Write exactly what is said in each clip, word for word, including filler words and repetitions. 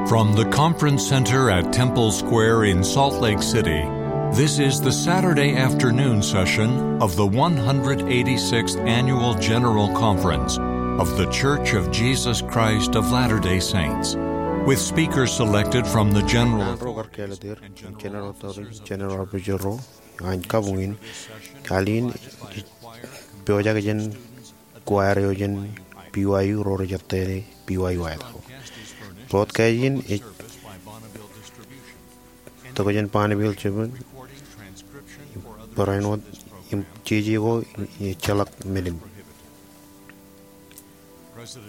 From the Conference Center at Temple Square in Salt Lake City, this is the Saturday afternoon session of the one hundred eighty-sixth Annual General Conference of The Church of Jesus Christ of Latter-day Saints, with speakers selected from the general. Ro kar kāālōt er, General Authority, General Officer ro, ñan kabuñ in, al in, pojak jān choir eo jān B Y U ro rej ettā B Y U Idaho. Wōt kajin ej tokjān Bonneville Distribution, barāinwōt im jeje ko ejjeḷọk men in.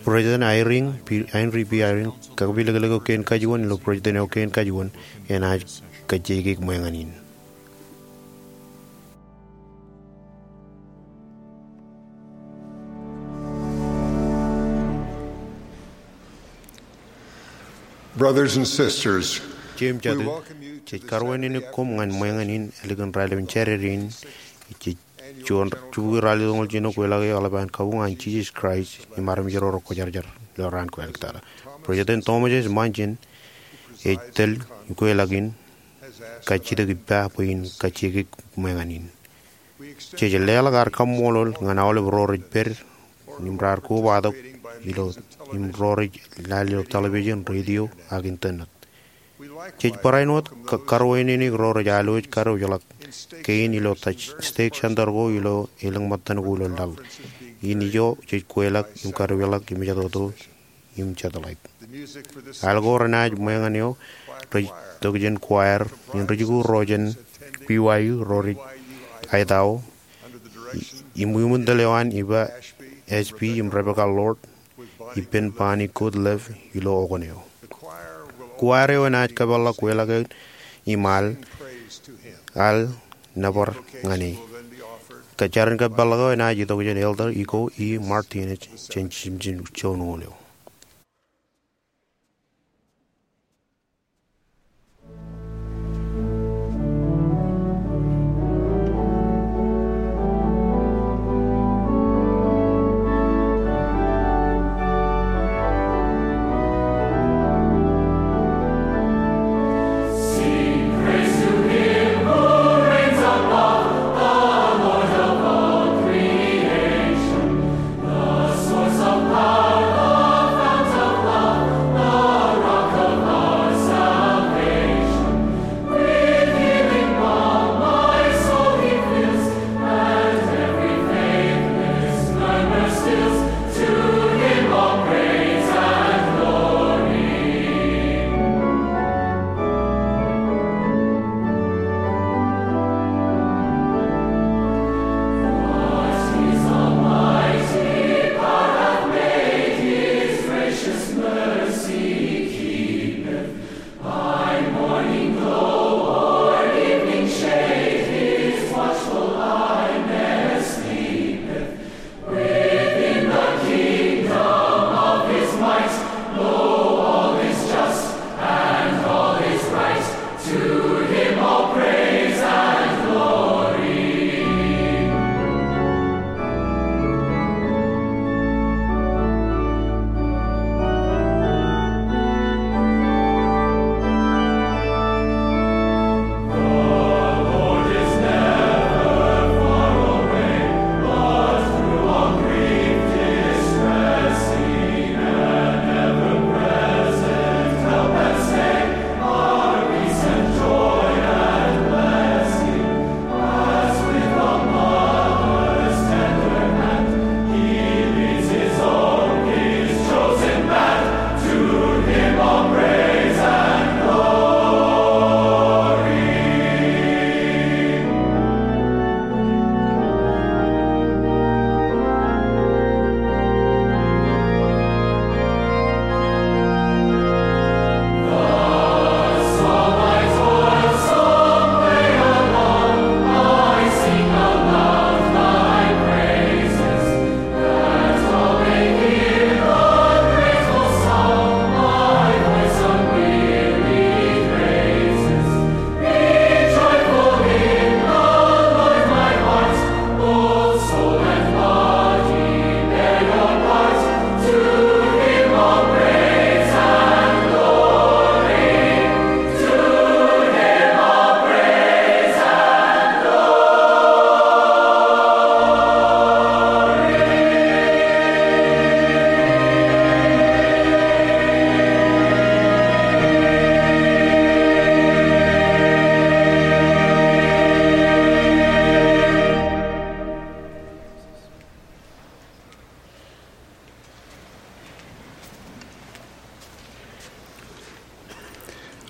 President Eyring, P-, Henry B. Eyring, kakpilōklōk eo kein kajuon ilo president eo kein kajuon enaaj kajjioñ ṃweñan in. Brothers and sisters, Jeiū im jatū, jej karuwaineneik koṃ ñan ṃweñan in ālikin raelepin Jādede in. Jej juon jibukwi ralitōñoul jiljino kweḷḷọk eḷap an kabuñ an Jisōs Kraist im armej ro rekwōjarjar ilo raan ko āliktata. President Thomas S. Monson ej tōl ikweḷḷọk in kajjitōk ippa bwe in kajjioñ ṃweñan in. Jej leḷọk ad kaṃṃoolol ñan aolep ro rej pād im raar kobatok ilo, im ro rej lale ilo television, radio, ak internet. Jej barāinwōt ka-, karuwaineneik ro rej alwōj kadewōjḷọk kein ilo ta-, stake center ko ilo elōñ ṃōttan ko ilo laḷ in. Ijo jej kweḷḷọk im kadewōjḷọk im jatōto im jatḷọk. Al ko renaaj ṃweñan eo rej tokjān choir in rej ko ro jān B Y U ro rej Idaho, im, im tōl eo an Eva Ashby im Rebecca Lord ippān Bonnie Goodlove ilo okōn eo. Choir eo enaaj kōpeḷḷọk kweḷḷọk eo im al, al nōbar ñan e. Kōn jar in kōpeḷḷọk eo enaaj itok jān Elder Iko E. Martinez jān jimjin joñoul eo.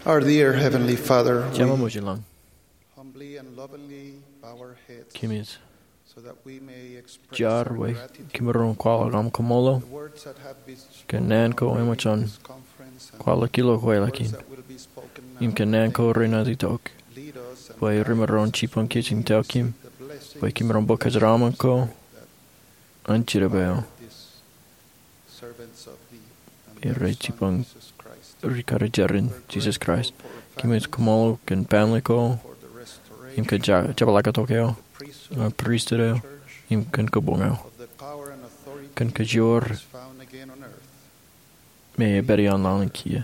Our dear Heavenly Father, Jema we Ṃōj i lañ, humbly and lovingly bow our heads kōmij so that we may express jar our bwe gratitude kōm maroñ kwaḷọk aṃ kaṃṃoolol in the words that have been spoken kōn naan ko already eṃōj in an this conference and kwaḷọk ilo kweilọk words in that will be spoken now. Im kōn naan ko renaaj itok lead us and bwe guide remaroñ us jibboñ kōj in tokjān kōm, the blessings bwe kōm maroñ bōk kōjeraṃṃan ko an jidep eo. Ij rej jibboñ rikaki jān Jisōs Kraist. Kōmij kaṃṃoolol kōn family ko im kōn jab-, jepḷaaktok eo, kōn priesthood eo, im kōn kabuñ eo. Kōn kajoor me ej pād ioon laḷ in kiiō,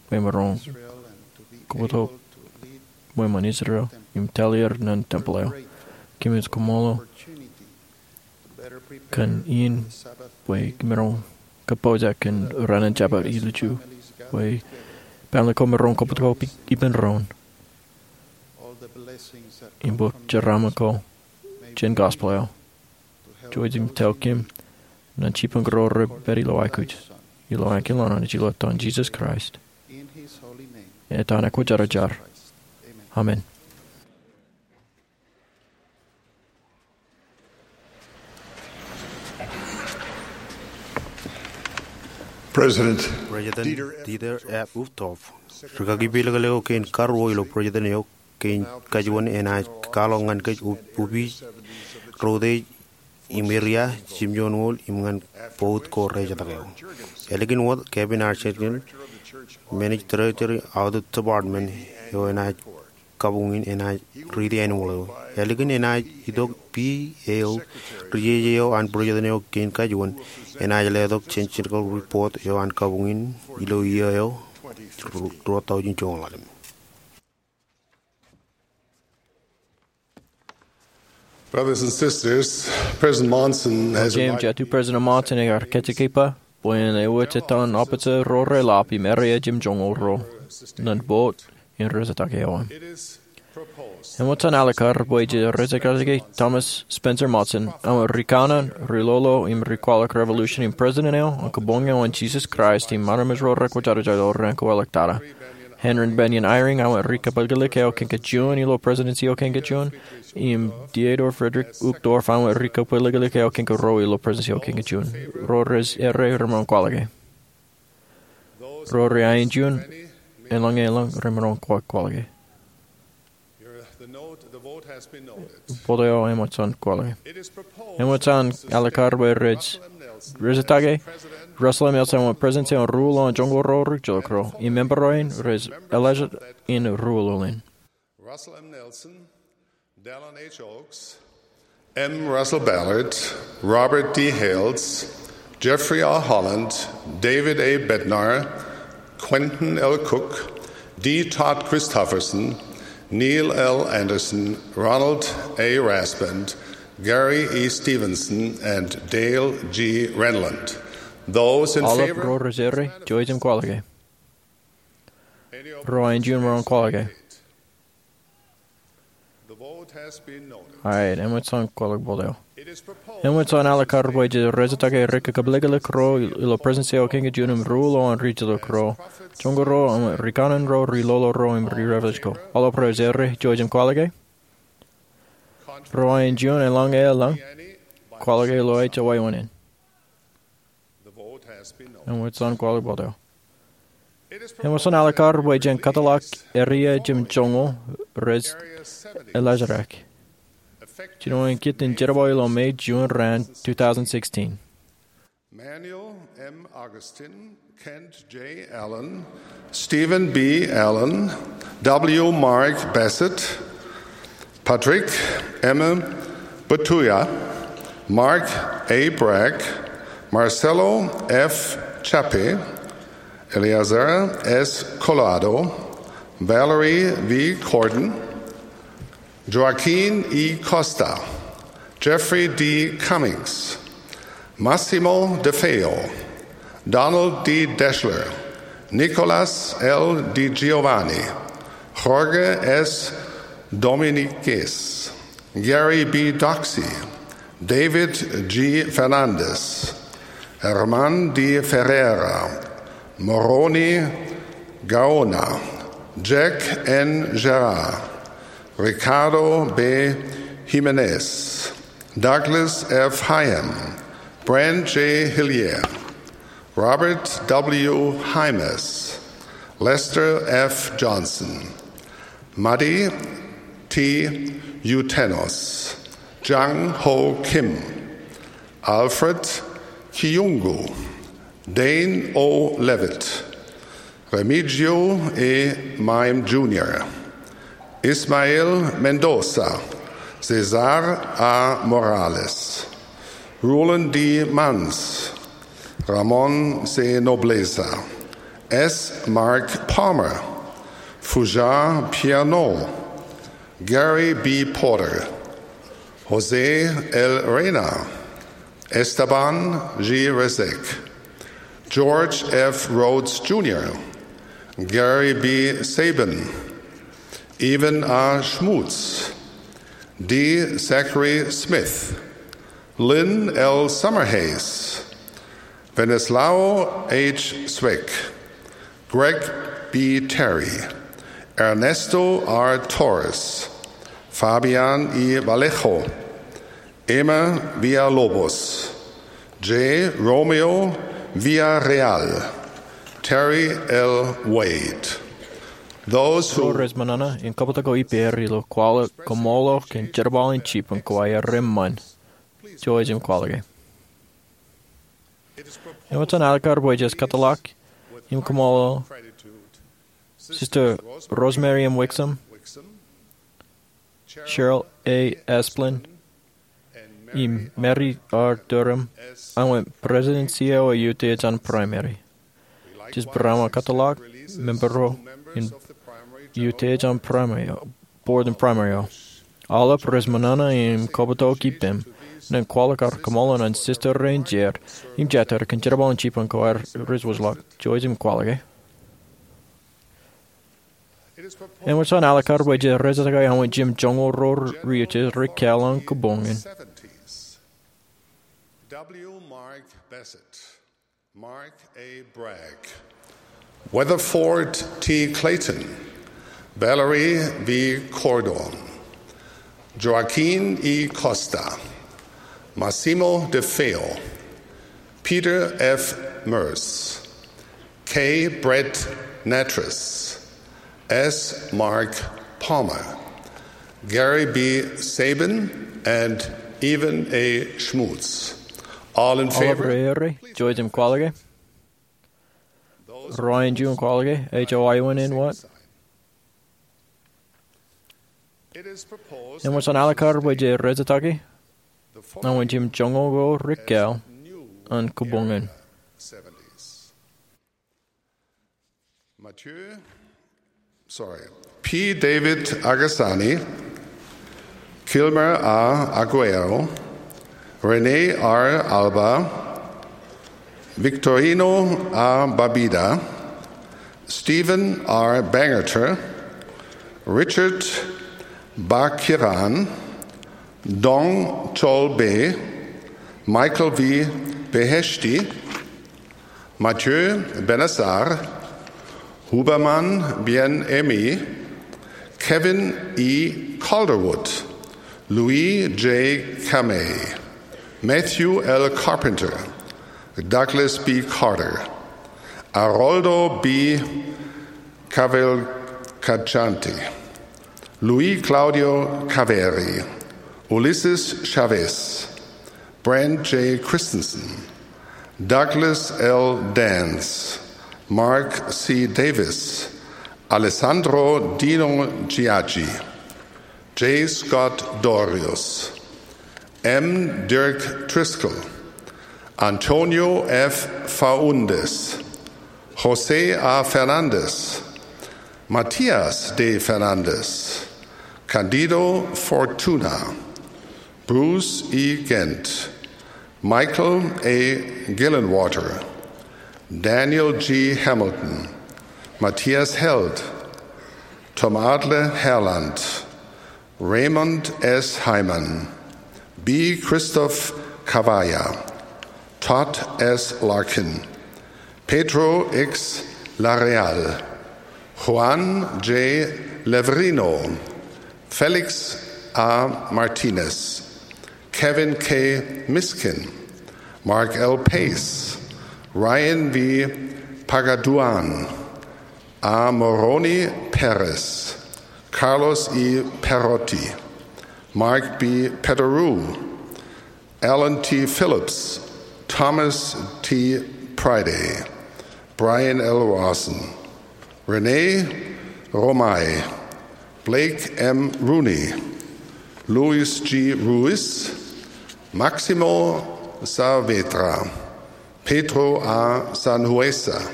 bwe emaroñ kobatok ṃweo ṃōn Israel im tōl er ñan tempel eo. Kōmij kaṃṃoolol kōn in bwe kōm maroñ kōpooj kōn raan in Jabōt Ilju, bwe family ko maroñ kobatok ippān doon im bōk jeraaṃṃan ko jān gospel eo. Jouj im tōl kōm ñan jibboñ ro rej pād ilo aikuj. Ilo aō kilen an, ij lo etan Jisōs Kraist, etan eo kwōjarjar. Amen. President President Dieter F. Uchtdorf, rikaki pelikḷọk eo kein karuo ilo President eo kein kajuon enaaj kwaḷọk ñan kōj ubi, utiej, im eria, jimjuonñoul im ñan bout ko rejetak eo. Ālikin wōt Kevin R. Shergill, Managing Director, Audit Department eo, enaaj kabuñ in enaaj riiti annual eo. Ālikin enaaj itok P. Hale, ri-jeje eo an President eo kein kajuon, enaaj letok jān General Report eo an kabuñ in ilo iiō eo ru-, ruo taujin joñoul ḷalem. Brothers and sisters, President Monson has Jeiū im jatū, President Monson ear kajjitōk bwe en ewōj etan officer ro reḷap im eria jimjuonñoul ro ñan bout in rejetak eo an. Eṃōj an alikkar bwe jej rejekajekaki Thomas Spencer Monson, aṃ rikanaan, ri-lolo im ri-kwaḷọk revolution im President eo an kabuñ eo an Jisōs Kraist im armej ro rekwōjarjar ilo raan ko eḷḷọk tata. Henry Bennion Eyring aṃ ri-kapeleklik eo kein kajuon ilo Presidency eo kein kajuon, im Theodore Frederick Uchtdorf aṃ ri-kapeleklik eo kein karuo ilo Presidency eo kein kajuon. Ro rej errā remaroñ kwaḷọke. Ro rej aenjein, eḷaññe eḷaññe remaroñ kwaḷọke. Bout eo eṃōj an kwaḷọke. Eṃōj an alikkar bwe rej rejektake Russell M. Nelson ṃōk President eo an Ruo ilo an Joñoul Ruo Rijjilōk Ruo, im member ro in rej eḷḷāḷọk in ruo ḷọk in. Russell M. Nelson, Dallin H. Oaks, M. Russell Ballard, Robert D. Hales, Jeffrey R. Holland, David A. Bednar, Quentin L. Cook, D. Todd Christofferson, Neil L. Andersen, Ronald A. Rasband, Gary E. Stevenson, and Dale G. Renlund. Those in favor? Aolep ro rej errā, jouj im kwaḷọke. Ro aenjein, remaroñ kwaḷọke. All right, eṃōj an kwaḷọk bout eo. Eṃōj an alikkar bwe jej rejektake ri-kapeleklik ro ilo Presidency eo kein kajuon im ruo ilo an rijjilōk ruo, joñoul ruo, im rikanaan ro, ri-lolo ro im ri-revelation ko. Aolep ro rej errā, jouj im kwaḷọke. Ro aenjein, eḷaññe eḷaññe, kwaḷọke ilo ejja wāween in. Eṃōj an kwaḷọk bout eo. Eṃōj an alikkar bwe jen kōtḷọk eria jimjuonñoul rej eḷḷāḷọk. Jinoin kōttan jerbal ilo May, June raan two thousand sixteen. Manuel M. Augustin, Kent J. Allen, Stephen B. Allen, W. Mark Bassett, Patrick M. Batuya, Mark A. Bragg, Marcelo F. Chappe, Eleazar S. Collado, Valerie V. Cordon, Joaquin E. Costa, Jeffrey D. Cummings, Massimo De Feo, Donald D. Deshler, Nicolas L. Di Giovanni, Jorge S. Dominguez, Gary B. Doxey, David G. Fernandez, Herman D. Ferreira, Moroni Gaona, Jack N. Gerard, Ricardo B. Jimenez, Douglas F. Hyam, Brent J. Hillier, Robert W. Hymas, Lester F. Johnson, Matti T. Jutenos, Jang Ho Kim, Alfred Kiyungu, Dane O. Leavitt, Remigio E. Meim Junior, Ismael Mendoza, Cesar A. Morales, Rulon D. Munns, Ramon C. Nobleza, S. Mark Palmer, Fuja Piano, Gary B. Porter, Jose L. Reina, Esteban G. Resek, George F. Rhodes Junior, Gary B. Sabin, Ivan A. Schmutz, D. Zachary Smith, Lynn L. Summerhays, Venislao H. Swick, Greg B. Terry, Ernesto R. Torres, Fabian E. Vallejo, Emma Villalobos, J. Romeo Villarreal, Terry L. Wade. Those who Ro rej ṃōṇōṇō in kabutak eo ippāer ilo kwaḷọk koṃṃool eo kōn jerbal in jibboñ ko aer reṃṃan. Jouj im kwaḷọke. Eṃōj an alikkar bwe jej kōtḷọk im koṃṃool Sister Rosemary M. Wixom, Cheryl A. Esplin, im Mary R. Durham, aṃ wōt President C E O eo iutiej an Primary. Jej būroṃō kōtḷọk member ro in iutiej an Primary eo, Board in Primary eo. Aolep rej ṃōṇōṇō im kabutak eo ippem, ñan kwaḷọk ad kōṃṃool ñan sister rein jeid im jatid kōn jerbal in jibboñ ko aer rej wōjḷọk. Jouj im kwaḷọke. Eṃōj an alikkar bwe jej rejjitōk aṃ wōt jimjuonñoul ro rej iutiej rikkāāl an kōbōñ in. W. Mark Bassett, Mark A. Bragg, Weatherford T. Clayton, Valerie V. Cordon, Joaquin E. Costa, Massimo De Feo, Peter F. Merce, K. Brett Nattress, S. Mark Palmer, Gary B. Sabin, and Ivan A. Schmutz. All in favor? Aolep ro rej errā, jouj im kwaḷọke. Ro rej juon kwaḷọke, ej wāween wōt. Eṃōj an alikkar bwe jej rejjitōk aṃ wōt jimjuonñoul ro rikkāāl an kōbōñ in. Mathieu, sorry, P. David Akasani, Kilmer A. Aguero, René R. Alba, Victorino A. Babida, Stephen R. Bangerter, Richard Bakiran, Dong Chol Be, Michael V. Beheshti, Mathieu Bennassar, Houbaman Bien-Aimé, Kevin E. Calderwood, Louis J. Kamei, Matthew L. Carpenter, Douglas B. Carter, Aroldo B. Cavalcante, Luis Claudio Caveri, Ulisses Chavez, Brent J. Christensen, Douglas L. Dance, Mark C. Davis, Alessandro Dino Giaggi, J. Scott Dorius, M. Dirk Driscoll, Antonio F. Faúndez, José A. Fernández, Matías D. Fernández, Cándido Fortuna, Bruce E. Gent, Michael A. Gillenwater, Daniel G. Hamilton, Matthias Held, Tom Atle Herland, Raymond S. Hyman, B. Christophe Cavalla, Todd S. Larkin, Pedro X. Larreal, Juan J. Levrino, Felix A. Martinez, Kevin K. Miskin, Mark L. Pace, Ryan V. Pagaduan, A. Moroni Perez, Carlos E. Perotti, Mark B. Peteru, Alan T. Phillips, Thomas T. Priday, Brian L. Rawson, Rene Romay, Blake M. Rooney, Luis G. Ruiz, Maximo Saavedra, Pedro A. Sanhueza,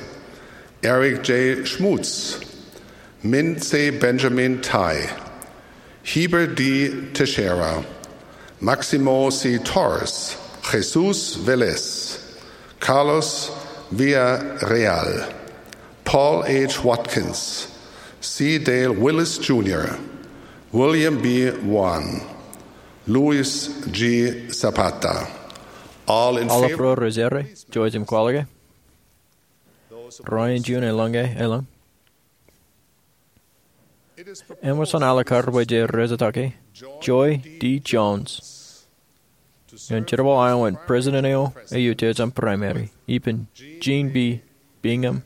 Eric J. Schmutz, Minse Benjamin Tai, Heber D. Teixeira, Maximo C. Torres, Jesus Velez, Carlos Villarreal, Paul H. Watkins, C. Dale Willis Junior, William B. Wan, Luis G. Zapata. All in favor? Aolep ro rej jerā, jouj im kwaḷọke. Ro eo juon elōñ ke elōñ. Eṃōj an alikkar bwe jej rejatake Joy D. Jones ñan jerbal eo an president eo eutiej an primary, ippān Jean B. Bingham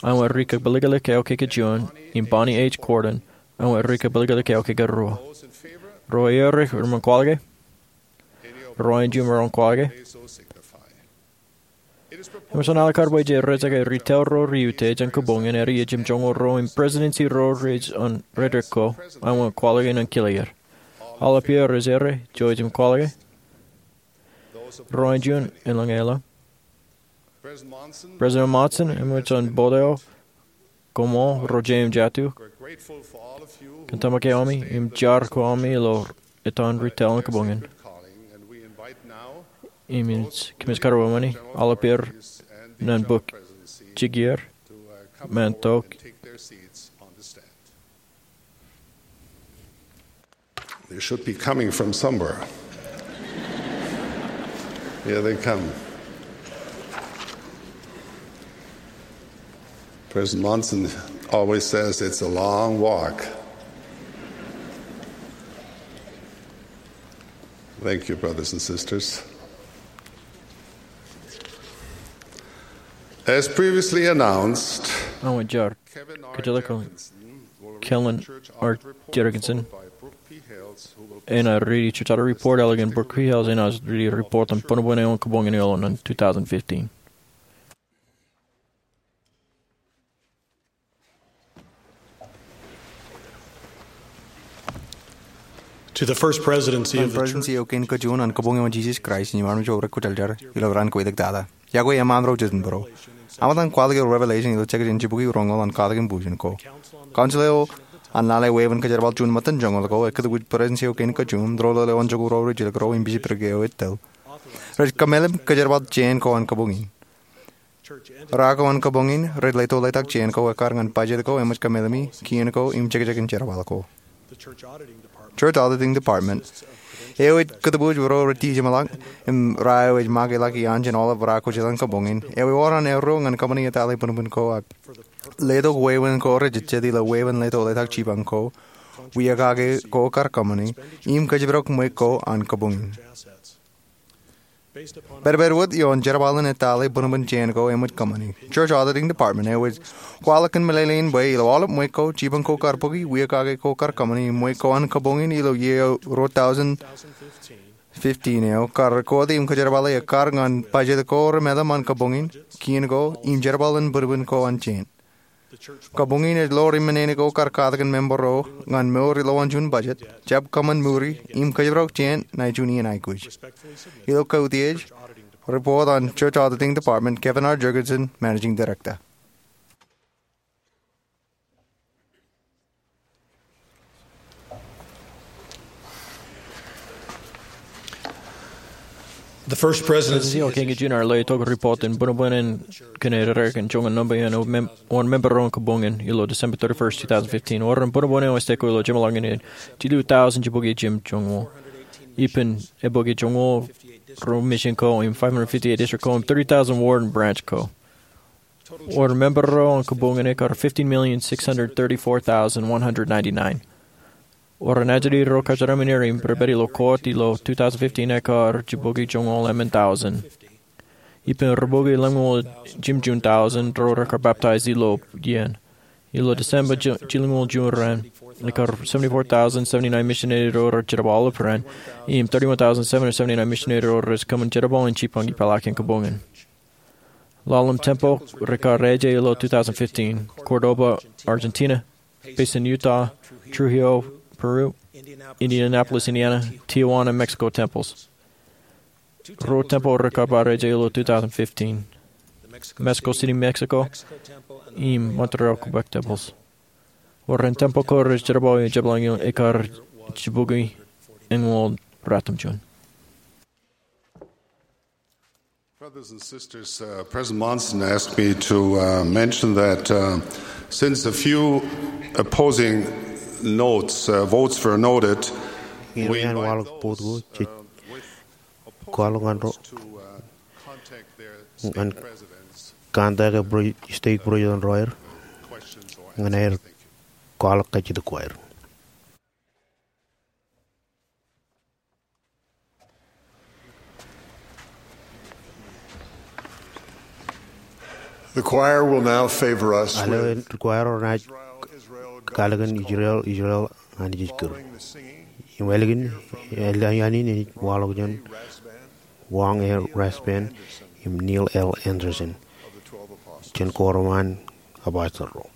eo an rikakpeliklik eo kekejuon, im Bonnie H. Cordon eo an rikakpeliklik eo kekeruo. Ro eo rej roñ kwaḷọke. Ro eo juon rej roñ kwaḷọke. Eṃōj an alikkar bwe jej rejatake ri taḷ ro reutiej an kabuñ in ālikin jimjuonñoul ro im presidency ro rej an redrik ko, eo an kwaḷọke ñan kile er. Aolep eo rej jerā, jouj im kwaḷọke. Ro eo juon elōñ ke elōñ. President Monson, eṃōj an bout eo koṃṃool ro jeiū im jatū, kōn tōmak eo ami im jar ko ami ilo ettōr ri taḷ in kabuñ in. Im kōmij karuo ṃani aolep er ñan bōk jikier, men tok. They should be coming from somewhere. Here they come. President Monson always says it's a long walk. Thank you, brothers and sisters. As previously announced, eo an jar, kōjatdikdik, Kevin R. Jergensen enaaj riiti church audit report, ālikin Brooke P. Hales enaaj riiti report an buñbuñ eo an kabuñ in ilo ṇe in two thousand fifteen. To the First Presidency of the Church. Presidency eo kein kajuon an kabuñ eo an Jesus Christ in armej ro rej kwōjarjar ilo raan kweilọk tata. Iọkwe eṃṃan ro jet in bōro. Aṃ etan kwaḷọk ilo Revelation ilo jekjek in jibukwi roñoul an katak in bujen ko. Council eo an lale wāween kōjerbal juon ṃōttan joñoul ko, ekkā kōtōpij Presidency eo kein kajuon, doḷoḷ eo an jokwe ro rijjilōk ro im bishopric eo ej tōl, rej kōmeḷeḷe kōjerbal jān ko an kabuñ in. Ra ko an kabuñ in rej leto letak jān ko ekkar ñan budget ko, eṃōj kōmeḷeḷe kien ko im jekjek in jerbal ko. Church Auditing Department eo ej kōtōpij ro rej tijeṃḷọk im ra eo ej make ḷọk iaan jān aolep ra kwōjeḷā an kabuñ in eo ewōr an erro ñan company etale buñbuñ ko ak letok wāween ko rejejjet ilo wāween leto letak jipañ ko, wia kake ko kar company, im kōjparok ṃweiuk ko an kabuñ in. Pedped wōt ioon jerbal in etale buñbuñ jān ko eṃōj company, Church Auditing Department eo ej kwaḷọk kōn meḷeḷein bwe ilo aolep ṃweiuk ko, jipañ ko kar bōki, wia kake ko kar company, ṃweiuk ko an kabuñ in ilo iiō eo ruo thousand fifteen eo kar record im kōjerbale ekkar ñan budget ko remeḷeḷe an kabuñ in, kien ko, im jerbal in buñbuñ ko an jān. Kabuñ in ej lo ri men in ko kar katakin member ro ñan mour ilowaan juon budget, jab kōṃṃan mour im kōjparok jān ṇa eo juon iien aikuj. Ilo kautiej, report an Church Auditing Department, Kevin R. Jergensen, Managing Director. The First Presidency eo kein kajuon ear letok report in buñbuñ in kōn aer kōn joñan nōṃba in wōn member ro an kabuñ in ilo December thirty-first, two thousand fifteen. Wōr in buñbuñ eo ej stake ilo jemḷọkin jilu thousand jibukwi jimjuonñoul, ippān ebukwi joñoul ruo mission ko im five hundred fifty-eight district ko im thirty thousand ward and branch ko. Wōr member ro an kōbuñ in ekar fifteen million six hundred thirty-four thousand one hundred ninety-nine. Wōr an ajri ro kōjeraaṃṃan er im pād ilo court ilo two thousand fifteen ekar jibukwi joñoul emān thousand. Ippān ribukwi ḷemñoul jimjuon thousand ro rekar baptize ilo iien. Ilo December jilñoul juon raṇ, ekar seventy-four thousand seventy-nine misineri ro rej jerbal aolep raṇ, im thirty-one thousand seven hundred seventy-nine misineri ro rej kōṃṃan jerbal in jipañ ipeḷaakin kōbuñ in. Ḷalem tempel rekar eje ilo two thousand fifteen, Cordoba, Argentina, Payson, Utah, Trujillo, Peru, Indianapolis, Indiana, Tijuana, Mexico temples. Ruo tempel rekar bar eje ilo two thousand fifteen, Mexico City, Mexico, im Monterrey, Quebec temples. Wōr an tempel ko rej jerbal ilo jepḷañin ekar jibukwi eñoul ratimjuon. Brothers and sisters, uh, President Monson asked me to, uh, mention that, uh, since a few opposing notes, uh, votes were noted, we invite those, uh, with opposing votes to, uh, contact their state presidents, contact a pre-, state president ro aer, questions or ñan aer kwaḷọk kajjitōk ko aer. The choir will now favor us with Ālikin, choir eo enaaj Israel, Israel, God, kalōk in Israel, Israel, Israel, Anij ej kūr. Following the singing, im ālikin, ālikin in enaaj waḷọk jān Wong A. Rasband im Neil L. Andersen jān Koṃṃool an Apostol ro.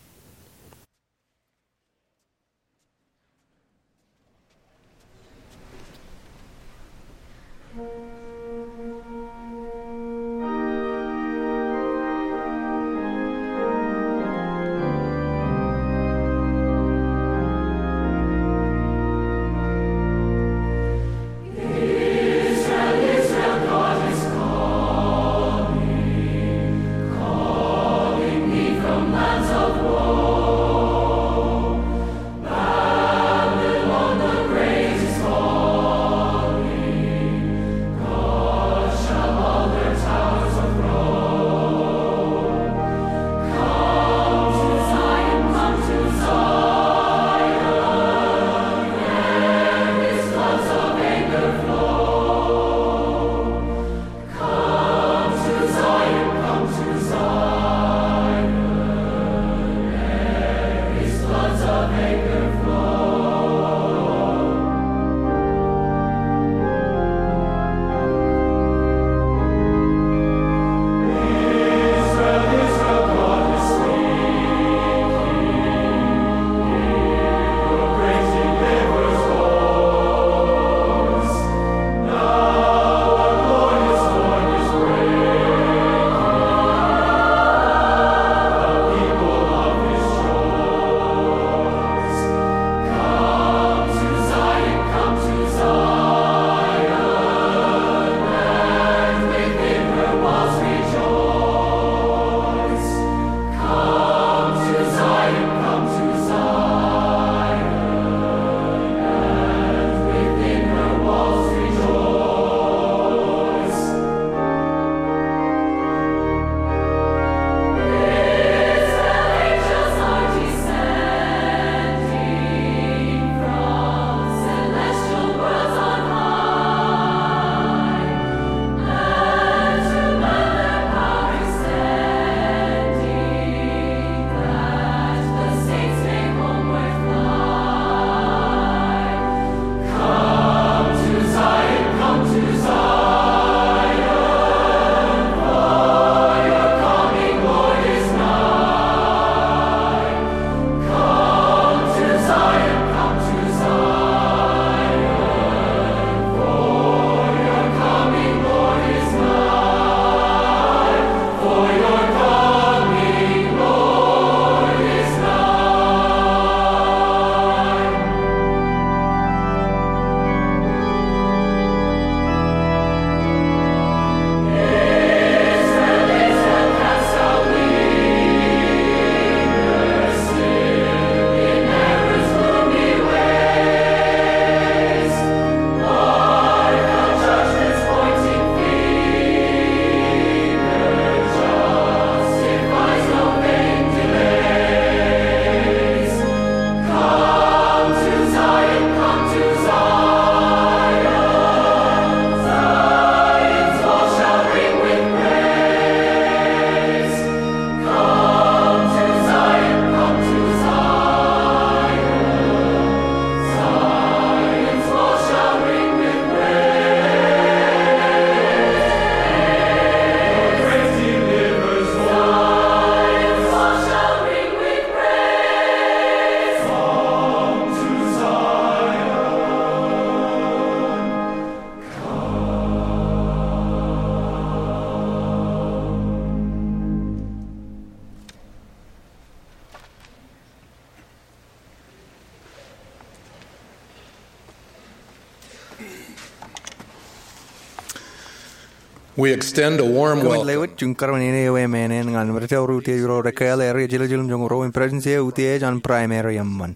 We extend a warm Kōmij welcome. Lewōj juon kōrā in eo emān ñan ri tōre utiej ro rekāāl area jiljilimjuonñoul ruo im Presidency eo utiej an Primary eṃṃan.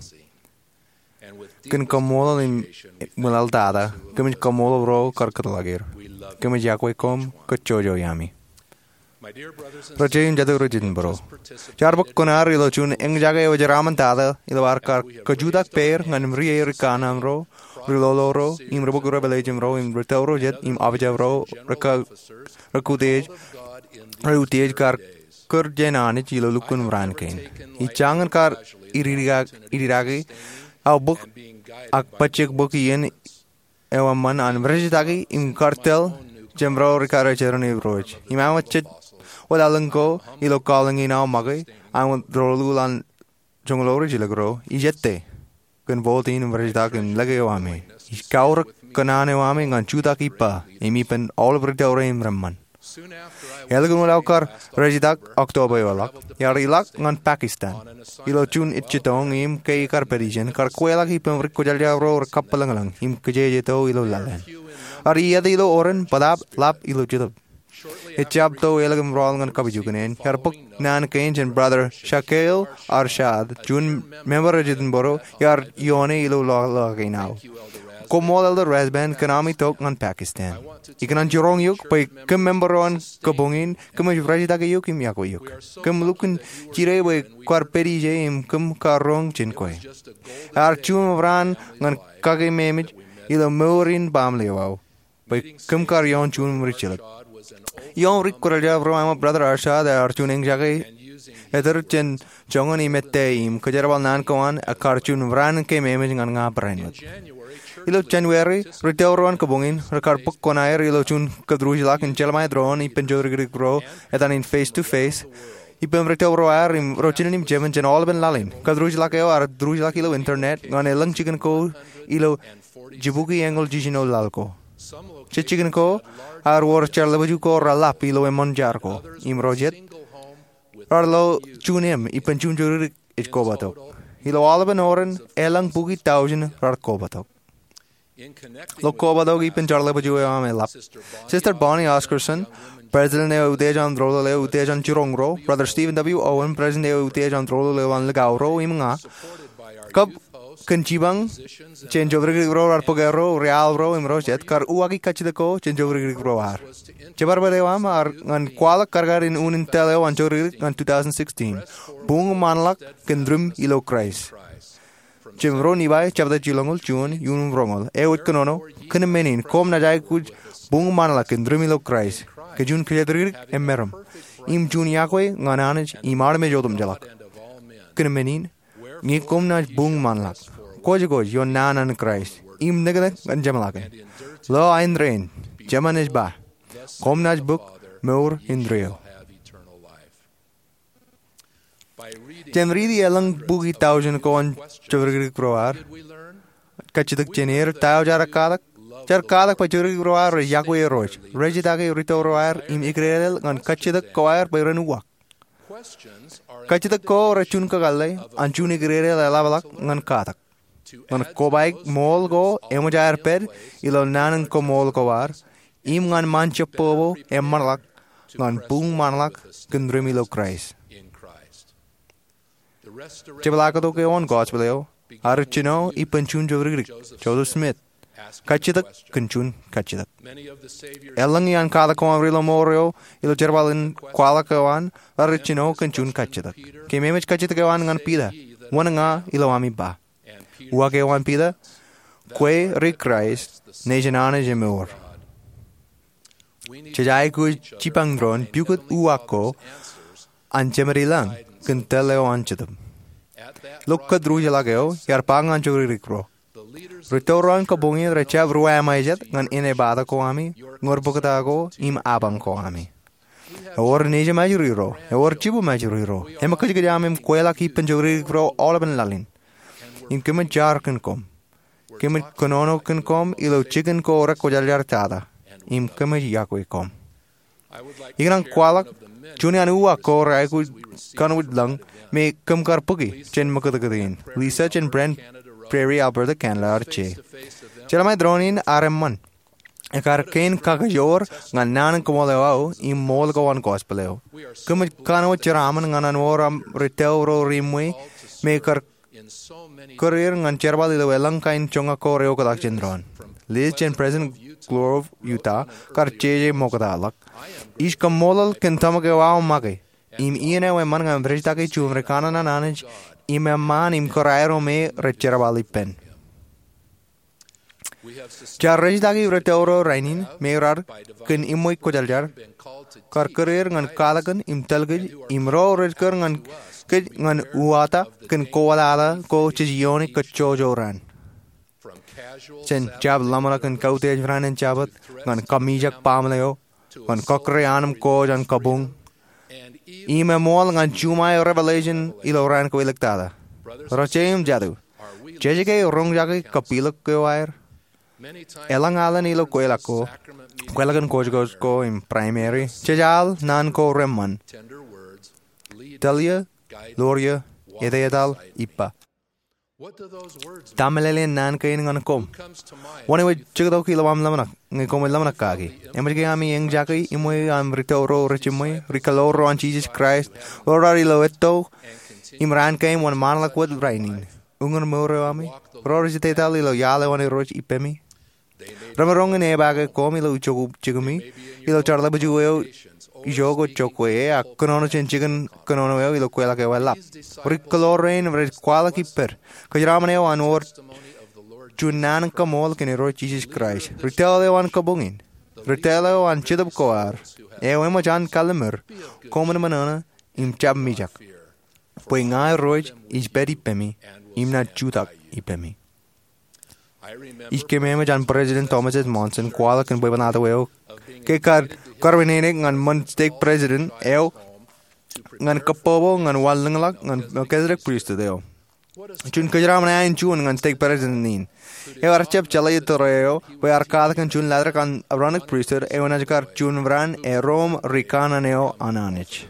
Kōn kaṃṃoolol im ṃwilaḷ tata, kōmij kaṃṃoolol ro kar kōtḷọk er. Kōmij iọkwe koṃ kōj jojo iaami. Ro jet im jatū ro jitōnbōro, jaar bōk kuṇaer ilo juon eñjake eo jeraaṃṃan tata ilo ad kar kajutak peier ñan ri-erik kanaan ro, ri-lolo ro im ri bōk ri-pālle ijin ro im ri tōre jet im aujab ro rekā, rej utiej, rej utiej kar kūr jān Anij ilo lukkuun raan kein. Ij jañin kar ididake, ididake aō bōk ak pojak bōk iien eo eṃṃan an rejjitōk im kar tōl jān ro ri-karijeran Irooj. Im aṃ jet wōtlọk ko ilo calling in aō make, aṃ wōt rōluuḷ an joñoul rijjilōk ro, ij ettā kōn vote in im rejjitōk im lōke eo ami. Ij kaorōk kōṇaan eo ami ñan jutak ippa im ippān aolep ri tōre im reṃṃan. Ālikin wōt aō kar rejjitōk October eo ḷọk, iar ilọk ñan Pakistan ilo juon ejjitōñ im ke ikar pād ijeṇ, kar kweilọk ippān ri kwōjarjar ro rekabwilōñlōñ im kajjitōk ilo laḷ eṇ. Iar iiet ilo oren bōtaab ḷap ilo Jetōb. Ejjab to ālikin rọọl ñan kapijuknen, iar bōk naan kein jān Brother Shakeel Arshad, juon member eo jitōnbōro, iar ioone ilo lọlọk in aō. Koṃṃool Elder Rasband kōn ami tok ñan Pakistan. Ikōṇaan jiroñ eok bwe kōm member eo an kabuñ in, kōmij rejjitōk eok im iọkwe eok. Kōm lukkuun jide bwe kwaar pād ije im kōm kar roñ jān kwe. Ear juon raan ñan kake memeej ilo mour in baaṃle eo aō bwe kōm kar ioon juon rijjilōk. Ioon ri kwōjarjar ro eo aṃ, Brother Arshad ear juon eñjake etōr jān joñan im ettā im kōjerbal naan ko an ekar juon raan ke memeej ñan ña barāinwōt. Ilo January, ri tōre eo an kabuñ in rekar bōk kuṇaer ilo juon kōtruijḷọk in jelṃae doon ippān jodikdik ro etan in face to face ippān ri tōre ro aer im ro jinen im jemān jān aolepen laḷ in. Kōtruijḷọk eo ear tūrijḷọk ilo internet ñan elōñ jikin ko ilo jibukwi eñoul jiljino laḷ ko. Jet jikin ko ear wōr jeḷḷapju ko reḷap ilo eṃṃan jar ko. Im ro jet raar lo juon eṃ ippān juon jodikdik ej kobatok. Ilo aolepen oren elōñ bukwi tọujin raar kobatok. Ilo kobatok ippān jeḷḷapju eo aṃ eḷap, Sister Bonnie Oscarson, President eo utiej an Rōlul eo utiej an jiroñ ro, Brother Stephen W. Owen, President eo utiej an Rōlul eo an likao ro, im ña, kab kōn jipañ jān jodikdik ro raar bōk erro, ri-al ro im ro jet kar uwaaki kajjitōk ko jān jodikdik ro ad. Jibadbad eo aṃ ear ñan kwaḷọk karkar in unin tōl eo an jodikdik ñan two thousand sixteen, Buñmanḷọk kōn Rim ilo Kraist. Jān ro Nifai jebta jilñoul juon iuun roñoul, eo ej kōnono, kōn men in koṃ naaj aikuj buñmanḷọk kōn rim ilo Kraist, kōn juon kōjatdikdik im meram, im juon iọkwe ñan Anij im armej otemjeḷọk. Kōn men in, ñe koṃ naaj buñmanḷọk, kwōjkwōj ioon naan an Kraist, im neknek ñan jeṃḷọkin. Lo ain rainin, Jemān ej ba, koṃ naaj bōk mour indeeo. Jān riiti elōñ bukwi tọujin ko an jodikdik ro ad, kajjitōk jān er, ta eo jaar katak? Jaar katak bwe jodikdik ro ad rej iọkwe Irooj, rej jitake ri tōre ro ad im eklejlel ñan kajjitōk ko ad bwe ren uwaak. Kajjitōk ko rej juon kakōḷḷe an juon eklejlel eḷapḷọk ñan katak. Ñan kobaik ṃool ko eṃōj aer pād ilo naan in koṃṃool ko ad, im ñan ṃaan jebbobo eṃṃanḷọk ñan buñmanḷọk kōn rim ilo Kraist. Jepḷaaktok eo an gospel eo ear jino ippān juon jodikdik, Joseph Smith, kajjitōk kōn juon kajjitōk. Elōñ iaan katak ko an ri-lọmọọr eo ilo jerbal in kwaḷọk eo an raar jino kōn juon kajjitōk. Keememej kajjitōk eo an ñan Piter, wōn ña ilo ami ba? Uwaak eo an Piter, kwe ri-Kraist nejin Anij emour. Jej aikuj jipañ doon pukot uwaak ko an Jemedilōñ kōn tōl eo an Jetōb. Ilo kōtruijḷọk eo, iar ba ñan jodikdik ro, ri tōre ro an kabuñ in rej jab ruwamāejet ñan enaaj bōktok ko ami, ñorbōktok ko im apañ ko ami. Ewōr nejūṃ ajri ro, ewōr jibūṃ ajri ro, eṃōkajkōj aṃ im kweilọk ippān jodikdik ro aolepen laḷ in. Im kōmij jar kōn koṃ. Kōmij kōnono kōn koṃ ilo jikin ko rekwōjarjar tata. Im kōmij iọkwe koṃ. Ikōṇaan kwaḷọk juon iaan uwaak ko rej aikuj kanooj lōñ me kōm kar bōki jān ṃōkōtōktō in. Lisa jān Brant Prairie, Alberta, Canada ear je. Jelṃae doon in ear eṃṃan. Ekar kein kakajoor ñan naan in koṃṃool eo aō im ṃool ko an gospel eo. Kōmij kanooj jeraaṃṃan ñan an wōr aṃ ri tōl ro reṃṃe me kar kūr er ñan jerbal ilo elōñ kain joñak ko reoktak jān doon. Liz jān Pleasant Grove, Utah kar jeje ṃokta ḷọk. Ij kaṃṃoolol kōn tōmak eo aō make im iien eo eṃṃan ñan rej jitōnñoul juon ri kanaan an Anij im eṃṃaan im kūr aerro me rej jerbal ippān. Jaar rej jitōnñoul ri tōl ro rainin me raar kōn eṃṃan kwōjarjar kar kūr er ñan katakin im tōl kōj im ro rej kūr ñan kōj ñan uwaak kōn kōwōtlọk ko jej iioon kōj jojo raan. Jān jab ḷōmṇak kōn kautiej raan in Jabōt ñan kamijak baaṃle eo ñan kọkkure an im kōj an kabuñ im eṃool ñan juṃae revelation ilo raan ko iliktata. Ro jet im jatū, jej ke roñjake kapilōk eo aer? Elōñ alen ilo kweilọk ko, kweilọk in kōjkōj ko im primary, jej al naan ko reṃṃan: Tōl eō, lor eō, etetal, ippa. Ta meḷeḷein naan kein ñan koṃ? Wōn eo ej jektok ilo aṃ ḷōmṇak ñe koṃij ḷōmṇak kaki? Eṃōj ke ami eñjake eṃṃan aṃ ri tōl ro rejiṃwe, ri kōḷoor ro an Jisōs Kraist ro raar ilo etto im raan kein wōn ṃaanḷọk wōt rainin? Uñūr mour eo ami, ro rej etetal ilo iaḷ eo an Irooj ippemi? Remaroñ in epaake koṃ ilo ijo ko jikimi, ilo jar ḷapḷap eo ijo ko jokwe e, ak kōnono jān jikin kōnono eo ilo kweilọk eo eḷap. Ri kōḷoor rein rej kwaḷọk ippād kōjeraṃṃan eo an wōr juon naan in kaṃṃool kōn Irooj Jisōs Kraist. Ri tōl eo an kabuñ in, ri tōl eo an Jetōb ko ad, eo eṃōj an kallimur koṃwin ṃōṇōṇō im jab mijak, bwe ña Irooj ij pād ippemi im naaj jutak ippemi. Ij keememej an President Thomas S. Monson kwaḷọk kōn bwebwenato eo ke kar, kar wānōk ñan ṃōn stake president eo ñan kōpopo ñan wanlōñḷọk ñan Melchizedek Priesthood eo. Juon kōjeraṃṃan eo an juon ñan stake president in, eo ear jab jeḷā tōre eo bwe ear katakin juon latrōk an Aaronic Priesthood eo enaaj kar juon raan erom ri kanaan eo an Anij.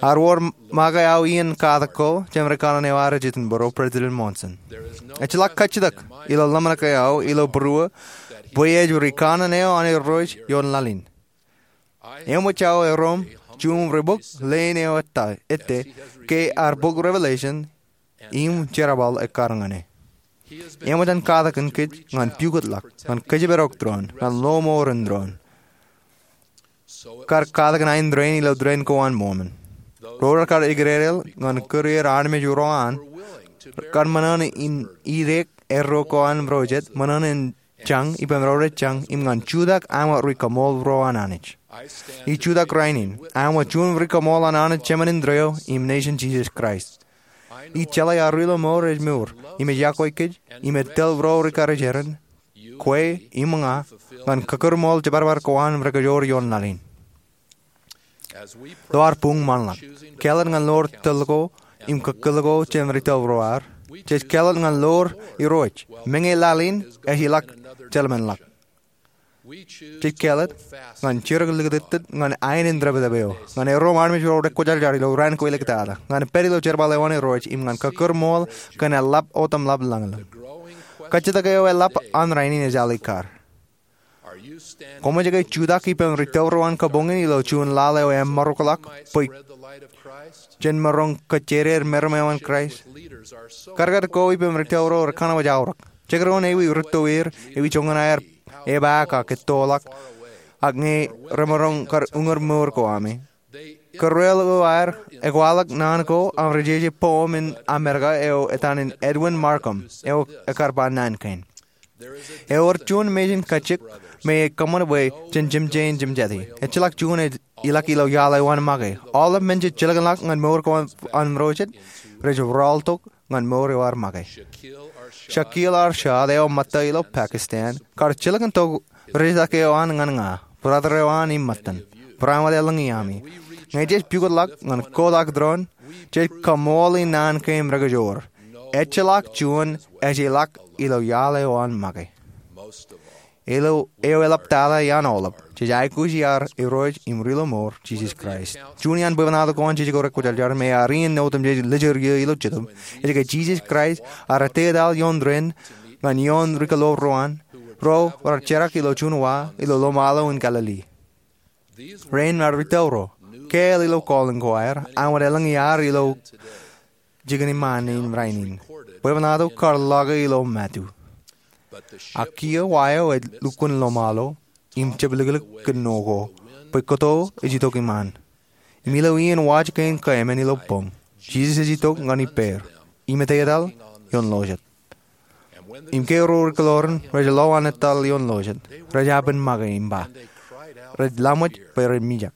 Ear wōr make aō iien katak ko jān ri kanaan eo ad ej itok bōro President Monson. Ejjeḷọk kajjitōk ilo ḷōmṇak eo aō ilo būruō bwe ej ri kanaan eo an Irooj ioon laḷ in. Eṃōj aō erom juon ri bok leen eo ettā, ettā, ke ear bok Revelation im jerbal ekkar ñan e. Eṃōj an katakin kōj ñan pukot ḷọk, ñan kōjparok doon, ñan lọmọọren doon. Kar katakin ain rein ilo dān ko an Mormon. Ro rekar ekidedeḷọk ñan kūr er armej ro an, kar ṃōṇōṇō in ideek erro ko an ro jet, ṃōṇōṇō in jañ ippān ro rej jañ im ñan jutak aṃ ri kaṃool ro an Anij. Ij jutak rainin aṃ juon ri kaṃool an Anij Jemān in Tōre eo im Nation Jisōs Kraist. Ij jeḷā aō ri lọmọọr ej mour im ej yokwe kōj im ej tōl ro ri karijeran, kwe im ña, ñan kōkūrṃool jebadbad ko an rekajoor ioon laḷ in. Ilo ad buñ ṃaanḷọk, kāālōt ñan lor tōl ko im kōkkuḷ ko jān ri tōl ro ad, jej kāālōt ñan lor Irooj, meñe laḷ in ej ilọk jilkinḷọk. Jej kāālōt ñan jidik likūtūtūt ñan aenōṃṃan tōptōp eo, ñan erom armej ro rekwōjarjar ilo raan ko iliktata, ñan pād ilo jerbal eo an Irooj im ñan kōkūrṃool kōn eḷap otemḷap lañlōñ. Kajjitōk eo eḷap an rainin ej alikkar. Koṃij ke jutak ippān ri tōl ro an kabuñ in ilo juon laḷ eo emaroñḷọk bwe jen maroñ kajjitōk meram eo an Kraist? Kadkad ko ippān ri tōl ro rekanooj aorōk. Jekdọọn ewi rūtto er, ewi joñan aer epaak ak ettoḷọk, ak ñe remaroñ kar uñūr mour ko ami. Kōrreoḷ ko aer ekwaḷọk naan ko aṃ ri jeje poem in Amerika eo etan in Edwin Markham eo ekar ba naan kein. Ewōr juon mejān kajjitōk me ej kōṃṃan bwe jen jemjein jemjeti. Ejjeḷọk juon ej ilọk ilo iaḷ eo an make. Aolep men jej jilkinḷọk ñan mour ko an ro jet rej rọọltok ñan mour eo ad make. Shakeel Arshad eo ṃōtta ilo Pakistan kar jilkintok ri-jitōk eo an ñan ña, brother eo an im ṃōttan, barāinwōt elōñ iaami. Ñe jej pukotḷọk ñan kotak doon, jej kaṃool in naan kein rekajoor. Ejjeḷọk juon ej ilọk ilo iaḷ eo an make. Eo eḷaptata iaan aolep, jej aikuji ad Irooj im ri lọmọọr, Jisōs Kraist. Juon iaan bwebwenato ko an Jisōs ko rekwōjarjar me ear iien otemjej lijjor iiō ilo Jetōb ej ke Jisōs Kraist ear etetal ioon tōre in ñan ioon ri kōḷoor ro an, Ro rar jerak ilo juon wa ilo lomalo in Galili. Rein rar rūtto ro, kāāl ilo calling ko aer, ak wōt elōñ iaar ilo jikin iṃaan in rainin. Bwebwenato kar lọke ilo Matu. Ak kiiō wa eo ej lukkuun lomalo im jepliklik kōn noo ko, bwe kōto ej itok iṃaan. Im ilo iien waj kein kaemān ilo boñ, Jisōs ej itok ñan ippāer im etetal ioon lojet. Im ke ro rūkōloran rej lo an etal ioon lojet, rej apen make im ba, rej laṃōj bwe ren mijak.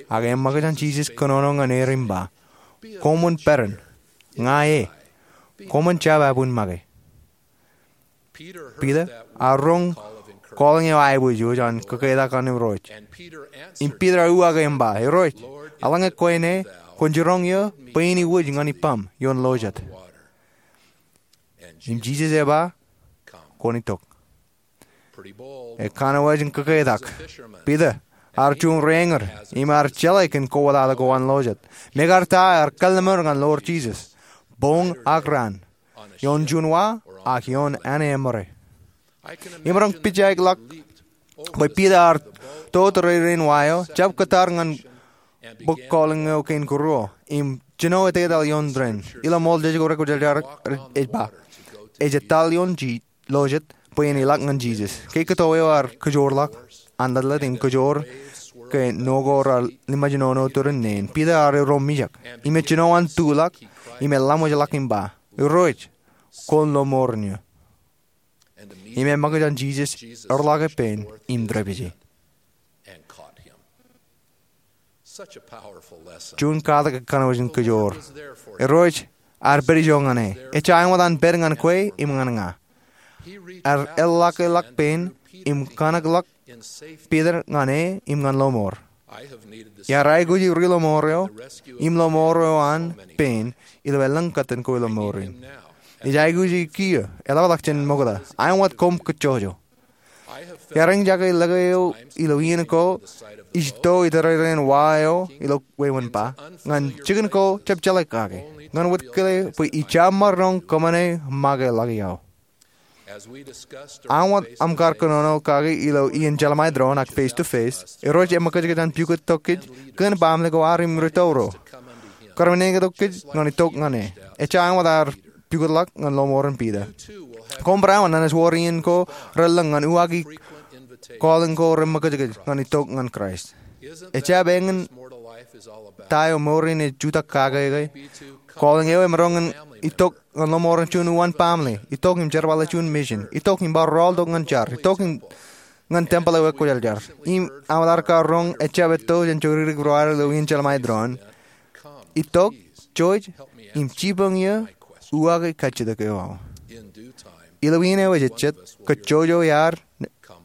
Ak eṃṃakūt an Jisōs kōnono ñan er im ba, koṃwin peran, ña e, koṃwin jab abuñmake. Piter ear roñ calling eo aiboojoj an kōketak an Irooj. Im Piter ear uwaake im ba, Irooj, eḷaññe kwe ṇe, kwōn jiroñ eō bwe in iwōj ñan ippaṃ ioon lojet. Im Jisōs ej ba, kwōn itok. Ekanooj in kōketak. Piter ear juon reañūr im ear jeḷā kōn kowōtata ko an lojet. Mekarta ear kallimur ñan Lord Jisōs, boñ ak raan, ioon juon wa ak ioon āne emmōrā. Imaroñ pijak ḷọk bwe Piter ear to tōrerein wa eo, jab kōttar ñan bok calling eo kein kōruo, im jino etetal ioon tren. Ilo ṃool Jetōb Kwōjarjar ej ba, ej etal ioon lojet bwe en ilọk ñan Jisōs. Ke kōto eo ear kōjoor ḷọk an lōtlōt im kōjoor ke noo ko rar liṃajnono turin neen, Piter ear ro mijak, im ej jino an tuḷọk, im elaṃōj ḷọk im ba, Irooj, kwōn lọmọọren eō. Im eṃṃakūt an Jisōs erḷọk ippān im tōre pije. Juon katak ekanooj in kōjoor. Irooj ear pād ijo ñan e. Ejja āinwōt an pād ñan kwe im ñan ña. Ear eḷḷọkḷọk pein im kanōkḷọk Piter ñan e im ñan lọmọọr. Iar aikuji ri-lọmọọr eo im lọmọọr eo an pein ilo elōñ kōttan ko ilo mour in. Ij aikuji kiiō, eḷapḷọk jān ṃokta, āinwōt koṃ kōjjojo. Iar eñjake lōke eo ilo iien ko ij to itōrerein wa eo ilo wāween ba, ñan jikin ko jab jeḷā kake, ñan wōt kile bwe ij jab maroñ kōṃṃane make ḷọk iaḷ. Āinwōt aṃ kar kōnono kake ilo iien jeḷāṃae doon ak face to face, Irooj eṃōkajkōj an pukot tok kōj kōn baaṃle ko ad im rūtto ro. Kar meñe tok kōj ñan itok ñan e. Ejja āinwōt ear pukotḷọk ñan lọmọọren Piter. Koṃ bar awa nañinwōt iien ko relōñ ñan uwaaki calling ko reṃōkajkōj ñan itok ñan Kraist. Ejjab eñin ta eo mour in ej jutak kake ke. Calling eo emaroñ in itok ñan lọmọọren juon uwaan baaṃle, itok im jerbale juon mission, itok im bar rọọltok ñan jar, itok im ñan tempel eo ekwōjarjar. Im aṃ kar roñ ejjab etto jān jokdikdik ro ad ilo iien jeḷāṃae doon. Itok, joj, im jipañ eō uwaake kajjitōk eo aṃ. Ilo iien eo ejejjet, kōjjojo iaad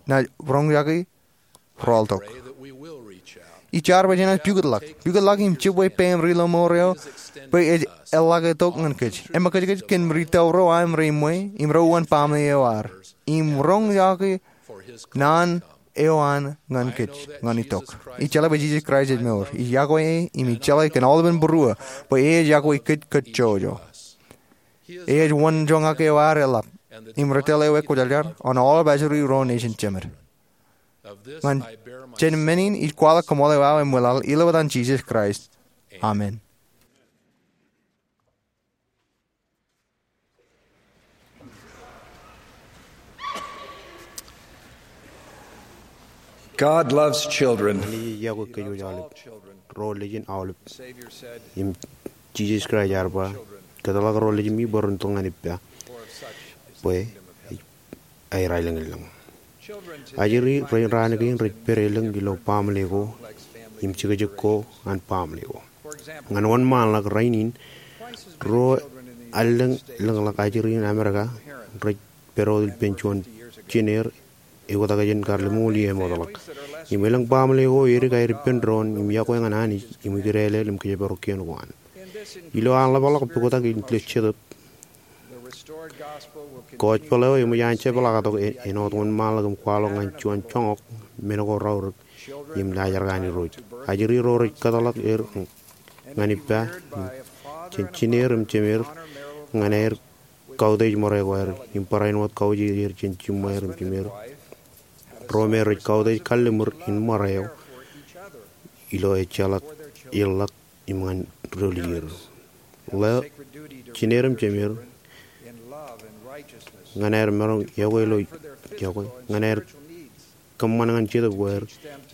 naaj roñjake rọọltok. Ij jar bwe jenaaj pukotḷọk, pukotḷọk im jibwe peim ri-lọmọọr eo bwe ej eḷḷake tok ñan kōj. Eṃōkajkōj kōn rūtto ro aṃ reṃwe im ro uwaan baaṃle eo ad. Im roñjake naan eo an ñan kōj ñan itok. Ij jeḷā bwe Jisōs Kraist ej mour. Ij iọkwe e im ij jeḷā kōn aolepān būruō bwe e ej iọkwe kōj kōjjojo. E ej wōnjoñak eo ad eḷap im ri tōl eo ekwōjarjar an aolep ajri ro nejin jemed. Ñan jān men in ij kwaḷọk kaṃool eo aō im ṃwilaḷ ilo etan Jisōs Kraist. Amen. God loves children. Enaaj iọkwe kōjwōj aolep, ro nejin aolep. Im Jisōs Kraist ear ba, kōtḷọk ro nejimi bwe ren tōl ñan ippa, bwe aer aelōñlōñ. Ajri rein raan kein rej pād elōñ ilo baaṃle ko im jekjek ko an baaṃle ko. Ñan wōnṃaanḷọk rainin, ruo allōñ lōñḷọk ajri in Amerika rej pād wōt ippān juon jineer eoktak jān kar lemñoul iiō eṃootḷọk. Im elōñ baaṃle ko edik aer ippān doon im iọkwe ñan Anij im ikidālel im kōjparok kien ko an. Ilo an ḷapḷọk puktak in ilo Jetōb, gospel eo eṃōj an jepḷaaktok āinwōt wōnṃaanḷọk im kwaḷọk ñan juon joñak men ko raorōk im laajrak an Irooj. Ajri ro rej kōtḷọk er ñan ippa jān jineer im jemeer ñan aer kautiej ṃōrā ko aer im barāinwōt kautiej er jān jiṃṃaer im jimeer. Ro me rej kautiej kalliṃur in ṃōrā eo ilo ejjeḷọk eḷḷọk im ñan doḷier. Ḷeo, jined im jemed ñan aer maroñ yokwe ilo yokwe, ñan aer kōṃṃan ñan jetōb ko aer,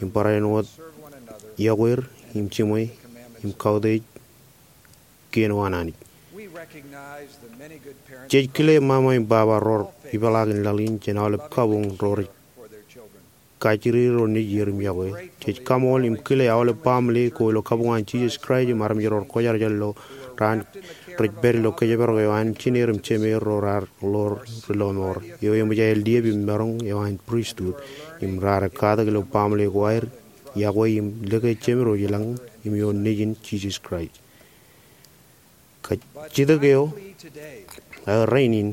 im barāinwōt yokwe er im jiṃwe im kautiej kien eo an Anij. Jej kile mama im baba ro rej ipeḷaakin laḷ in jān aolep kabuñ ro rej kajjirere ro nejier im yokwe. Jej kaṃool im kile aolep baaṃle ko ilo kabuñ an Jisōs Kraist im armej ro rej kwōjarjar ilo raan rej pād ilo kōjparok eo an jined im jemed ro raar ḷoor ri lọmọọr eo eṃōj aer liep im maroñ eo an pristut im raar katak ilo baaṃle ko aer yokwe im lōke jemed eo ilañ im ioon Nejin Jisōs Kraist. Kajjitōk eo aō rainin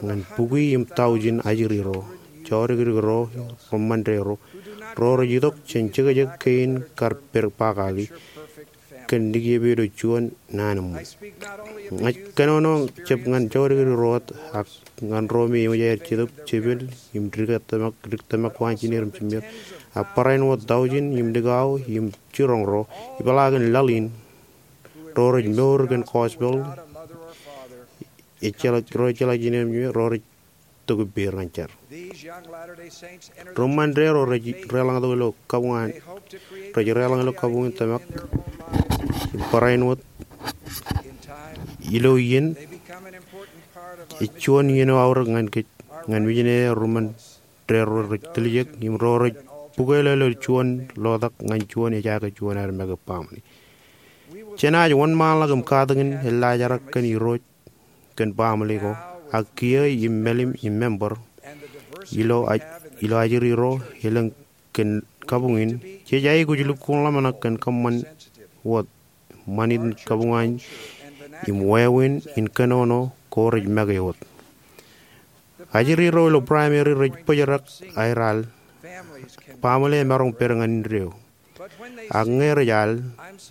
ñan bukwi im taujin ajri ro, jọdikdik ro, ri-Ṃande ro, ro rej itok jān jekjek kein kar pād pakaki kōn likjab eo ilo juon naan eṃṃan. Ña ij kōnono jab ñan jọdikdik ro wōt ak ñan ro me eṃōj aer jetōb jepel im dik tōmak, dik tōmak ko an jined im jemed, ak barāinwōt taujin im likao im jiroñ ro ipeḷaakin laḷ in ro rej mour kōn gospel, ejjeḷọk, ro ejjeḷọk jined im jemed, ro rej tok ippāer ñan jar. Ri-Ṃande ro rej deḷọñtok ilo kabuñ an, rej deḷọñ ilo kabuñ in tōmak im barāinwōt ilo iien, ej juon iien eo aorōk ñan kōj, ñan mijinede ri-Ṃan de ro rej tiljek im ro rej bukweḷeḷe ilo juon lotak ñan juon ejaake juon aer make baaṃle. Jenaaj wōnṃaanḷọk im katakin eḷḷaajrak kōn Irooj kōn baaṃle ko, ak kiiō im mālim im member ilo aj-, ilo ajri ro elōñ kōn kabuñ in, jej aikuj lukkuun ḷōmṇak kōn kōṃṃan wōt ṃanit in kabuñ an im wāween in kōnono ko rej make wōt. Ajri ro ilo primary rej bōjrak aer al, baaṃle emaroñ pād ñan indeeo. Ak ñe rej al,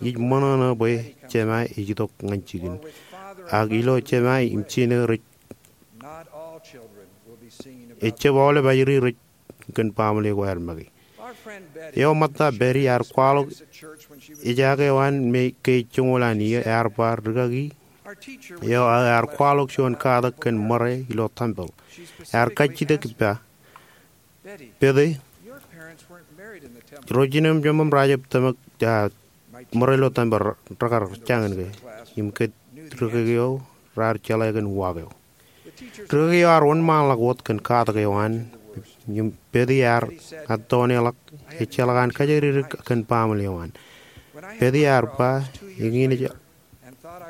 ij ṃōṇōṇō bwe jema ej itok ñan jikin, ak ilo jema im jinō rej, ejjab aolep ajri rej kōn baaṃle ko aer make. Eo ṃōtta Betty ear kwaḷọk ejaake eo an me ke ej joñoul an iiō, ear ba rikaki eo aō ear kwaḷọk juon katak kōn ṃōrā ilo tempel. Ear kajjitōk ippa, Betty, ro jinem jemem rej jab tōmak, ah, ṃōrā ilo tempel rekar jañin ke, im ke rikaki eo raar jeḷā kōn uwaak eo. Rikaki eo ear wōnṃaanḷọk wōt kōn katak eo an, im Betty ear ettoneḷọk, ejjeḷọk an kajjitōk kōn baaṃle eo an. Betty ear ba, eñin ej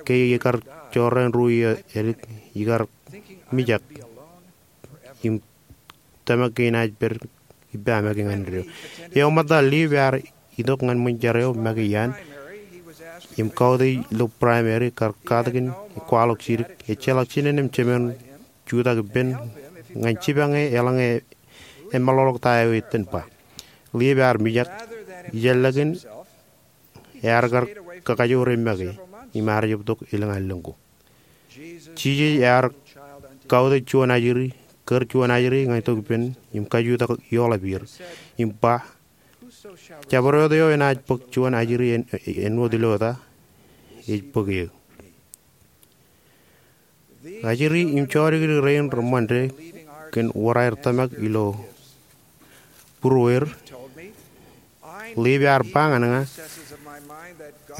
ke ikar jorrāān ruo iiō ālik, ikar mijak im tōmak ke inaaj pād ippa make ñan indeeo. Eo ṃōtta Leif ear itok ñan ṃōn jar eo make iaan im kautiej ilo primary kar katakin kwaḷọk jidik. Ejjeḷọk jinen im jemen jutak ippān ñan jipañ e eḷaññe emeḷọkḷọk ta eo eiten ba. Leif ear mijak, ijellọkin ear kar kakajoor e make im ear jab tok elōñ allōñ ko. Jisōs ear kautiej juon ajri, kōr juon ajri ñan itok ippān im kajutak ioḷap er. Im ba, jabdewōt eo enaaj bōk juon ajri āin, āinwōt ilo eta, ej bōk eō. Ajri im jọdikdik rein ri-Ṃande kōn wōr aer tōmak ilo būrueer, Leif ear ba ñan ña,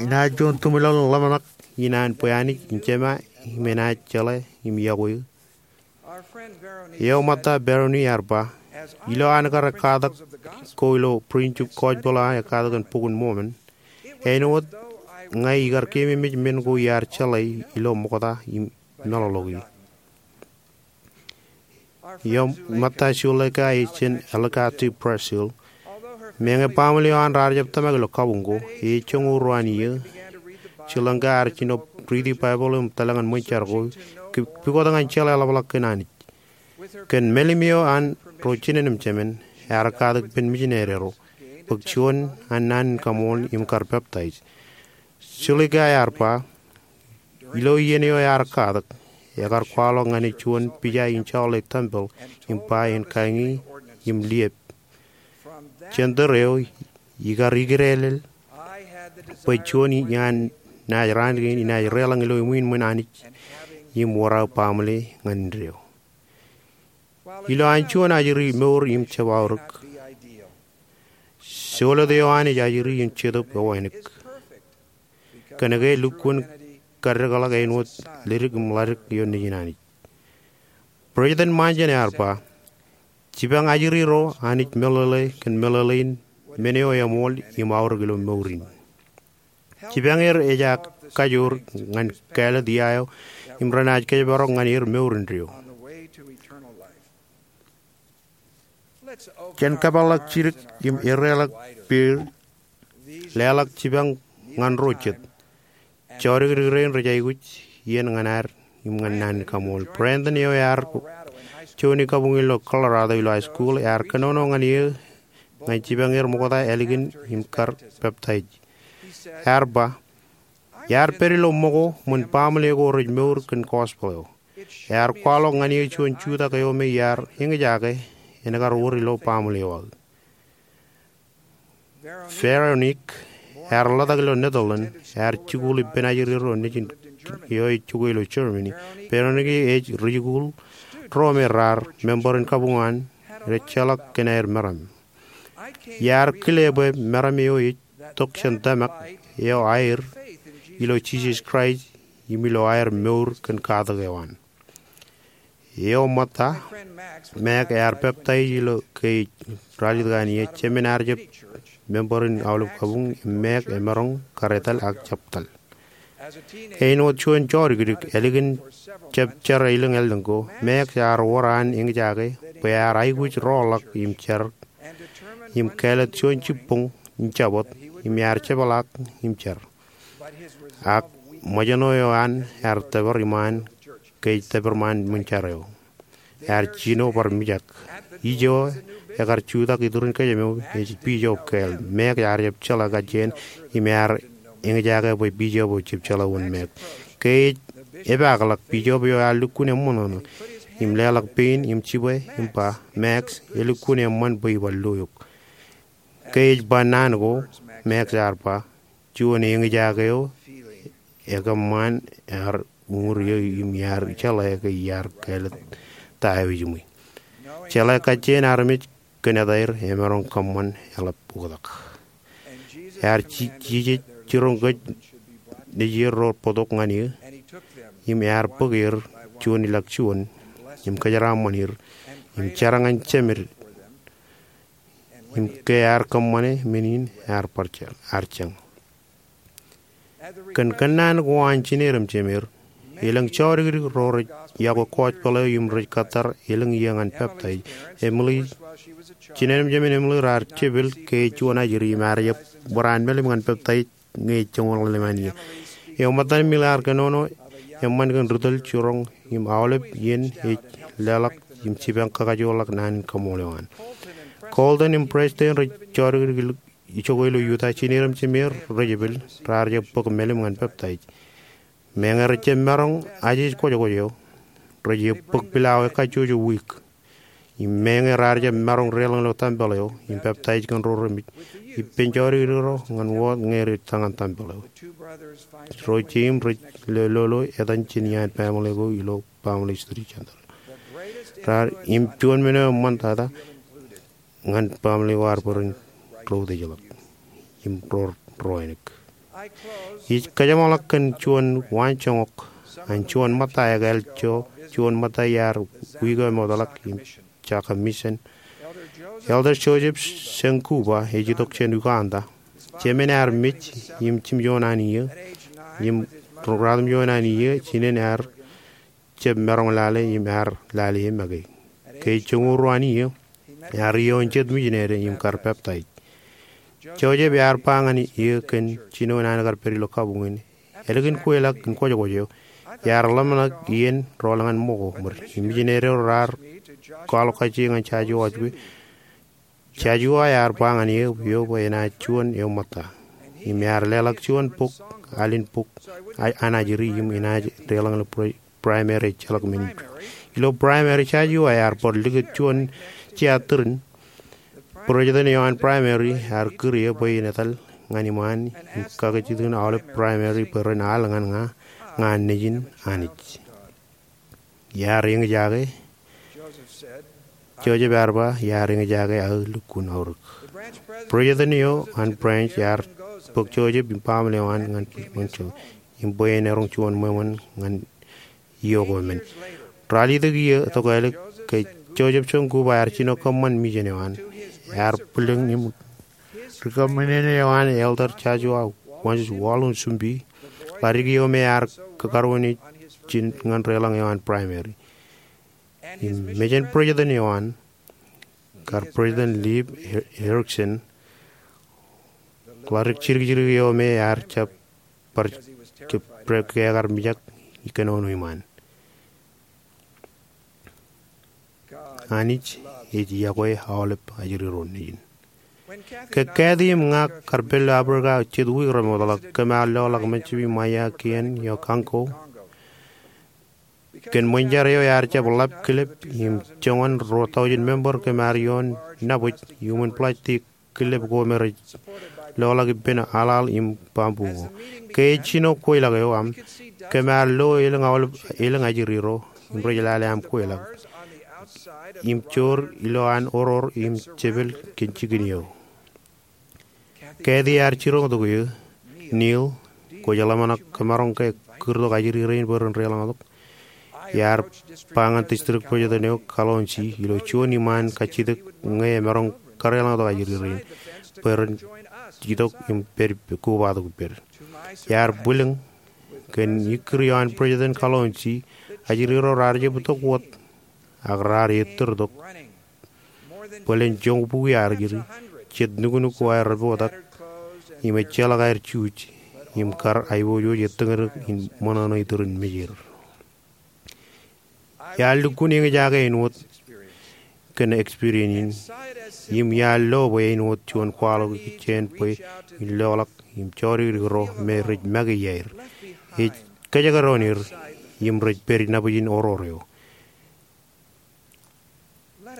inaaj juon tumḷọk ḷōmṇak in an bwe Anij en jema im enaaj jeḷā im yokwe eō. Eo ṃōtta Beroni ear ba, ilo an kar ekkatak ko ilo prinjip gospel eo an ekkatak in Bok in Mormon, āinwōt ña ikar keememej men ko iar jeḷā ilo ṃokta im meḷọkḷọk e. Eo ṃōtta Suleika ej jān Alicante, Brazil. Meñe baaṃle eo an raar jab tōmak ilo kabuñ ko, ej joñoul ruo an iiō, Suleika ear jino riiti Baibōḷ im tōl ñan ṃōn jar ko, ke pukot ñan jeḷā ḷapḷọk kōn Anij. Kōn mālim eo an ro jinen im jemen, ear katak ippān mijinede ro, bōk juon an naan in kaṃool im kar peptaij. Suleika ear ba, ilo iien eo ear katak, ekar kwaḷọk ñan e juon pija in jọọḷe tempel im ba en kañi im liep. Jān tōre eo ikar ikidālel bwe juon iaan naaj raan kein inaaj deḷọñ ilo ṃwiin ṃōn Anij im wōr aō baaṃle ñan indeeo. Ilo an juon ajri mour im jab aorōk, solet eo an ej ajri in Jetōb eo ānōk. Kōnke lukkuun kaddekḷọk āinwōt ledik im ḷadik ioon Nejin Anij. President Monson ear ba, jipañ ajri ro Anij meḷeḷe kōn meḷeḷein men eo eṃool im aorōk ilo mour in. Jipañ er ejja kajoor ñan kāālōt ia eo im renaaj kōjparok ñan er mour indeeo. Jen kōpeḷḷọk jidik im edeḷọk peid, leḷọk jipañ ñan ro jet. Jọdikdik rein rej aikuj iien ñan ad im ñan naan in kaṃṃool. President eo ear juon kabuñ ilo Colorado ilo high school ear kōnono ñan eō ñan jipañ er ṃokta ālikin im kar peptaij. Ear ba, iar pād ilo ṃōko ṃōn baaṃle ko rej mour kōn gospel eo. Ear kwaḷọk ñan eō juon jutak eo me iar eñjake en kar wōr ilo baaṃle eo aō. Veronique ear ḷotak ilo Netherlands, ear jikuuḷ ippān ajri ro nejin eo ej jokwe ilo Germany. Veronique ej rijikuuḷ ro me raar member in kabuñ an rej jeḷak kōn aer meram. Iar kile bwe meram eo ej tok jān tōmak eo aer ilo Jisōs Kraist im ilo aer mour kōn katak eo an. Eo ṃōtta, Max ear peptaij ilo ke ej ralitōk an ie. Jemān ear jab member in aolep kabuñ im Max emaroñ kar etal ak jab tal. Āinwōt juon jọdikdik ālikin jab jar elōñ āllōñ ko, Max ear wōr an eñjake bwe ear aikuj roḷọk im jar im kāālōt juon jibboñ in Jabōt im ear jepḷaak im jar. Ak ṃōjṇọ eo an ear tōpar iṃaan ke ej tōpar ṃaan ṃōn jar eo. Ear jino bar mijak. Ijo ekar jutak iturin kōjām eo ej Bishop Gale. Max ear jab jeḷā kajjien im ear eñjake bwe Bishop eo ejjab jeḷā wōn Max. Ke ej epaakḷọk, Bishop eo ear lukkuun eṃṃanḷọk im leḷọk pein im jibwe im ba, Max, elukkuun eṃṃan bwe ibar lo eok. Ke ej ba naan ko, Max ear ba, juon eñjake eo ekōṃṃan ear uñūr eō im iar jeḷā ke iar kāālōt ta eo ejiṃwe. Jeḷā kajjien armej kōn etaer emaroñ kōṃṃan eḷap oktak. Ear ji-, Jisōs jiroñ kōj nejier ro bōktok ñan eō, im ear bōk er juon ilọk juon, im kōjeraaṃṃan er, im jar ñan jemed, im ke ear kōṃṃane men in ear bar jar, ear jañ. Kōn kōnnaan ko an jined im jemed, elōñ jọdikdik ro rej iọkwe gospel eo im rej kōttar elōñ iiō ñan peptaij. Emily, jined im jemed Emily raar jepel ke ej juon ajri im ear jab wōr an melim ñan peptaij ñe ej joñoul ḷalem an iiō. Eo ṃōttan Emily ear kōnono eṃṃan kōn ri tōl jiroñ im aolep iien ej leḷọk im jipañ kakajoorḷọk naan in kaṃṃool eo an. Colton im Preston rej jọdikdik ilo jokwe ilo Utah, jined im jemed rej jepel, raar jab bōk melim ñan peptaij. Meñe rej jab maroñ ajeej kwōjkwōj eo, rej jab bōk pilawā kajjojo wiik. Im meñe raar jab maroñ deḷọñ ilo tempel eo, im peptaij kōn ro remej, ippān jọdikdik ro ñan wōt ñe rej ta ñan tempel eo. Ro jeiū im rej lolo etan jān iaan baaṃle ko ilo Family History Center. Raar im juon men eo eṃṃantata ñan baaṃle ko ear bōk ro rej ḷọk im ro rej āinwōt. Ij kōjeṃḷọk kōn juon waanjoñak an juon ṃōtta ekāāl ijo, juon ṃōtta iar wiik eo emootḷọk im jake mission. Elder Joseph Shengupa ej itok jān Uganda. Jemān ear mej im jimjuon an iiō, im ratimjuon an iiō jinen ear jab maroñ lale im ear lale e make. Ke ej joñoul ruo an iiō, ear iioon jet mijinede im kar peptaij. Joseph ear ba ñan eō kōn jinoin an kar pād ilo kabuñ in, ālikin kweilọk in kwōjkwōj eo, iar ḷōmṇak iien rool ñan ṃōko ṃōd. Im mijinede ro raar kwaḷọk kajjiō ñan Jajua Ojibwe. Jajua ear ba ñan eō, eō bwe enaaj juon eo ṃōtta. Im ear leḷọk juon bok, al in bok, a-, an ajri im enaaj deḷọñ ilo pre-, primary ejjeḷọk men in. Ilo primary, jaje eo ear bar likūt juon jea tūrin. President eo an primary ear kūr eō bwe en etal ñan iṃaan im kakijjitōk in aolep primary bwe ren al ñan ña, ña nejin Anij. Iar eñjake, Joseph ear ba, iar eñjake aō lukkuun aorōk. President eo an branch ear bōk Joseph im baaṃle eo an ñan, ñan Joseph im bwe en eroñ juon ṃweo ñan iiō ko men. Ralitōk iiō tok ālik ke Joseph Sōngkup ear jino kōṃṃan mission eo an. Ear bwilōñ im ri kōṃṃane eo an, Elder Joshua Wallum Shumbi, ḷaddik iiō me ear kakaruwainwōt ijin ñan deḷọñ eo an primary. Im mejān president eo an, kar President Leif Erickson, ḷaddik jidikjidik eo me ear jab bar ke, bar ke ekar mijak kōnono iṃaan. Anij ej iọkwe aolep ajri ro nejin. Ke Kathy im ña kar pād ilo Africa jet wiik remootḷọk, kōm ar loḷọk Mississippi, Maya, Kiyan eo Congo. Kōn ṃōn jar eo ear jab ḷap kilep im joñan ruo taujin member, kōm ar ioon nabōj iuṃwin plastic kilep ko me rej loḷọk ippān aḷaḷ im bamboo ko. Ke ej jino kweilọk eo aṃ, kōm ar lo elōñ aolep, elōñ ajri ro im rej lale aṃ kweilọk im joor ilo an oror im jepel kōn jikin eo. Kathy ear jiroñtok eō, Neil, kwōj ḷōmṇak kōmaroñ ke kūrtok ajri rein bwe ren deḷọñtok. Iar ba ñan district president eo Kalonji ilo juon iṃaan kajjitōk ñe emaroñ kadeḷọñtok ajri rein bwe ren itok im pād, kobatok ippād. Iar bwilōñ kōn ikkūr eo an President Kalonji, ajri ro raar jab itok wōt ak raar ettōr tok bōlen joñbukwi aer ajri, jet nuknuk ko aer repotak, im ejjeḷọk aer juuj, im kar aiboojoj ettōñdōk in ṃōṇōṇō itōrin mejeir. Iar lukkuun eñjake āinwōt kōn experience in, im iar lo bwe āinwōt juon kwaḷọk jāān bwe in loḷọk im jodikdik ro me rej make iaer. Ej kōjekdọọn er im rej pād nabōj in oror eo.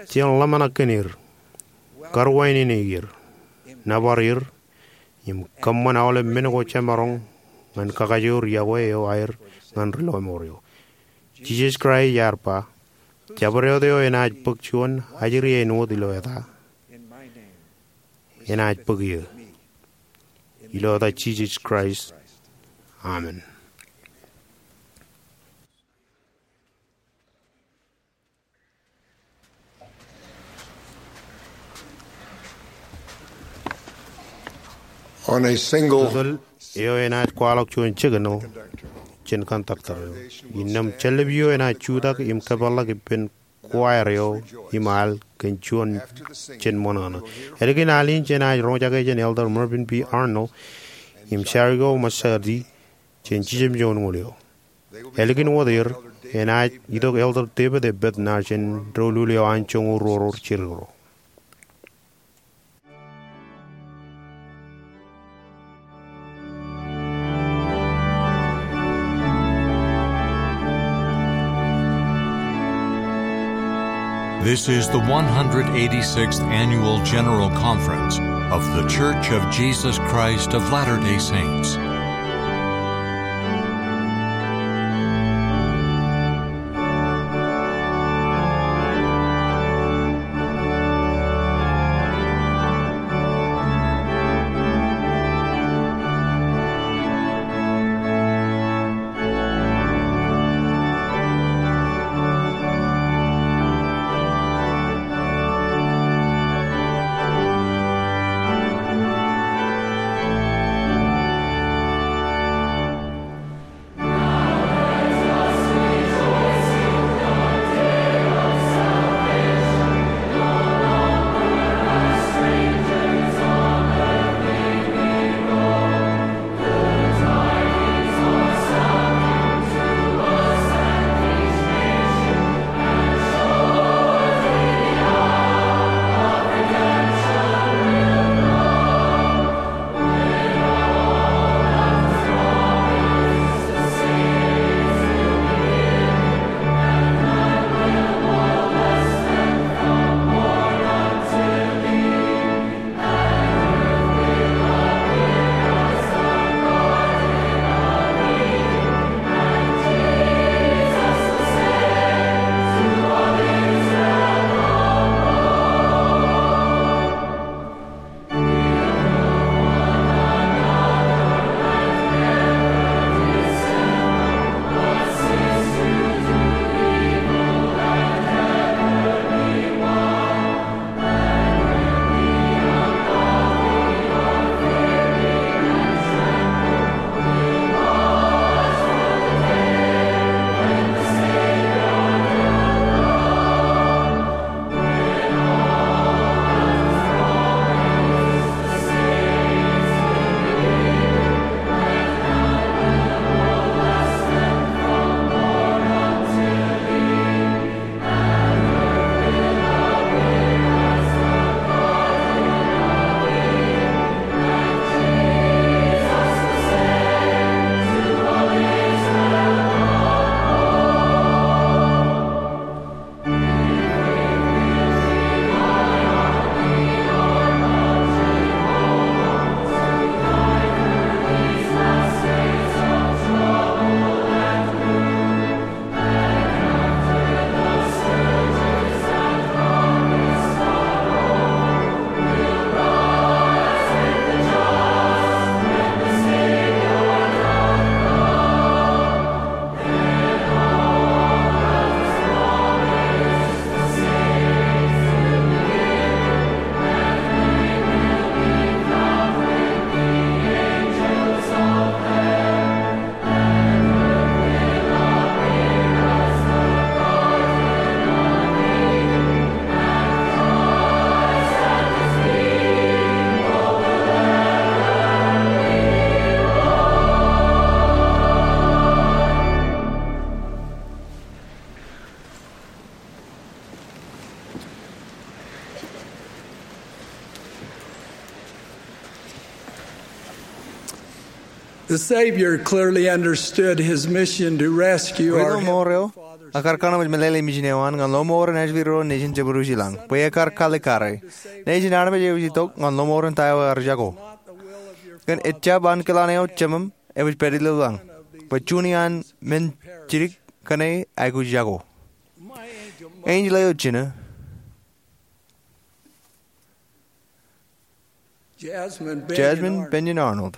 Jen ḷōmṇak kōn er, karuwainene er, nōbar er, im kōṃṃan aolep men ko jemaroñ ñan kakajoor iọkwe eo aer ñan ri lọmọọr eo. Jisōs Kraist ear ba, jabdewōt eo enaaj bōk juon ajri āinwōt ilo eta, enaaj bōk eō. Ilo eta Jisōs Kraist, amen. On a single Tōl eo enaaj kwaḷọk juon signal jān conductor eo. Innām jāllep eo enaaj jutak im kōpeḷḷọk ippān choir eo im al kōn juon jān ṃōṇōṇō. Ālikin al in jenaaj roñjake jān Elder Mervyn B. Arnold im Shariko Masadi jān jijemjoñoul eo. Ālikin wōt er, enaaj itok Elder David A. Bednar jān doulul eo an joñoul ruo ro jidik ro. This is the one hundred eighty-sixth Annual General Conference of The Church of Jesus Christ of Latter-day Saints. The Savior clearly understood his mission to rescue our Ri-lọmọọr eo ekkar kōṇaan meḷeḷe in mission eo an ñan lọmọọren ājfiro nejin jeṃadusi lañ bwe ekkar kalikkare. Nejin armej eo ej itok ñan lọmọọren ta eo ear jako. Kōn ejjab ankilaan eo Jemem, ewōj pād ilo lañ bwe juon iaan men jidik kōn e aikuj jako. Enjeḷ eo jinō, Jasmine Bennion Arnold,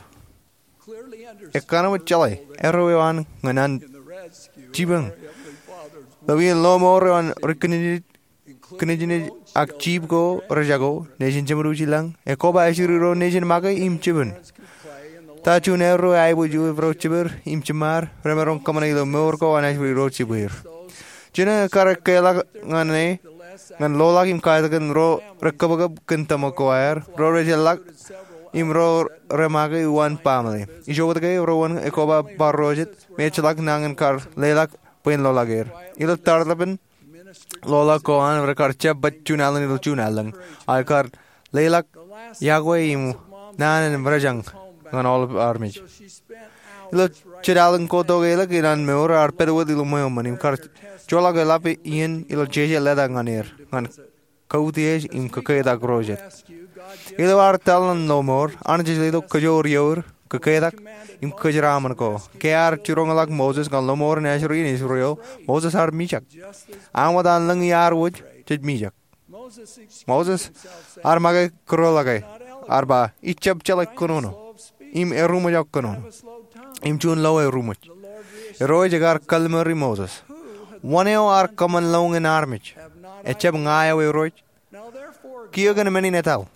ekkana wōt jeḷā erreo eo an ñan an jipañ ilo wien lọmọọr eo an ri kōnejnej ak jip ko rejako nejin jeṃadusi lañ. Ekoba ājri ro nejin make im jipañ ta juon erreo eaibwe juon ro jipper im jiṃṃaad remaroñ kōṃṃane ilo mour ko an ājri ro jipper. Jinō ekkar ekkeḷọk ñan e ñan loḷọk im katakin ro rekōpkōp kōn tōmak ko aer, ro rej eḷḷọk, im ro remake uwaan baaṃle. Ijo wōt ke, ro wōn ekoba bar ro jet me ejjeḷọk nañin kar leḷọk bwe en loḷọk er. Ilo tarlepen loḷọk ko an, rekar jab baj juon alen ilo juon allōñ, ak kar leḷọk iọkwe im naan in mejañ ñan aolep armej. Ilo jet alen kotak ḷọk in an mour, ear pād wōt ilo ṃweo ṃōn im kar joḷọk eḷap iien ilo jeje letak ñan er ñan kautiej im kōketak ro jet. Ilo ad etal ñan lọmọọr, Anij ej letok kōjoor ioer, kōketak, im kōjeraaṃṃan ko. Ke ear jiroñḷọk Moses ñan lọmọọren ājri in Israel, Moses ear mijak. An wōt an lōñ iar wōj jej mijak. Moses ear make kūrḷọke, ear ba, ij jab jeḷā kōnono im eruṃwij kōnono im juon lo eruṃwij. Irooj ekar kallimuri Moses, wōn eo ear kōṃṃan lọñin armej? Ejjab ña eo Irooj? Kiiō kōn men in etal,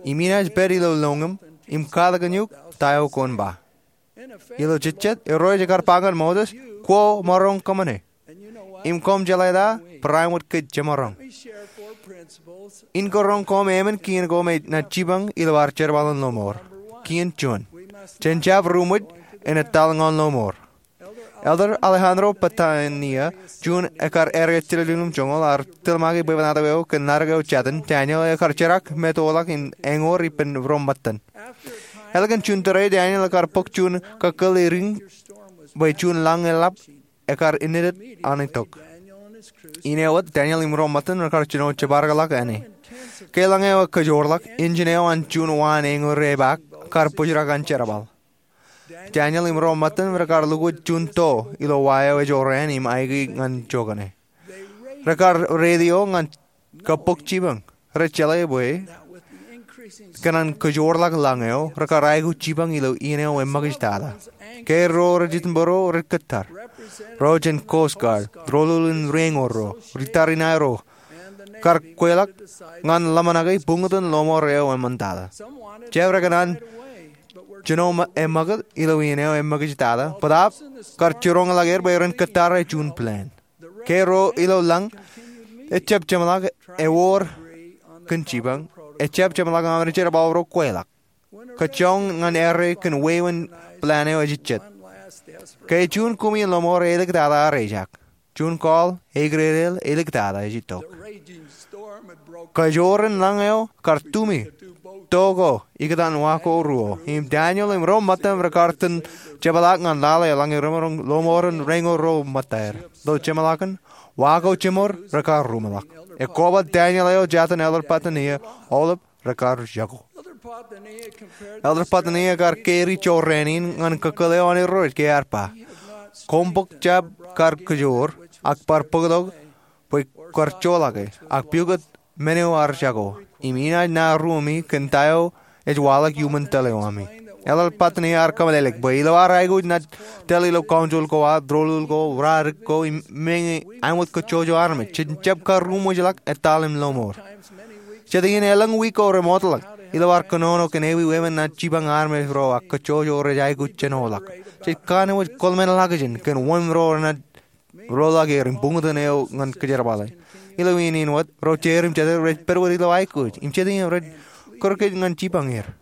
im inaaj pād ilo lọñiṃ im katakin eok ta eo kwōn ba. Ilo jejjet, Irooj ekar ba ñan Moses, kwe emaroñ kōṃṃane. Im koṃ jeḷā ta? Barāinwōt kōj jemaroñ. In karoñ koṃ emān kien ko me enaaj jipañ ilo ad jerbal in lọmọọr. Kien juon, jen jab ruṃwij in etal ñan lọmọọr. Elder Alejandro Patania, juon ekkar āreet jiljilimjuonñoul, ear tōl make bwebwenato eo kōn ḷaddik eo jatin, Daniel, eo ekar jerak metoḷọk in eñoor ippān ro ṃōttan. Ālikin juon tōre, Daniel ekar bōk juon kakkōl erin bwe juon lañ eḷap ekar indeed an itok. Ineo wōt, Daniel im ro ṃōttan rekar jino jeparokḷọk āne. Ke lañ eo ekōjoorḷọk, injin eo an juon wa an eñoor epaak kar bōjrak an jerbal. Daniel im ro ṃōttan rekar lukkuun juon to ilo wa eo ej jorrāān im aikuj ñan jokane. Rekar radio ñan kab bōk jipañ. Rej jeḷā bwe kōn an kōjoorḷọk lañ eo, rekar aikuj jipañ ilo iien eo eṃṃakijtata. Ke ro rej itok bwe ro rej kōttar, ro jān Coast Guard, doulul in ri eñoor ro, ri tariṇae ro, kar kweilọk ñan ḷōmṇake buñtōn lọmọọr eo eṃṃantata. Jab rekōṇaan jino eṃṃakūt ilo iien eo eṃṃakijtata, bōtaab kar jiroñḷọk er bwe ren kōttar juon plan. Ke ro ilo lañ, ejjab jeṃḷọk ewōr kōn jipañ, ejjab jeṃḷọk aṃ jerbal ro kweilọk. Kōjjoñ ñan errā kōn wāween plan eo ejejjet. Ke juon kumi in lọmọọr āliktata ear ejaak. Juon call eikdeedeḷ āliktata ej itok. Kōjoorin lañ eo kar tumi to ko ikōtaan wa ko ruo. Im Daniel im ro ṃōttan rekar itōn jepḷaak ñan lale lañ eo remaroñ lọmọọren ri eñoor ro ṃōttaer. Ilo jeṃḷọkin, wa ko jeṃor rekar ruṃwij. Ekoba Daniel eo jatin Elder Patania, aolep rekar jako. Elder Patania ekar kari jorrāān in ñan kakkōl eo an Irooj ke ear ba, koṃ bōk jab kar kōjoor, ak bar bōktok bwe kar joḷọke, ak pukot men eo ear jako, im inaaj nā ruōmi kōn ta eo ej waḷọk iuṃwin tōl eo ami. Elder Patania ear kōmeḷeḷeik bwe ilo ad aikuj nōbar tōl ilo council ko ad, doulul ko, raan ko, im meñe āinwōt kōjjojo armej, jej jab kar ruṃwijḷọk etal im lọmọọr. Jet iien elōñ wiik ko remootḷọk, ilo ad kōnono kōn ewi wāween naaj jipañ armej ro ak kōjjojo rej aikuj jenoḷọk. Jej kanooj kōḷmenḷọkjeṇ kōn wōn ro renaaj roḷọk er im buñtōn eo ñan kōjerbale. Ilo iien in wōt, ro jeir im jete rej pād wōt ilo aikuj, im jet iien rej kūr kōj ñan jipañ er.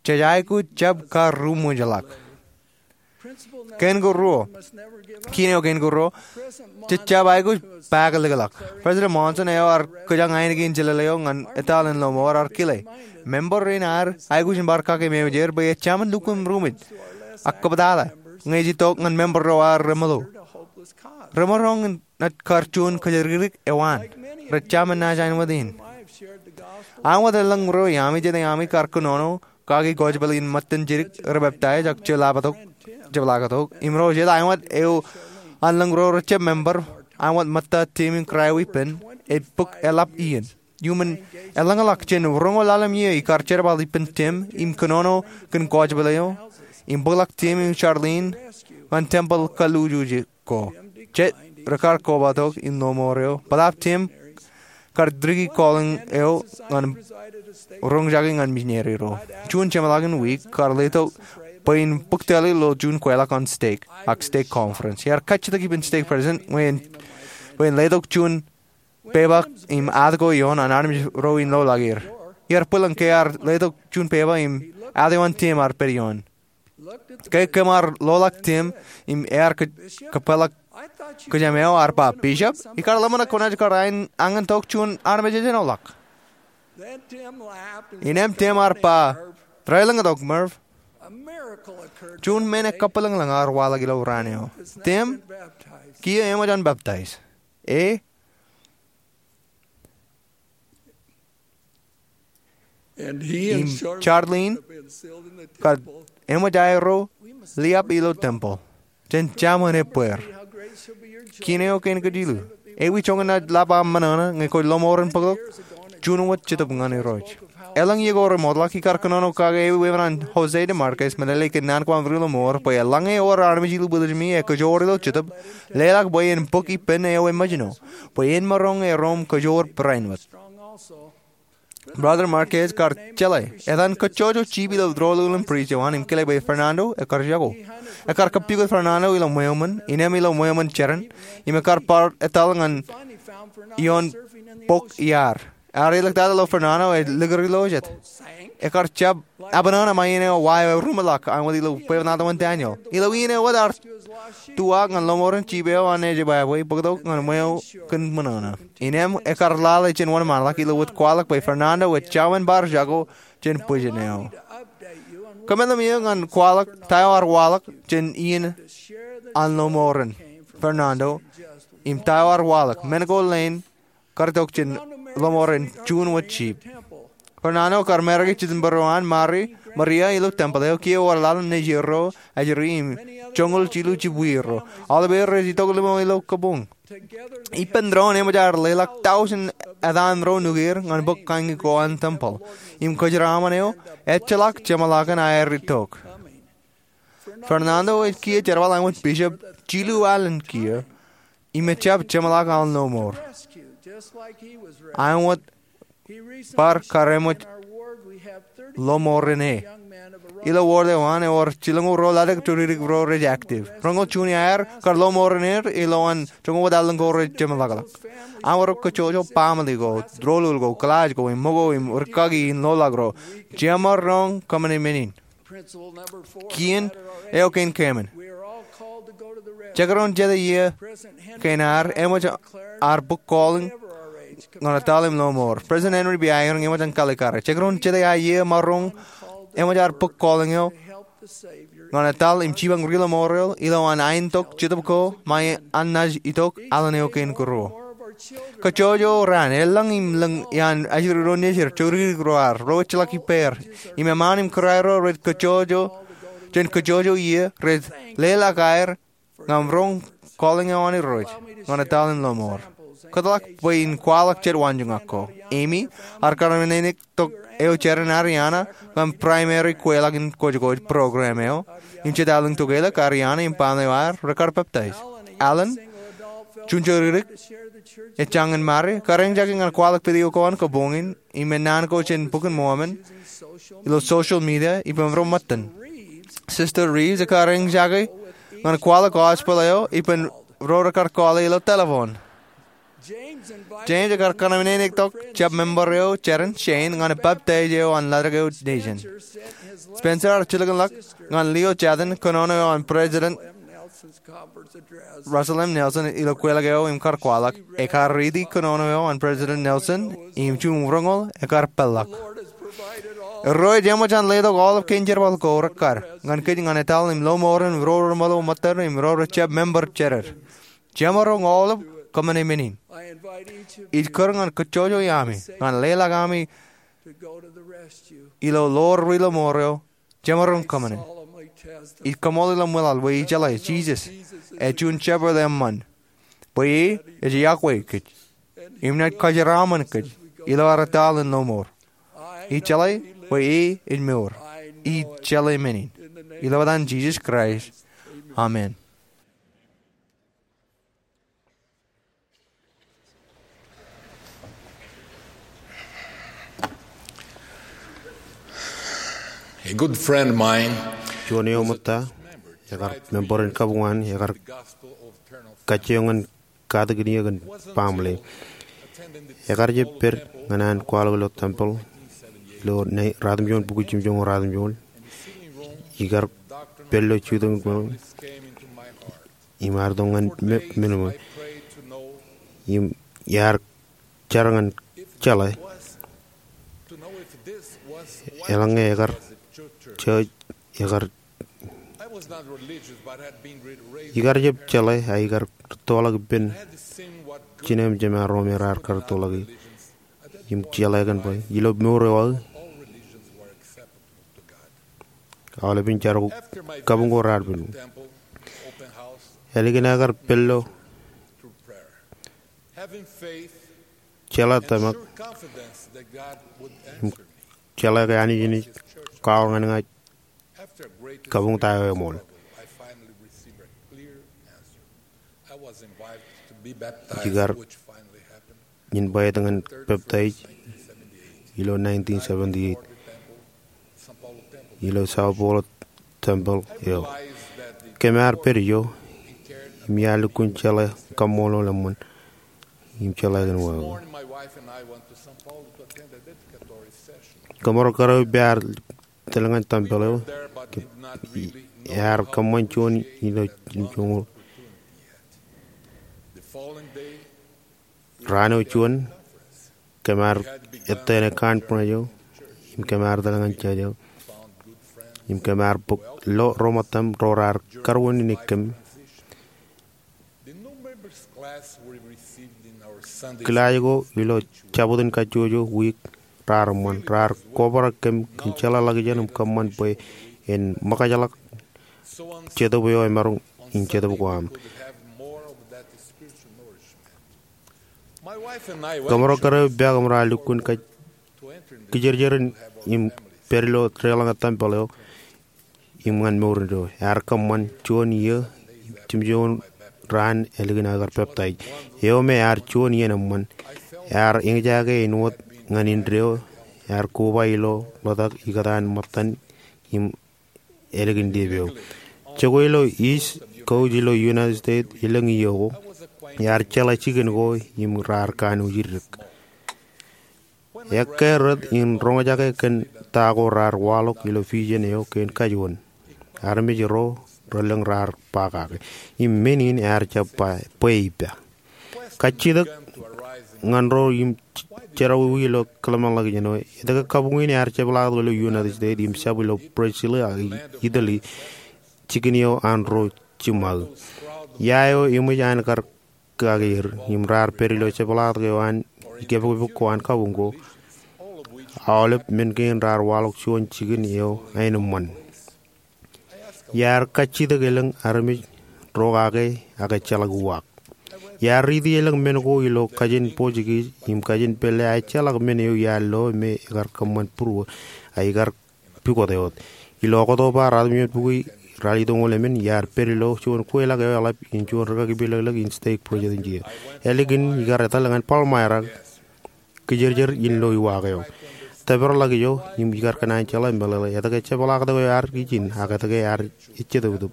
Jej aikuj jab kar ruṃwijḷọk. Kein ko ruo, kien eo kein ko ruo, jej jab aikuj paakḷọk. President Monson eo ear kōjañ ainikien jelōt eo ñan etal in lọmọọr ear kile, member rein ad aikuj in bar kake mejāer bwe ejāmin lukkuun ruṃwij ak kōptaḷā ñe ej itok ñan member ro ad remoḷo. Remaroñ in naaj kar juon kōjatdikdik eo an. Rej ja men naaj āinwōt in. Āinwōt elōñ ro iaami, jet iaami kar kōnono kaki gospel in ṃōttan jidik rej peptaij ak jepḷaaktok, jepḷaaktok. Im ro jet āinwōt eo an lōñ ro rejjab member, āinwōt ṃōtta Tim im kōrā eo ippān, ej bōk eḷap iien. Iuṃwin elōñḷọk jān roñoul ḷalem iiō ikar jerbal ippān Tim im kōnono kōn gospel eo im bōkḷọk Tim im Charlene ñan tempeḷ kalluujuj ko. Jet rekar kobatok in lọmọọr eo, bōtaab Tim kar tiki calling eo ñan roñjake ñan misineri ro. Juon jeṃḷọkin wiik kar letok bwe in bōk tōl ilo juon kweilọk an stake ak stake conference. Iar kajjitōk ippān stake president ñe en, bwe en letok juon pepa im ad ko ioon an armej ro in loḷọk er. Iar bwilōñ ke ear letok juon pepa im ad eo an Tim ear pād ioon. Ke kōm ar loḷọk Tim im ear kōj-, kōpeḷḷọk kōjām eo, ear ba, "Bishop, ikar ḷōmṇak kwōnaaj kar añin, añin tok juon armej ejenoḷọk." Innām Tim ear ba, "Raelōñ tok, Merv." Juon men ekabwilōñlōñ ear waḷọk ilo raan eo. Tim, kiiō eṃōj an peptaij. E, im Charlene kar eṃōj aerro liab ilo tempeḷ jān jabōn ebbeer. Kien eo kein kōj jilu. Ewi joñan naaj lab aṃ ṃōṇōṇō ñe kwōj lọmọọren bōktok juon wōt Jetōb ñan Irooj? Elōñ iiō ko remootḷọk ikar kōnono kake ewi wāween an Jose DeMarquez meḷeḷe ke naan ko aṃ ri lọmọọr bwe eḷaññe ewōr armej ilo bwilōjmi ekōjọọr ilo Jetōb, leḷọk bwe en bōk ippān eo eṃōjṇọ bwe en maroñ erom kōjọọr barāinwōt. Brother Marquez kar jeḷā etan kōjjojo jip ilo doulul in priest eo an im kile bwe Fernando ekar jako. Ekar kōppukot Fernando ilo ṃweo ṃōn, innām ilo ṃweo ṃōn jeran, im ekar bar etal ñan ioon bok iaar. Ear iliktata ilo Fernando ej likūr ilo jet. Ekar jab abṇōṇō ṃae iien eo wa eo eruṃwij ḷọk āinwōt ilo bwebwenato in Daniel. Ilo iien eo wōt ear tuwaak ñan lọmọọren jip eo an ej ebwābwe bōktok ñan ṃweo kōn ṃōṇōṇō. Innām ekar lale jān wōnṃaanḷọk ilo wōt kwaḷọk bwe Fernando ej jab bar jako jān bwijin eo. Kōmālōtlōt iiō ñan kwaḷọk ta eo ear waḷọk jān iien an lọmọọren Fernando im ta eo ear waḷọk men ko leen kar itok jān lọmọọren juon wōt jip. Fernando kar marriage jān bōro an Mari, Maria ilo tempeḷ eo. Kiiō ewōr ḷalem nejier ro ajri im joñoul jilu jibwier ro. Aolep er rej itok limo ilo kabuñ. Ippān doon eṃōj aer leḷọk tọujin etan ro nukier ñan bōk kaññi ko an tempeḷ. Im kōjeraaṃṃan eo ejjeḷọk jeṃḷọkin aer itok. Fernando ej kiiō jerbal āinwōt bishop jilu alen kiiō im ejab jeṃḷọk aō lọmọọr āinwōt bar kar eṃōj lọmọọren e. Ilo wōr eo an ewōr jilñuul ro ladik to dikdik ro rej active. Roñoul juon iaer kar lọmọọren er ilo an joñoul wōt alen ko rej jeṃḷọkḷọk. Aorōk kōjjojo baaṃle ko, doulul ko, kōḷaaj ko, im ṃōko im rūkaki in loḷọk ro. Jemaroñ kōmāmeḷeḷe in. Kien eo kein keemān. Jekdọọn jete iiō kein ad eṃōj ad bōk calling ñan etal im lọmọọr. President Henry B. Eyring eṃōj an kalikkare. Jekdọọn jete aō iiō maroñ eṃōj ad bōk calling eo ñan etal im jipañ ri lọmọọr eo ilo an aentok Jetōb ko ṃae an naaj itok alen eo kein kūr. Kōjjojo raan, elōñ im lōñ iaan ajri ro nejid, jodikdik ro ad, ro ejjeḷọk ippāer, im eṃṃaan im kūraer ro rej kōjjojo jān kōjjojo iiō rej leḷọk aer ñan roñ calling eo an Irooj ñan etal im lọmọọr. Kōtḷọk bwe in kwaḷọk jet waanjoñak ko. Amy, ear kōṇaanektok eo jeran Ariana ñan primary kweilọk in kwōjkwōj program eo, im jet elōñ tokelōk, Ariana im baaṃle eo aer rekar peptaij. Alan, juon jodikdik ej jañin Mari, kar eñjake ñan kwaḷọk video ko an kabuñ in im naan ko jān Bok in Mormon ilo social media ippān ro ṃōttan. Sister Reeves ekar eñjake ñan kwaḷọk gospel eo ippān ro rekar kọọle ilo telephone. James ekar kōṇaanektok jab member eo jeran Shane ñan peptaij eo an ladik eo nejin. Spencer ear jilkinḷọk ñan Leo Chadden kōnono eo an President Russell M. Nelson ilo kweilọk eo im kar kwaḷọk. Ekar riiti kōnono eo an President Nelson im juon roñoul ekar peḷḷọk. Erro, jeṃōj an letok aolep kein jerbal ko rekkar ñan kōj ñan etal im lọmọọren ro remootḷọk ṃōttad im ro rejjab member jered. Jemaroñ aolep kōṃṃane men in. Ij kūr ñan kōjjojo iaami ñan leḷọk ami ilo ḷoor ri lọmọọr eo. Jemaroñ kōṃṃane. Ij kaṃool ilo ṃwilaḷ bwe ijeḷā Jisōs ej juon Shepherd eṃṃan, bwe e ej iọkwe kōj im naaj kōjeraaṃṃan kōj ilo ad etal in lọmọọr. Ijeḷā bwe e ej mour. Ij jeḷā men in ilo etan Jisōs Kraist, amen. A good friend of mine, juon eo ṃōtta, ekar member in kabuñ an, ekar kajjioñ ñan katakin eō kōn baaṃle. Ekar jab pād ñan an kwaḷọk ilo tempeḷ ilo ratimjuon bukwi jimjuonñoul ratimjuonñoul. Ikar pād ilo jutak in baaṃle im ear itok ñan me, men eo. Im iar jar ñan jeḷā eḷaññe ekar, judge, ekar, ikar jab jeḷā, a ikar rūttoḷọk ippān jinen jemān Rom raar kar rūttoḷọk. Im jeḷā kōn bwe ilo mour eo aō, aolepān jar ko, kabuñ ko raar pen. Ālikin aō kar pād ilo jeḷā tōmak im jeḷā ke Anij enaaj kwaḷọk ñan ña kabuñ ta eo eṃool. Ikar invite ñan peptaij ilo nineteen seventy-eight ilo São Paulo tempeḷ eo. Kōm ar pād ijo im iar lukkuun jeḷā kaṃṃoolol eṃṃan im jeḷā kōn wāween. Kōmro kōrā eo ippān ar tōl ñan tempeḷ eo, ear kōṃṃan juon ilo jimjuonñoul. Raan eo juon, kōm ar ettā ṇe conference eo, im kōm ar tōl ñan judge eo, im kōm ar bōk lo ro ṃōttaṃ ro raar karuwaineneik kōm. Kilaaj ko ilo Jabōt in Kajjojo wiik raar eṃṃan, raar kobrak kōm kōn jeḷāḷọkjeṇ im kōṃṃan bwe en ṃōkajḷọk jetōb eo emaroñ in jetōb ko aṃ. Kōmro kōrā eo ippān kōmro ar lukkuun kōj kijerjer im pād ilo deḷọñ tempeḷ eo im ñan mour indeeo. Ear kōṃṃan juon iiō jimjuonñoul raan ālikin aō kar peptaij eo me ear juon iien eṃṃan. Ear eñjake āinwōt ñan indeeo, ear koba ilo ḷotak ikōtaan ṃōttan im ālikin lipe eo. Jokwe ilo East Coast ilo United States elōñ iiō ko, ear jeḷā jikin ko im raar kanooj iddek. Ekkā rot in roñjake kōn ta ko raar waḷọk ilo vision eo kein kajuon. Armej ro relōñ raar ba kake im men in ear jab ba bwe ippa. Kajjitōk ñan ro im jerọwiwi ilo kōḷmānḷọkjeṇ eo. Etke kabuñ in ear jepḷaaktok ilo United States im jab ilo Brazil ak Italy, jikin eo an ro jiṃṃaō? Ia eo eṃōj an kar kake er im raar pād ilo jepḷaaktok eo an ikepokpok ko an kabuñ ko? Aolep men kein raar waḷọk juon jikin eo aenōṃṃan. Iar kajjitōk elōñ armej ro kake ak ejjeḷọk uwaak. Iar riiti elōñ men ko ilo kajin Portuguese im kajin pālle, a ejjeḷọk men eo iar lo me ekar kōṃṃan būruō, a ikar pukot eoot. Ilo October ratimjuon bukwi ralitōñoul emān, iar pād ilo juon kweilọk eo eḷap in juon rikaki pilōklōk in stake presidency. Ālikin ikar etal ñan Palmyra, kijerjer in lo uwaak eo. Tōpar ḷọk ijo im ikar kōṇaan jeḷā meḷeḷe etke jepḷaaktok eo ear ijin ak etke ear ejitōptōp.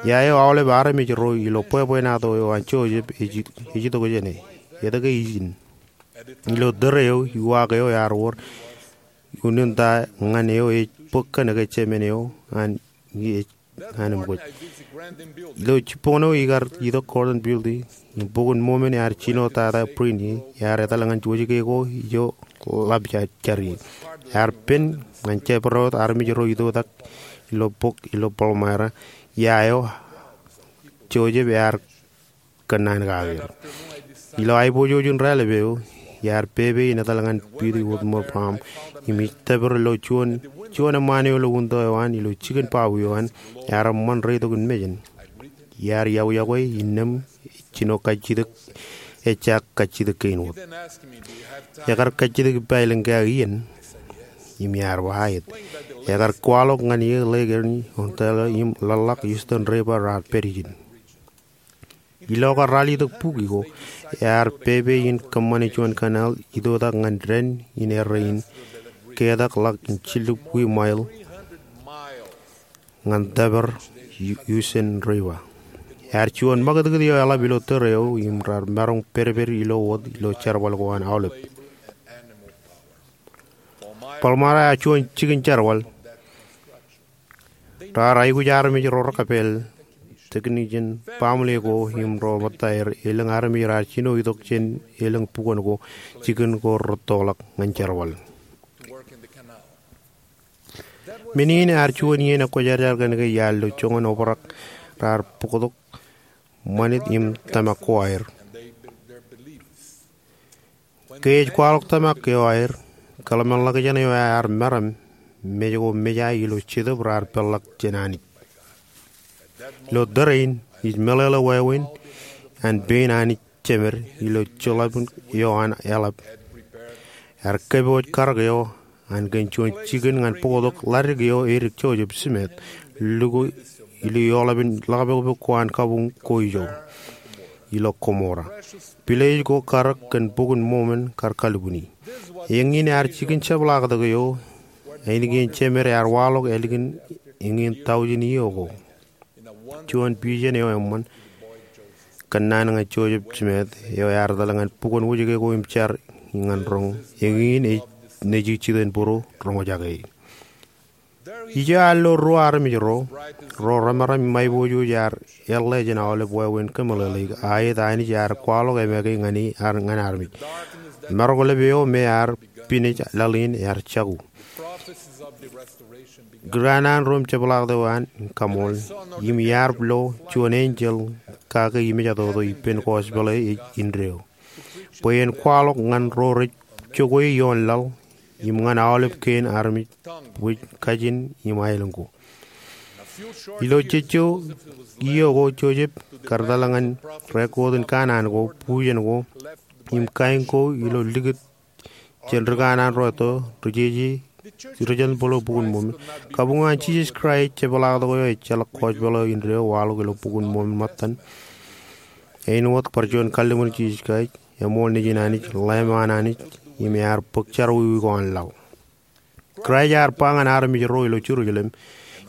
Ia eo aolep armej ro ilo bwebwenato eo an Joseph ej, ej itok jāne? Etke ijin? Ilo tōre eo, uwaak eo ear wōr unin ta ñan eo ej bōk kōn eke jemān eo an ej ñan im kwōj. Ilo jibboñ eo ikar itok Gordon Billty, im Bok in Mormon ear jino tata print e, ear etal ñan wōjke ko ijo ḷap jar ie. Ear pen ñan jabdewōt armej ro itoitak ilo bok ilo Palmyra, ia eo Joseph ear kōnnaan kake er. Ilo aiboojoj in raelep eo, iar pepe in etal ñan Billty Withmore Palm, im ij tōpar ilo juon, juon eṃṃaan eo ilo winto eo an, ilo jikin baabu eo an, ear eṃṃan reitok in mejān. Iar iọkwe iọkwe innām, jino kajjitōk, ejja kajjitōk kein wōt. Ekar kajjitōk ippa elōñkake iien, im iar ba aet. Ekar kwaḷọk ñan eō Lake Erie, Ontario, im ḷōḷḷọk Houston River raar pād ijin. Ilo kar ralitōk bukwi ko, ear pepe in kōṃṃane juon canal itoitak ñan dān in errā in, ketak ḷọk in jillipwi mile ñan tōpar Houston River. Ear juon ṃakūtkūt eo eḷap ilo tōre eo im raar maroñ pedped ilo wōt ilo jerbal ko an aolep. Palmyra ear juon jikin jerbal. Raar aikuj armej ro rekapeel, technician, baaṃle ko im ro ṃōttaer, elōñ armej raar jino itok jān elōñ bukwōn ko, jikin ko rūttoḷọk ñan jerbal. Men in ear juon iien ekwōjarjar kōn ke iar lo joñan obrak raar bōktok ṃanit im tōmak ko aer. Ke ej kwaḷọk tōmak eo aer, kōḷmānḷọkjeṇ eo ear meram, mej ko mejā ilo Jetōb raar peḷḷọk jān Anij. Ilo tōre in, ij meḷeḷe wāween an pein Anij Jemed ilo joḷọk eo an eḷap. Ear kōpooj karōk eo an kōn juon jikin ñan bōktok ḷadik eo edik Joseph Smith, luko ilo eoḷapin ḷakpokpok ko an kabuñ ko ijo ilo Gomorrah. Pilej ko karōk kōn Bok in Mormon kar kalbuni. Eñin ear jikin jepḷaaktok eo ainikien Jemed ear waḷọk ālikin eñin taujin iiō ko. Juon vision eo eṃṃan kōnnaan ñan Joseph Smith eo ear etal ñan bukwōn wōjke ko im jar ñan roñ. Eñin ej nejū jitōnbōro roñjake. Ijo ear lo ruo armej ro, ro remaram im aiboojoj ear eḷḷā jān aolep wāween kōmeḷeḷeik, aet Anij ear kwaḷọk emake ñan e, ñan armej. Marok ḷap eo me ear pinej laḷ in ear jako. Ri kanaan ro im jepḷaaktok eo an kaṃool, im iar lo juon enjeḷ kake imej atoto ippān gospel eo ej indeeo, bwe en kwaḷọk ñan ro rej jokwe ioon laḷ, im ñan aolep kein armej, bwe kajin im aelōñ ko. Ilo jejjo iiō ko Joseph kar etal ñan rekoot in kanaan ko, bujen ko, im kain ko ilo likūt jān ri kanaan ro etto, ri jeje, ri jen bōktok Bok in Mormon. Kabuñ eo an Jisōs Kraist, jepḷaaktok eo ejjeḷọk gospel eo indeeo, waḷọk ilo Bok in Mormon ṃōttan. Āinwōt bar juon kalliṃur Jisōs Kraist, eṃool Nejin Anij, Lamb an Anij, im ear bōk jerọwiwi ko an laḷ. Kraist ear ba ñan armej ro ilo Jerusalem,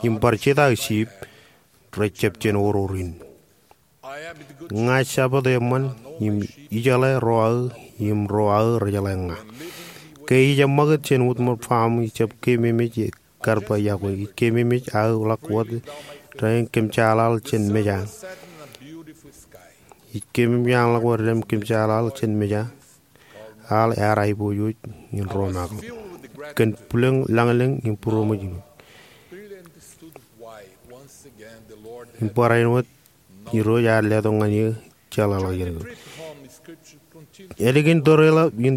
im bar jitōk sheep, rej jab jān oror in. Ña Jabōt eṃṃan, im ijeḷā ro aō, im ro aō rejeḷā ña. Ke ij eṃṃakūt jān Withmore Palm, ij jab keememej kar ba iọkwe, ij keememej aō ḷọk wōt, rej kōmjaaḷaḷ jān meja. Ij keememej aō ḷọk wōt, rej kōmjaaḷaḷ jān meja. Aḷ ear aiboojoj in ro makḷọk kōn bwilōñ lañlōñ im būroṃōj in. Im bar āinwōt Irooj ear letok ñan eō jeḷāḷọkjeṇ ko. Ālikin tōreḷọk in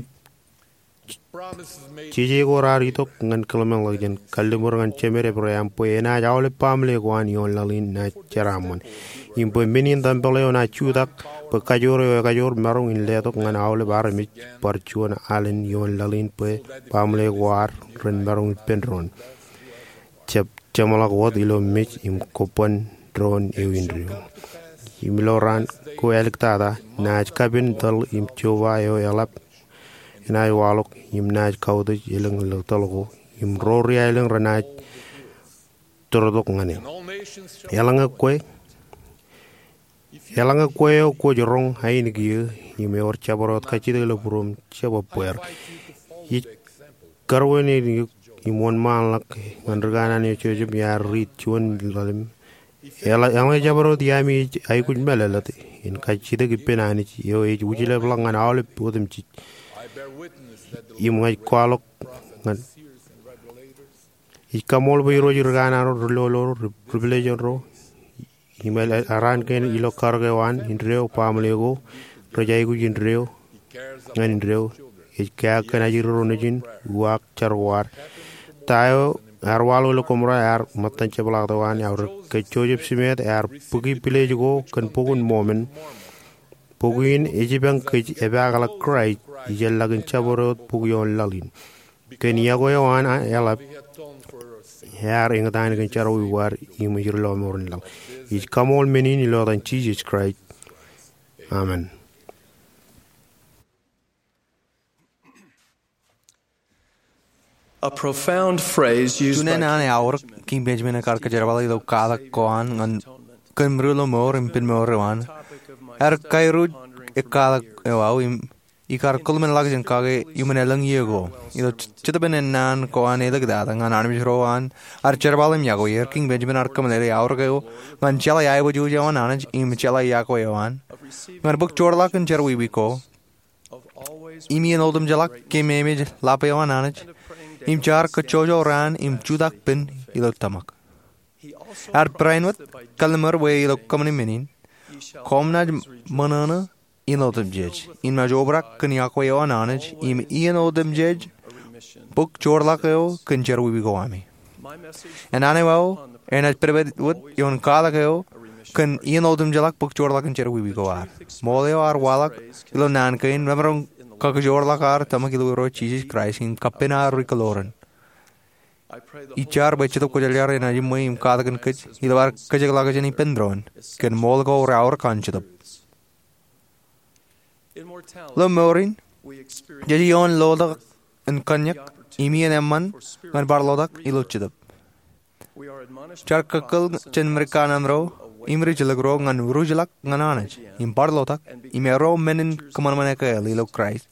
jeje ko raar itok ñan kōḷmānḷọkjeṇ, kalliṃur ñan Jemed Ebream bwe enaaj aolep baaṃle ko an ioon laḷ in naaj jeraaṃṃan. Im bwe men in tempel eo enaaj jutak bwe kajoor eo ekajoor maroñ in letok ñan aolep armej bar juon alen ioon laḷ in bwe baaṃle ko ad ren maroñ ippān doon. Jab jeṃḷọk wōt ilo mej im kobban doon eo indeeo. Im ilo raan ko āliktata, naaj kapen tōl im joba eo eḷap enaaj waḷọk, im naaj kautiej elōñ ilo tōl ko, im ro ri aelōñ renaaj tōrtok ñan e. Eḷaññe kwe, eḷaññe kwe eo kwōj roñ ainikien eō, im ewōr jabdewōt kajjitōk ilo būruōm, jab ebbeer. Ij karuwainene eok im wōnṃaanḷọk ñan ri kanaan eo Joseph im iar riit juon ḷalem Eḷaññe jabdewōt iaami ej aikuj mālōtlōt in kajjitōk ippān Anij eo ej wūjlepḷọk ñan aolep otemjej, im ña ij kwaḷọk ñan, ij kaṃṃoolol bwe Irooj ri kanaan ro, ri lolor ro, ri pilejin ro, im eḷap araan kein ilo karōk eo an indeeo, baaṃle ko, rej aikuj indeeo ñan indeeo. Ej kea kōn ajri ro nejin, uwaak jar ko ad. Ta eo ear waḷọk ilo Gomorrah ear ṃōttan jepḷaaktok an aorōk. Ke Joseph Smith ear bōki pilej ko kōn Bok in Mormon, bok in ej ippān kōj epaakḷọk Kraist, ijellọkin jabdewōt bok ioon laḷ in. Kōn yokwe eo an eḷap, ear eñtaan kōn jerọwiwi ko ad im ej ri lọmọọren laḷ. Ij kaṃṃoolol men in ilo etan Jisōs Kraist. Amen. A profound phrase used Juon by naan eo eaorōk Kiiñ Benjamin ekar kōjerbale ilo kwaḷọk ko an ñan kōn Ṃriu Lọmọọr im Pen Mour eo an. Ear kairuj ekwaḷọk eo aō im ikar kōḷmenḷọkjeṇ kake iuṃwin elōñ iiō ko. Ilo Jetōb Ennaan ko an Āliktata ñan Armej ro an ear jerbal im yokwe er, Kiiñ Benjamin ear kōmeḷeḷe aorōk eo ñan jeḷā aiboojoj eo an Anij im jeḷā yokwe eo an ñan bōk joorḷọk in jerọwiwi ko im iien otemjeḷọk kōmeemej ḷap eo an Anij im jaar kōjjojo raan im jutak pen ilo tōmak. Ear barāinwōt kalliṃur bwe ilo kōṃṃani men in, koṃ naaj ṃōṇōṇō iien otemjej, im naaj obrak kōn yokwe eo an Anij im iien otemjej bōk joorḷọk eo kōn jerọwiwi ko ami. Ennaan eo aō enaaj pedped wōt ioon kwaḷọk eo kōn iien otemjeḷọk bōk joorḷọk in jerọwiwi ko ad. Ṃool eo ear waḷọk ilo naan kein remaroñ kakajoorḷọk ad tōmak ilo Irooj Jisōs Kraist im kappān ad ri kōḷoran. Ij jar bwe Jetōb Kwōjarjar enaaj eṃṃan im katakin kōj ilo ad kōjekḷọk jān ippān doon kōn ṃool ko reaorōk an Jetōb. Ilo mour in, jej ioon lotak in kōnñak im iien eṃṃan ñan bar lotak ilo Jetōb. Jaar kōkōḷ jān ri kanaan ro im ri jilkinro ñan ruj ḷọk ñan Anij im bar lotak im erro men in kōṃanṃan ekāāl ilo Kraist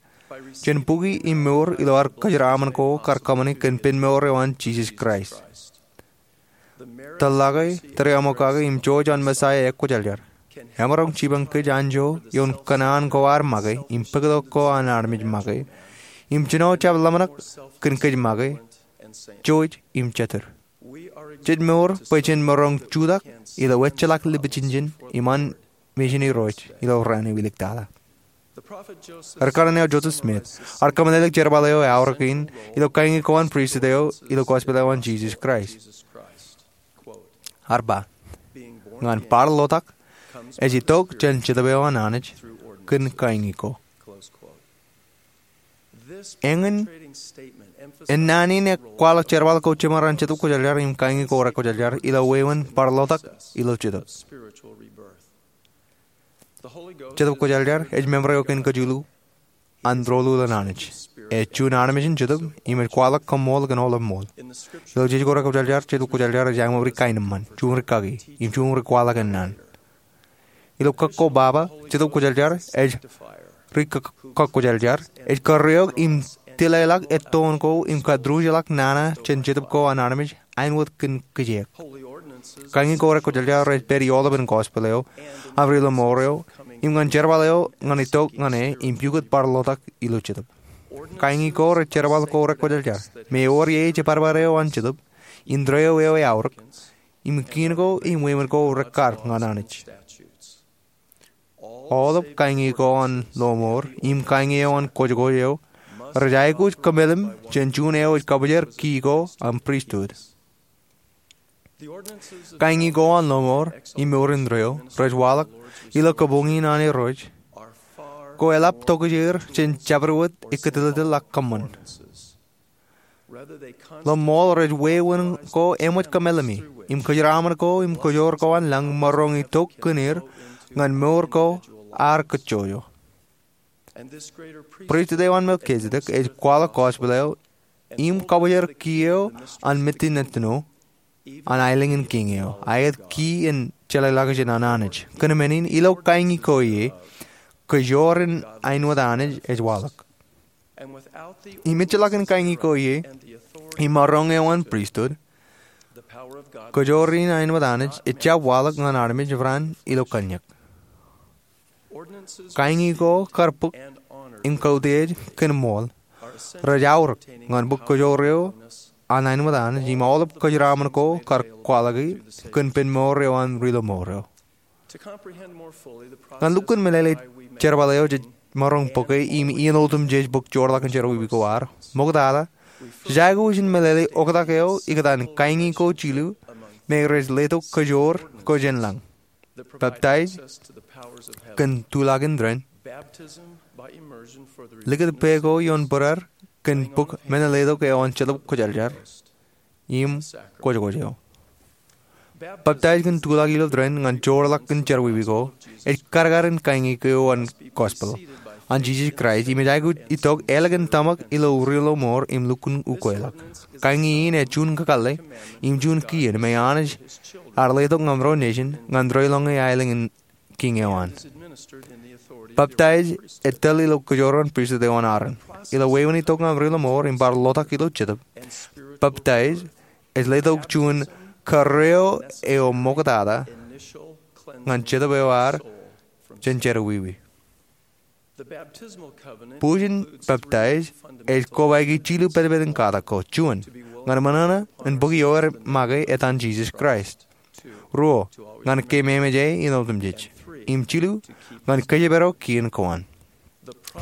jān bukwi im mour ilo ad kōjeraaṃṃan ko kar kōṃṃani kōn Pen Mour eo an Jisōs Kraist. Tōl ḷọk e, tōreaṃo kake im jouj an Messaia ekwōjarjar emaroñ jipañ kōj anjọ ioon kōṇaan ko ad make im pād itok ko an armej make im jino jab ḷōmṇak kōn kōj make, jouj im jatūr. Jej mour bwe jen maroñ jutak ilo ejjeḷọk lipijinjin im an mejān Irooj ilo raan eo iliktata. Ri kanaan eo Joseph Smith ear kōmeḷeḷe jerbal eo eaorōk in ilo kañi ko an pristut eo ilo gospel eo an Jisōs Kraist. Ear ba, ñan bar lotak ej itok jān Jetōb eo an Anij kōn kañi ko. Eñin ennaan in ekwaḷọk jerbal ko jiṃor an Jetōb Kwōjarjar im kañi ko rekwōjarjar ilo wāween bar lotak ilo Jetōb. Jetōb Kwōjarjar ej member eo kein kajilu an tōl ilo an Anij. Ej juon armej in Jetōb im ej kwaḷọk kaṃṃool kōn aolep ṃool. Ilo jej ko rekwōjarjar, Jetōb Kwōjarjar ej aṃ ri kaenōṃṃan, juṃ rikaki, im juṃ ri kwaḷọk ennaan. Ilo kōk ko baba, Jetōb Kwōjarjar ej ri kōk, kōk kwōjarjar, ej kōrreoik im tileḷọk ettoon ko im kōtruj ḷọk nana jān jetōb ko an armej āinwōt kōn kijeek. Kañi ko rekwōjarjar rej pād ioḷapān gospel eo, aṃ ri lọmọọr eo, im ñan jerbal eo ñan itok ñan e im pukot bar lotak ilo Jetōb. Kañi ko rej jerbal ko rekwōjarjar, me ewōr ie jibadbad eo an Jetōb, indeeo eo eaorōk, im kiin ko im wāween ko rekar ñan Anij. Aolep kañi ko an lọmọọr im kañi eo an kwōjkwōj eo rej aikuj kōmeḷeḷe jān juon eo ej kabōjrak ki ko an pristut. Kañi ko an lọmọọr im mour indeeo rej waḷọk ilo kabuñ in an Irooj ko eḷap tokjāer jān jabdewōt ekkōtilōtōl ḷọk kōṃṃan. Ḷōṃool rej wāween ko eṃōj kōmeḷeḷe im kōjeraaṃṃan ko im kōjoor ko an lañ maroñ itok kōn er ñan mour ko ear kōjjojo. Pristut eo an Melkisedek ej kwaḷọk gospel eo im kabōjrak ki eo an Mejitnano an aelōñ in kiiñ eo, aet ki in jeḷāḷọkjeṇ an Anij. Kōn men in, ilo kañi ko ie, kōjoor in āinwōt Anij ej waḷọk. Im ejjeḷọk in kañi ko ie im maroñ eo an pristut, Kōjoor in aenōṃōd Anij ejjab waḷọk ñan armej raan ilo kanniōk. Kañi ko kar bōk im kautiej kōn ṃool rej aorōk ñan bōk kōjoor eo an aenōṃōd Anij im aolep kōjeraaṃṃan ko kar kwaḷọki kōn pen mour eo an ri-lọmọọr eo. Ñan lukkuun meḷeḷe jerbal eo jej maroñ bōke im iien otemjej bōk joorḷọk in jerọwiwi ko ad, ṃoktata, jej aikuj in meḷeḷe oktak eo ikōtaan kañi ko jilu me rej letok kōjoor ko jān lañ: peptaij kōn tuḷak in tōren, likūt pā ko ioon būreer kōn bōk men letok eo an Jetōb Kwōjarjar, im kwōjkwōj eo. Peptaij kōn tuḷak ilo tōren ñan joorḷọk in jerọwiwi ko ej kadkadin kañi ko an gospel an Jisōs Kraist im ej aikuj itok ālikin tōmak ilo ri-lọmọọr im lukkuun ukweḷọk. Kañi in ej juon kakōḷḷe im juon kien me Anij ear letok ñan ro nejin ñan reiḷọñe aelōñ in Kiiñ eo an. Peptaij ej tōl ilo Kōjoroon Pristut eo an Aaron. Ilo wāween itok ñan ri-lọmọọr im bar lotak ilo Jetōb, peptaij ej letok juon kōrreo eo ṃoktata ñan jetōb eo ad jān jerọwiwi. Bujen peptaij ej kobaiki jilu pedped in katak ko. Juon, ñan ṃōṇōṇō in bōk ioer make etan Jisōs Kraist. Ruo, ñan keememej E in otemjej. Im jilu, ñan kōjparok kien ko an.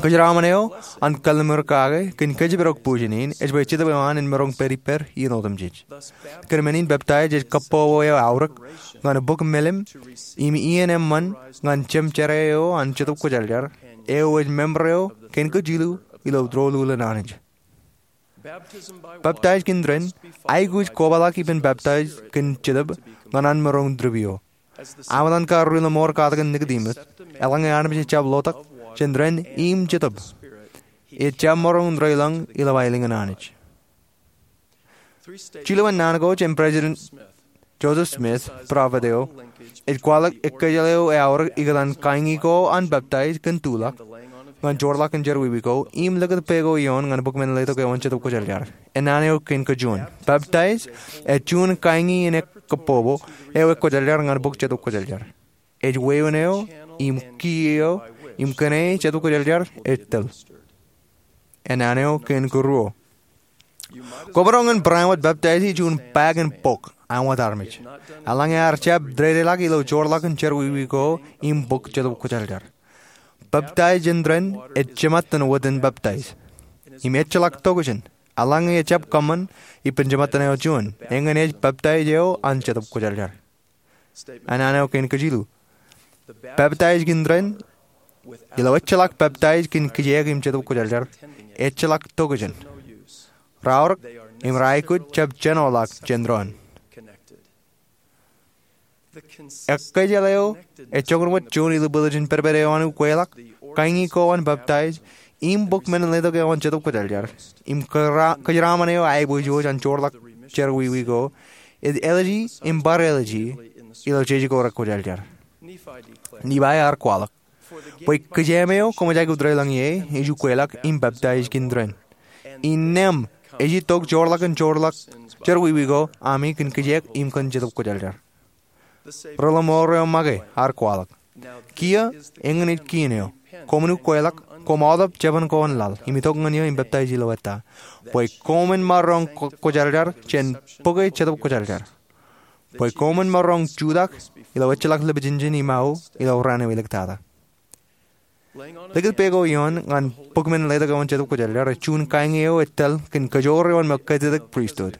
Kōjeraaṃṃan eo an kalliṃur kake kōn kōjparok bujen in ej bwe jetōb eo an en maroñ pād ippād iien otemjej. Kōn men in, peptaij ej kabbokbok eo aorōk ñan bōk melim im iien eṃṃan ñan Jemjerā eo an Jetōb Kwōjarjar eo ej member eo kein kajilu ilo doulul in Anij. Peptaij kōn tōren aikuj kobaḷọk ippān peptaij kōn Jetōb ñan an maroñ trip eo. Am etan kar ri-lọmọọr katak in Nikodimōs, eḷaññe armej ejjab lotak jān tōren im Jetōb, ejjab maroñ reiḷọñ ilo aelōñ in Anij. Jilu ennaan ko jān President Joseph Smith, prophet eo, ej kwaḷọk ekkejel eo eaorōk ikōtaan kañi ko an peptaij kōn tuḷak ñan joorḷọk in jerọwiwi ko im likūt pā ko ioon ñan bōk men letok eo an Jetōb Kwōjarjar. Ennaan eo kein kajuon. Peptaij ej juon kañi in kabbokbok eo ekwōjarjar ñan bōk Jetōb Kwōjarjar. Ej wāween eo im key eo im kōn e Jetōb Kwōjarjar ej tōl. Ennaan eo kein karuo. Kwōmaroñ in barāinwōt peptaij ej juon bag in bok an wōt armej, eḷaññe ear jab dedeḷọk ilo joorḷọk in jerọwiwi ko im bōk Jetōb Kwōjarjar. Peptaij jān tōren ej jemātan wōt in peptaij im ejjeḷọk tokjān, eḷaññe ejjab kōṃṃan ippān jemātan eo juon. Eñin ej peptaij eo an Jetōb Kwōjarjar. Ennaan eo kein kajilu. Peptaij kōn tōren ilo ejjeḷọk peptaij kōn kijeek im Jetōb Kwōjarjar ejjeḷọk tokjān. Raorōk im raikuj jab jenoḷọk jān doon. Ekkejel eo ej joñan wōt juon ilo bōkḷọk in pedped eo an ukweḷọk, kañi ko an peptaij, im bōk men letok eo an Jetōb Kwōjarjar, im kōjeraṃṃan eo aiboojoj an joorḷọk jerọwiwi ko, ej āliji im bar āliji ilo jeje ko rekwōjarjar. Nifai ear kwaḷọk, bwe kijeeṃ eo koṃij aikuj reiḷọñ ie ej ukweḷọk im peptaij kōn tōren. Innām ej itok joorḷọk in joorḷọk jerọwiwi ko ami kōn kijeek im kōn Jetōb Kwōjarjar. Ri-lọmọọr eo make ear kwaḷọk, kiiō eñin ej kien eo. Koṃwin ukweḷọk, koṃ aolep jeban ko an laḷ, im itok ñan eō im peptaij ilo ettā, bwe koṃwin maroñ kwōjarjar jān bōke Jetōb Kwōjarjar, bwe koṃwin maroñ jutak ilo ejjeḷọk lipejinjen im aō ilo raan eo iliktata. Likūt pā ko ioon ñan bōk men letok eo an Jetōb Kwōjarjar ej juon kañi eo ej tōl kōn kajoor eo an Melchizedek Pristut.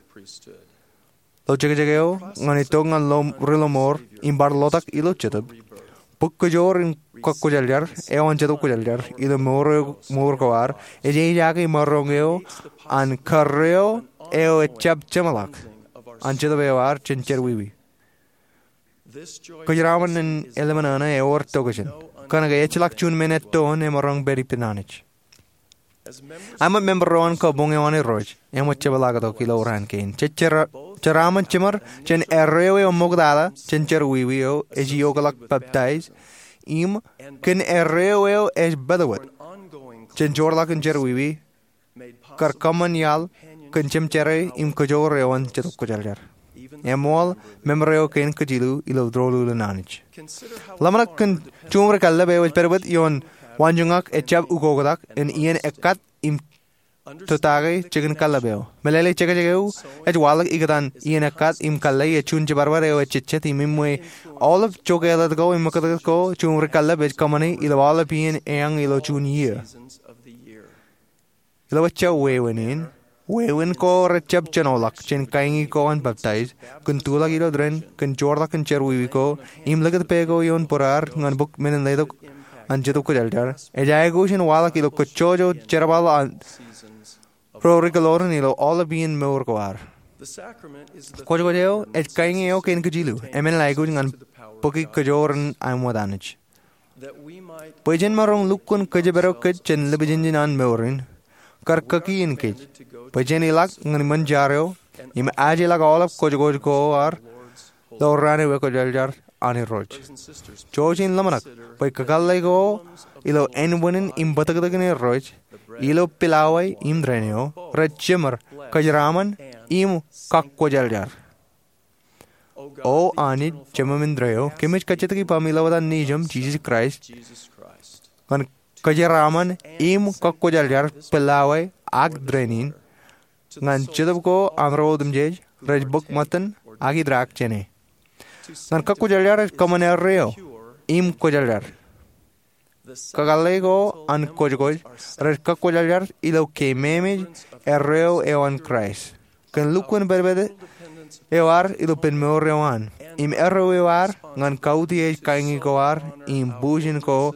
Ilo jekjek eo ñan itok ñan ri-lọmọọr im bar lotak ilo Jetōb, bōk kajoor in kakwōjarjar eo an Jetōb Kwōjarjar ilo mour ko ad ej ejaake maroñ eo an kōrreo eo ejjab jeṃḷọk an jetōb eo ad jān jerọwiwi. Kōjeraṃṃan in eḷmānḷọkḷọk ewōr tokjān, kōnke ejjeḷọk juon men ettoon emaroñ pād ippān Anij. Im wōt member eo an kabuñ eo an Irooj, im wōt jepḷaaktok ilo raan kein, jej jeraṃṃan jiṃor jān erreo eo ṃoktata jān jerọwiwi eo ej iokḷọk peptaij, im kōn erreo eo ej bōtōbōt jān joorḷọk in jerọwiwi kar kōṃṃan iaḷ kōn jemjerā im kajoor eo an Jetōb Kwōjarjar. Eṃṃool member eo kein kōj jilu ilo doulul in Anij. Ḷōmṇak kōn juṃri kallib eo ej pedped ioon waanjoñak ejjab ukoktak in iien ekkat im tōtake jikin kallib eo. Meḷeḷe, jekjek eo ej waḷọk ikōtaan iien ekkat im kalle ej juon jibadbad eo ejejjet im iṃwe aolep joke ḷọk ko im ṃōkōtōk ko juṃri kallib ej kōṃṃane ilo aolep iien eañ ilo juon iiō. Ilo ejja wāween in, wāween ko rejjab jenoḷọk jān kaiñi ko an peptaij, kōn tuḷọk ilo dān, kōn joorḷọk in jerọwiwi ko, im likūt pā ko ioon būraar ñan bok men in letok an Jetōb Kwōjarjar, ej aikuj in waḷọk ilo kōjjojo jerbal an ro ri kōḷoran ilo aolep iien mour ko ad. Kwōjkwōj eo ej kaiñi eo kein kōj jilu, eṃṃan aikuj ñan bōki kōjoor in aṃ wōt Anij. Bwe jen maroñ lukkuun kōjparok kōj jān lipij engine an mour in, kar kakien kōj bwe jen ilọk ñan ṃōn jar eo im ajeḷọk aolep kwōjkwōj ko ad ḷọk raan eo ekwōjarjar an Irooj. Jouj im ḷōmṇak bwe kakōḷḷe ko ilo ānbwinnin im bōtōktōkin Irooj ilo pilawai im dān eo rej jeṃor kōjeraaṃṃan im kakwōjarjar. O Anij Jemem indeeo, kōmij kajjitōk ippaṃ ilo etan Nejiṃ Jisōs Kraist ñan kōjeraaṃṃan im kakwōjarjar pilawai ak dān in ñan Jetōb ko an ro otemjej rej bōk ṃōttan ak itraak jāne. Ñan kakwōjarjar ej kōṃṃan erreo im kwōjarjar. Kakōḷḷe ko an kwōjkwōj rej kakwōjarjar ilo keememej erreo eo an Kraist kōn lukkuun pedped eo ad ilo penmour eo an im erreo eo ad ñan kautiej kaiñi ko ad im bujen ko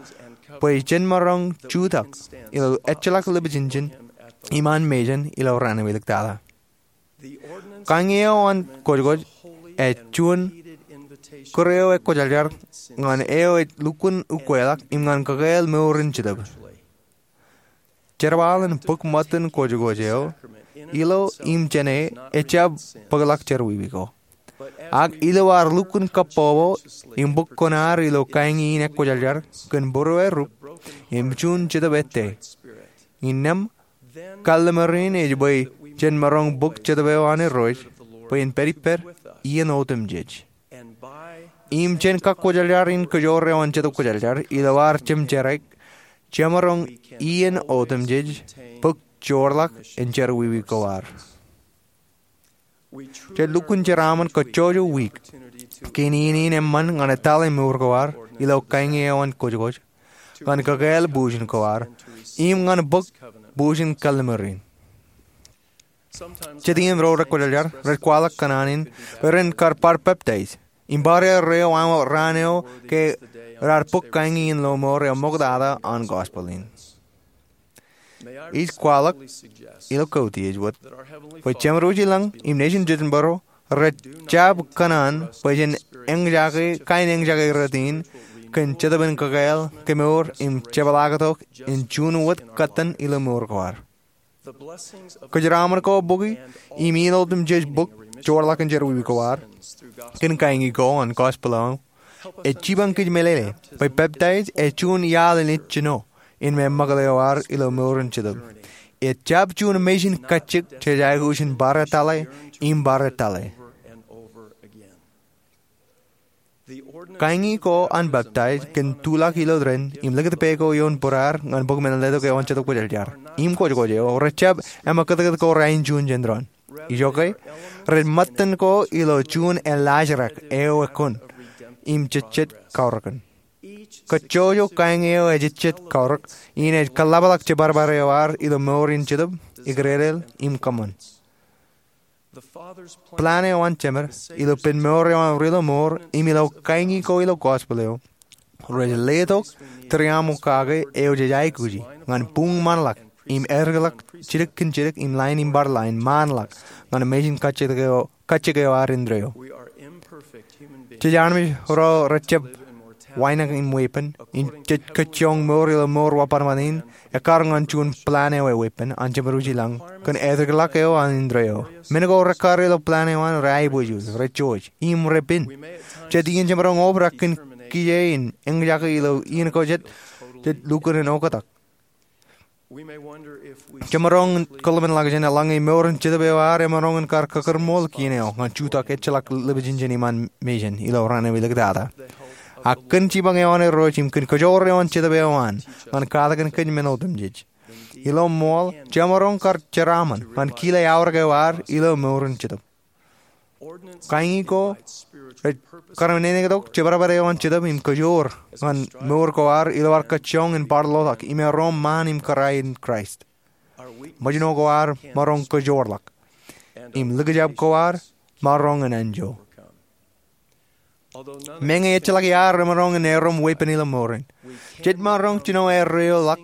bwe jen maroñ jutak ilo ejjeḷọk lipij engine im an mejān ilo raan eo iliktata. Kaiñi eo an kwōjkwōj ej juon kūr eo ekwōjarjar ñan eo ej lukkuun ukweḷọk im ñan kakāāl mour in Jetōb. Jerbal in bōk ṃōttan kwōjkwōj eo ilo im jāne ejjab bōkḷọk jerọwiwi ko, ak ilo ad lukkuun kabbokbok im bōk kuṇaad ilo kaiñi in ekwōjarjar kōn būruerūp im juon Jetōb ettā. Innām, kalliṃur in ej bwe jen maroñ bōk Jetōb eo an Irooj bwe en pād ippād iien otemjej. Im jān kakwōjarjar in kōjoor eo an Jetōb Kwōjarjar ilo ad jemjerā, jemaroñ iien otemjej bōk joorḷọk in jerọwiwi ko ad. Jej lukkuun jeraaṃṃan kōjjojo wiik kein iien in eṃṃan ñan etale mour ko ad ilo kaiñi eo an kwōjkwōj, ñan kakāāl bujen ko ad, im ñan bōk bujen kalliṃur in. Jet iien ro rekwōjarjar rej kwaḷọk kōṇaan in bwe ren kar bar peptaij im bar erreo aṃ raan eo ke raar bōk kaiñi in lo mour eo ṃoktata an gospel in. Ij kwaḷọk ilo kautiej wōt bwe Jemān wōt ilañ im nejin jitōnbōro rej jab kōṇaan bwe jen eñjake kain eñjake rot in kōn Jetōb in kakāāl, kemour im jepḷaaktok in juon wōt kōttan ilo mour ko ad. Kōjeraaṃṃan ko bōki im iien otemjej bōk joorḷọk in jerọwiwi ko ad kōn kaiñi ko an gospel eo ej jipañ kōj meḷeḷe bwe peptaij ej juon iaḷ in ej jino in meṃṃakūt eo ad ilo mour in Jetōb. Ejjab juon mejān kajjik jej aikuj in bar etale im bar etale. Kaiñi ko an peptaij kōn tuḷọk ilo dān im likūt pā ko ioon būraar ñan bok men in letok eo an Jetōb Kwōjarjar im kwōjkwōj eo rejjab eṃōkōtkōt ko rainin juon jān doon. Ijoke, rej ṃōttan ko ilo juon eḷḷaajrak eo ekkōn im jejjet kaorōkin. Kōjjojo kaiñi eo ejejjet kaorōk in ej kōḷapḷọk jibadbad eo ad ilo mour in Jetōb, ikdedeḷ im kōṃṃan. Plan eo an Jemān ilo penmour eo an rilo mour im ilo kaiñi ko ilo gospel eo rej letok tūriaṃokake eo jej aikuji ñan buñ ṃaanḷọk im etikḷọk jidik kōn jidik im lain im bar lain ṃaanḷọk ñan mejān kajjik eo, kajjik eo ad indeeo. Jej armej ro rejjab wānōk im weeppān im jej kōjjoñ mour ilo mour wōt bar ṃōttan in ekkar ñan juon plan eo eweeppān an Jemān wōt ilañ kōn etikḷọk eo an indeeo. Men ko rekkar ilo plan eo an reaibōjoj, rejouj im repen. Jet iien jemaroñ obrak kōn kije in eñjake ilo iien ko jet, jej lukkuun in oktak. Jemaroñ in kōḷmānḷọkjeṇ eḷaññe mour in jetōb eo ad emaroñ in kar kōkūrmool kien eo ñan jutak ejjeḷọk ḷipijinjen iṃaan mejān ilo raan eo iliktata. Ak kōn jipañ eo an Irooj im kōn kōjoor eo an Jetōb eo an ñan katakin kōj men otemjej. Ilo ṃool, jemaroñ kar jeraaṃṃan ñan kile aorōk eo ad ilo mour in jetōb. Kañi ko rej kar enenektok jebedebed eo an Jetōb im kōjoor ñan mour ko ad ilo ad kajjioñ in bar ḷotak im erom ṃaan im kōrā in Kraist. Ṃōjṇo ko ad maroñ kōjoorḷọk im likjab ko ad maroñ en anjọ. Meñe ejjeḷọk iaad remaroñ en erom weeppān ilo mour in, jej maroñ jino erreoḷọk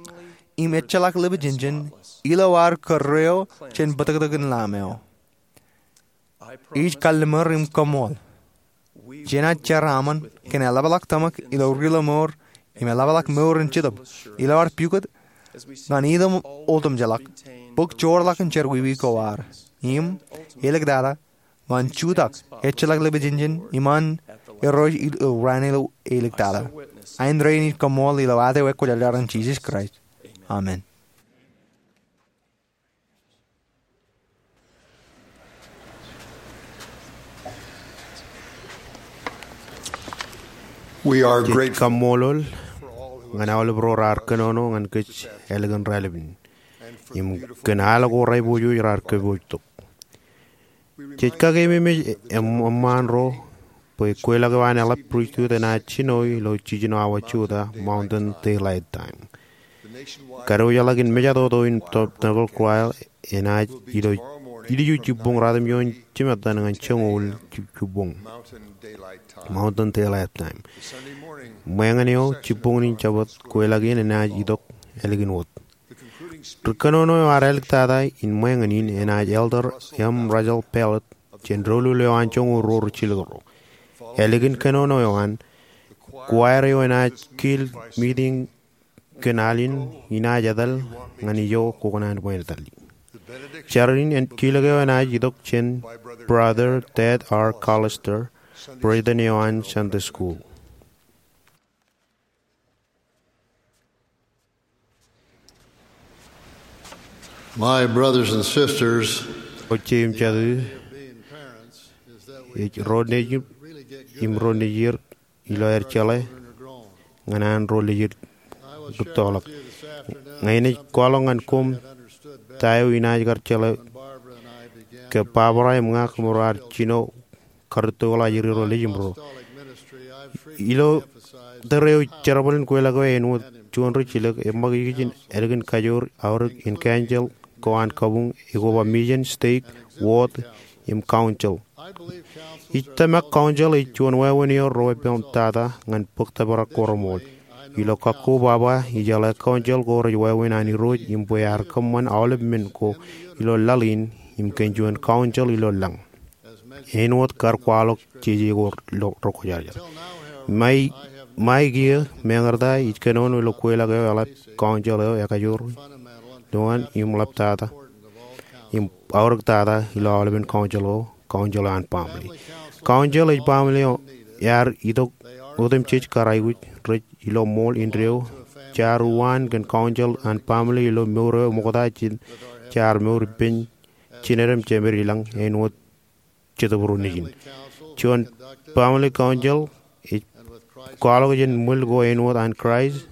im ejjeḷọk ḷipijinjen ilo ad kōrreo jān bōtōktōkin Lamb eo. Ij kalliṃur im koṃṃool jenaaj jeraaṃṃan kōn eḷapḷọk tōmak ilo rilo mour im eḷapḷọk mour in jetōb ilo ad pukot ñan itok otemjeḷọk bōk joorḷọk in jerọwiwi ko ad im iliktata ñan jutak ejjeḷọk ḷipijinjen iṃaan Irooj ilo raan eo iliktata. Āindein ij koṃṃool ilo ad eo ekwōjarjar in Jisōs Kraist. Amen. We are Jej grateful kaṃṃoolol ñan aolep ro raar kōnono ñan kōj ālikin raelep in im kōn al ko raiboojoj raar kōpooj tok. Jej kakeememej eṃṃaan ro bwe kweilọk eo an eḷap pristut enaaj jino ilo jiljino awa jota Mountain Daylight Time. Kadiwōjḷọk in mejatoto in tōpnakol kuwail enaaj ilo ilju jibboñ ratimjuon jimettan ñan joñoul jibboñ Mountain Daylight Time. Ṃōñā eo jibboñ in Jabōt kweilọk in enaaj itok ālikin wōt. Ri kōnono eo ad āliktata in ṃōñā in enaaj Elder M. Russell Ballard jān doulul eo an joñoul ruo rijjilōk ruo. Ālikin kōnono eo an, kuwaer eo enaaj kil miting kōn al in inaaj etal ñan ijo kwōkōṇaan bwe en etal ie. Jar in kilōk eo enaaj itok jān Brother Ted R. Callister, President eo an Sunday School. My brothers and sisters, ro jeiū im jatū, ej ro nejū im ro nejier ilo aer jeḷā ñan an ro nejier rūttoḷọk. Ña inaaj kwaḷọk ñan koṃ ta eo inaaj kar jeḷā ke Barbara im ña kōmro ar jino karūttoḷọk ajri ro nejimro. Ilo tōre eo ij jerbal in kweilọk eo āinwōt juon rijjilōk, eṃṃakijkij in ālikin kajoor aorōk in council ko an kabuñ ekoba mission, stake, ward, im council. Ij tōmak council ej juon wāween eo ro eppān tata ñan bōk tōprak ko reṃool. Ilo kakko baba ijeḷā council ko rej wāween an Irooj im bwe ear kōṃṃan aolep men ko ilo laḷ in im kōn juon council ilo lañ. Āinwōt kar kwaḷọk jeje ko rekwōjarjar. Ṃae kiiō, meñe rej ta ij kōnono ilo kweilọk eo eḷap council eo ekajoor lowaan im ḷaptata im aorōktata ilo aolepen council ko, council eo an baaṃle. Council ej baaṃle eo ear itok otemjej kar aikuj rej ilo ṃool indeeo. Jaar uwaan kōn council an baaṃle ilo mour eo ṃokta jān jaar mour ippān jined im jemed ilañ āinwōt Jetōb Ro Nejin. Juon family council ej kwaḷọk jān ṃwil ko āinwōt an Kraist,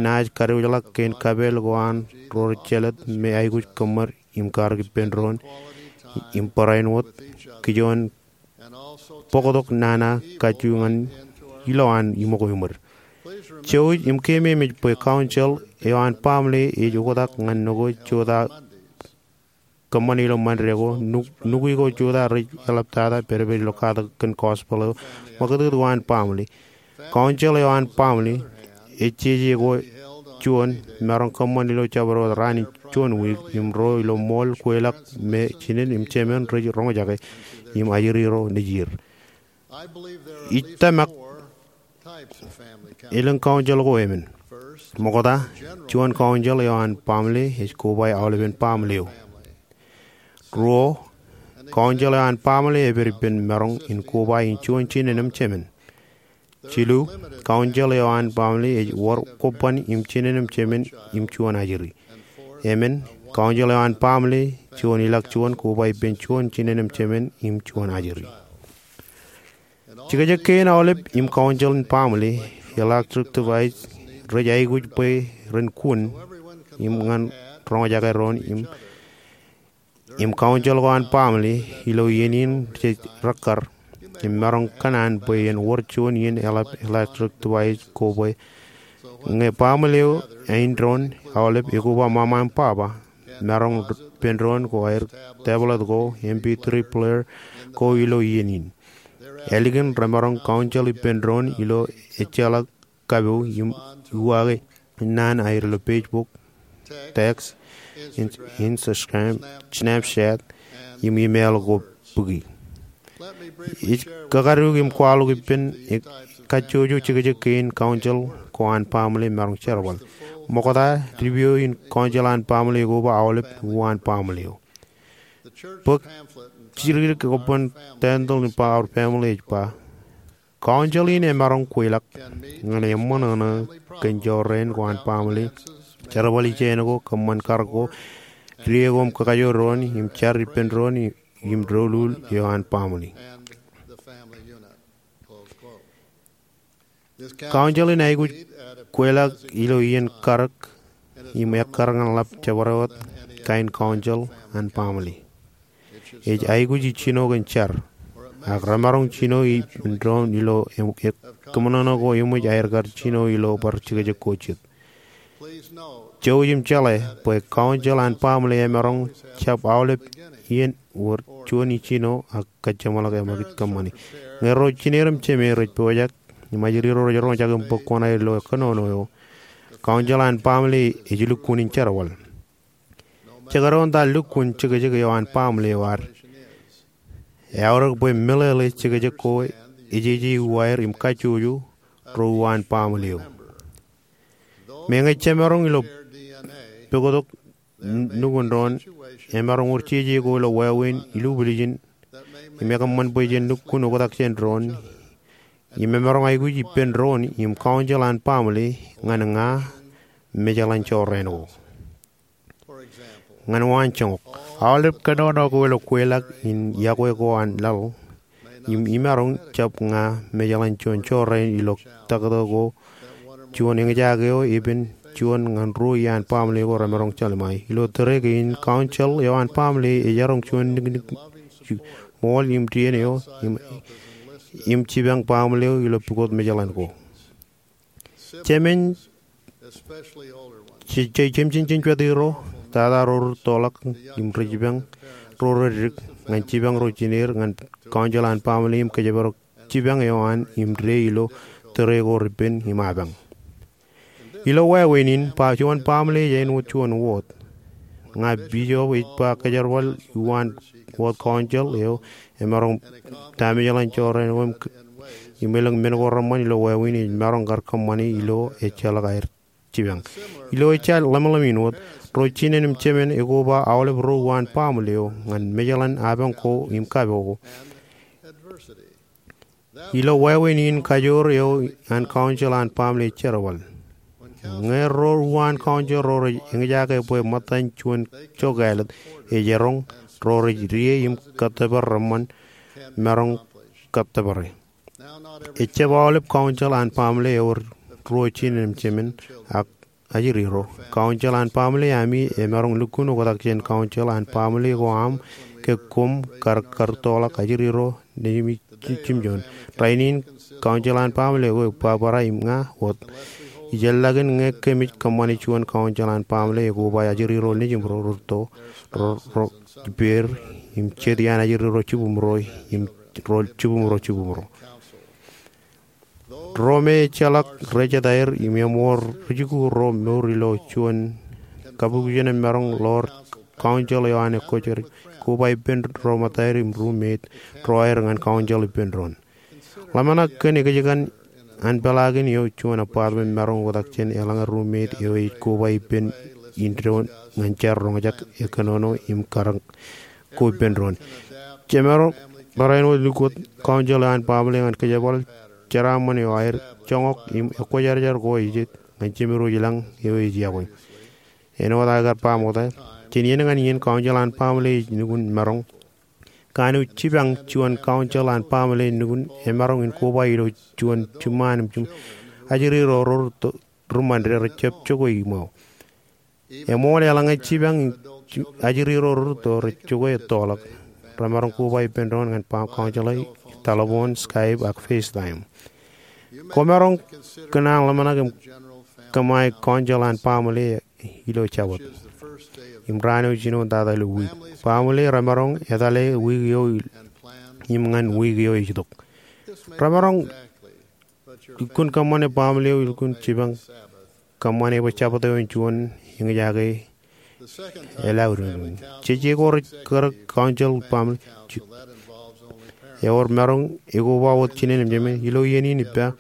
naaj kadiwōjḷọk kōn kapeel ko an ro rej jelōt me aikuj kōṃṃan im karōk ippān doon im barāinwōt kijoon bōktok nana kajju ñan ilowaan iṃōko iṃōd. Jouj im keememej bwe council eo an family ej oktak ñan nukwiik jota kōṃṃan ilo Ṃande ko, nukwiik ko jota rej eḷaptata pedped ilo katak kōn gospel eo ṃakūtkūt ko an family. Council eo an family ej jeje ko juon maroñ kōṃṃan ilo jabdewōt raan in juon wiik im ro ilo ṃool kweilọk me jinen im jemān rej roñjake im ajri ro nejier. Ij tōmak elōñ council ko emān. Ṃokta, juon council eo an family ej koba aolepen family eo. Ruo, council eo an family epād ippān maroñ in koba in juon jinen im jemān. Jilu, council eo an family ej wōr kobban im jinen im jemān im juon ajri. Emān, council eo an baaṃle, juon ilọk juon, koba ippān juon jinen im jemān im juon ajri. Jekjek kein aolep im council in baaṃle, electric device, rej aikuj bwe ren kun im ñan roñjake doon im im council ko an baaṃle ilo iien in jej rekkar im maroñ kōṇaan bwe en wōr juon iien eḷap electric device ko bwe ñe baaṃle eo āindein aolep ekoba ṃaṃa im baba, maroñ ippān doon ko aer tablet ko, M P three player ko ilo iien in. Ālikin remaroñ council ippān doon ilo ejjeḷọk kapo im uwaake naan aer ilo Facebook, text, in- Instagram, Snapchat, im email ko bōki. Ij kakaduuk im kwaḷọk ippān kajjojo jekjek kein council ko an baaṃle maroñ jerbal. Ṃokta, review in council an baaṃle ekoba aolep uwaan baaṃle eo. Bōk jidikdik ko bwe Tendel in Power Family ej ba, council in emaroñ kweilọk ñan eṃṃan ṇe kōn jorrāān ko an baaṃle, jerbal ijeṇ ko, kōṃṃan karōk ko, die ko im kakajoor doon im jar ippān doon im doulul eo an baaṃle. Council in aikuj kweilọk ilo iien karōk im ekkar ñan ḷap jabdewōt kain council an baaṃle. Ej aikuj ijjino kōn jar, ak remaroñ jino ippān doon ilo kōṃṃan ko eṃōj aer kar jino ilo bar jekjek ko jet. Jouj im jeḷā bwe council an baaṃle emaroñ jab aolep iien wōr juon ijjino ak kōjeṃḷọk eṃōj kōṃṃani. Ñe ro jined im jemān rej pojak im ajri ro rej roñjake im bōk kuṇaō ilo kōnono eo, council an baaṃle ej lukkuun in jerbal. Jekdọọn ta lukkuun jekjek eo an baaṃle eo ad, eaorōk bwe meḷeḷe jekjek ko ejeje uwaer im kajjojo ro uwaan baaṃle eo. Meñe jemaroñ ilo pukot nukun doon, emaroñ wōr jeje ko ilo wāween ilubwiljin im ekōṃṃan bwe jen lukkuun oktak jān doon im emaroñ aikuj ippān doon im council an baaṃle ñan ña mejaḷan jorrāān ko. Ñan waanjoñak, aolep kōnono ko ilo kweilọk in iọkwe ko an laḷ im imaroñ jab ña mejaḷan juon jorrāān ilo taktō ko juon eñjake eo epen juon ñan ruo iaan baaṃle ko remaroñ jelṃae. Ilo tōre kein, council eo an baaṃle ejaroñ juon niknik ṃool im dien eo im jipañ baaṃle eo ilo pukot mejaḷan ko. Jemān, jemān jejwatiro, tata ro rūttoḷọk im rej jipañ ro rej dik ñan jipañ ro jineer ñan council an baaṃle im kōjparok jipañ eo an im dān ilo tōre ko repen im apañ. Ilo wāween in, juon baaṃle ej āinwōt juon wōt. Ña bishop ej ba kōjerbal uwaan wōt council eo emaroñ ta mejaḷan jorrāān ko im elōñ men ko reṃṃan ilo wāween ej maroñ kar kōṃṃani ilo ejjeḷọk aer jipañ. Ilo ejja ḷōmṇak in wōt, ro jinen im jemān ekoba aolep ro uwaan baaṃle eo ñan mejaḷan apañ ko im kapo ko. Ilo wāween in, kajoor eo an council an baaṃle ej jerbal. Ñe ro uwaan council ro rej eñjake bwe ṃōttan juon jokālet ej eroñ, ro rej die im kōttōpar reṃṃan maroñ kōttōpare. Ejjab aolep council an baaṃle ewōr ruo jinen im jemān ak ajri ro. Council an baaṃle ami emaroñ lukkuun oktak jān council an baaṃle ko aṃ ke koṃ kar kar rūttoḷọk ajri ro nejimi jimjuon. Rainin, council an baaṃle ko ebwebwerai im ña wōt. Ijellọkin ñe kōmij kōṃṃani juon council an baaṃle ekoba ajri ro nejimro rūtto, ro, ro ippāer im jet iaan ajri ro jibwimro im ro jibwimro jibwimro. Ro me ejjeḷọk rej jet aer im eṃool rijikuuḷ ro mour ilo juon kabukjān emaroñ ḷoor council eo an ekkwōjarjar, koba ippān ro ṃōttaer im roommate ro aer ñan council ippān doon. Ḷōmṇak kōn ekjkan an peḷaakin eo juon apartment maroñ oktak jān eḷaññe roommate eo ej koba ippān in doon ñan jar roñjake kōnono im karōk ko ippān doon. Jemaroñ bar āinwōt lukkuun council eo an baaṃle ñan kōjerbal jeraaṃṃan eo aer joñak im ekkwōjarjar ko ej jet ñan jemedwōj lañ eo ej iọkwe. āinwōt aō kar ba ṃokta, jān iien ñan iien kaunjel an baaṃle ej nukun maroñ. Kanooj jipañ juon kaunjel an baaṃle nukun emaroñ in koba ilo juon jiṃṃaan im jiṃ ajri ro rūtto ri ṃōn rej jab jokwe iṃō. Eṃool eḷaññe jipañ ajri ro rūtto rej jokwe ettoḷọk, remaroñ koba ippān doon ñan baaṃ kaunjel eo, telephone, Skype, ak FaceTime. Kwōmaroñ kōṇaan ḷōmṇak im kōṃṃane kaunjel an baaṃle ilo Jabōt im raan eo jinoin tata ilo wiik. Baaṃle remaroñ etale wiik eo im ñan wiik eo ej itok. Remaroñ lukkuun kōṃṃane baaṃle eo lukkuun jipañ kōṃṃane bwe Jabōt eo en juon eñjake elọk. Jeje ko rej kar kaunjel baaṃle eo remaroñ ekoba wōt jinen im jemān. Ilo iien in ippa,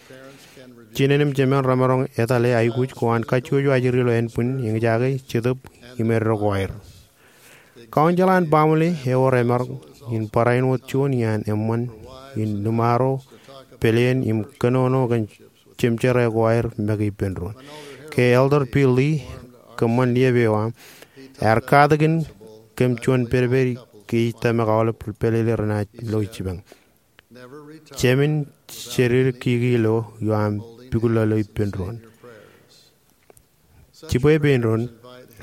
jinen im jemān remaroñ etale aikuj ko an kajjojo ajri ilo ānbwin eñjake, jetōb im eddo ko aer. Kaunjel an baaṃle eo remaroñ in barāinwōt juon iaan eṃṃan in limaro, pāleen im kōnono kōn jemjerā ko aer make ippān doon. Ke Elder Bill Lee, kōṃṃan liep eo aṃ, ear katakin kōm juon pedped ke ij tōmak aolep ri pālele renaaj lo jipañ. Jemān jededeḷọk kiki ilo ioam pukot ḷọk ilo ippān doon. Jibwe pein doon,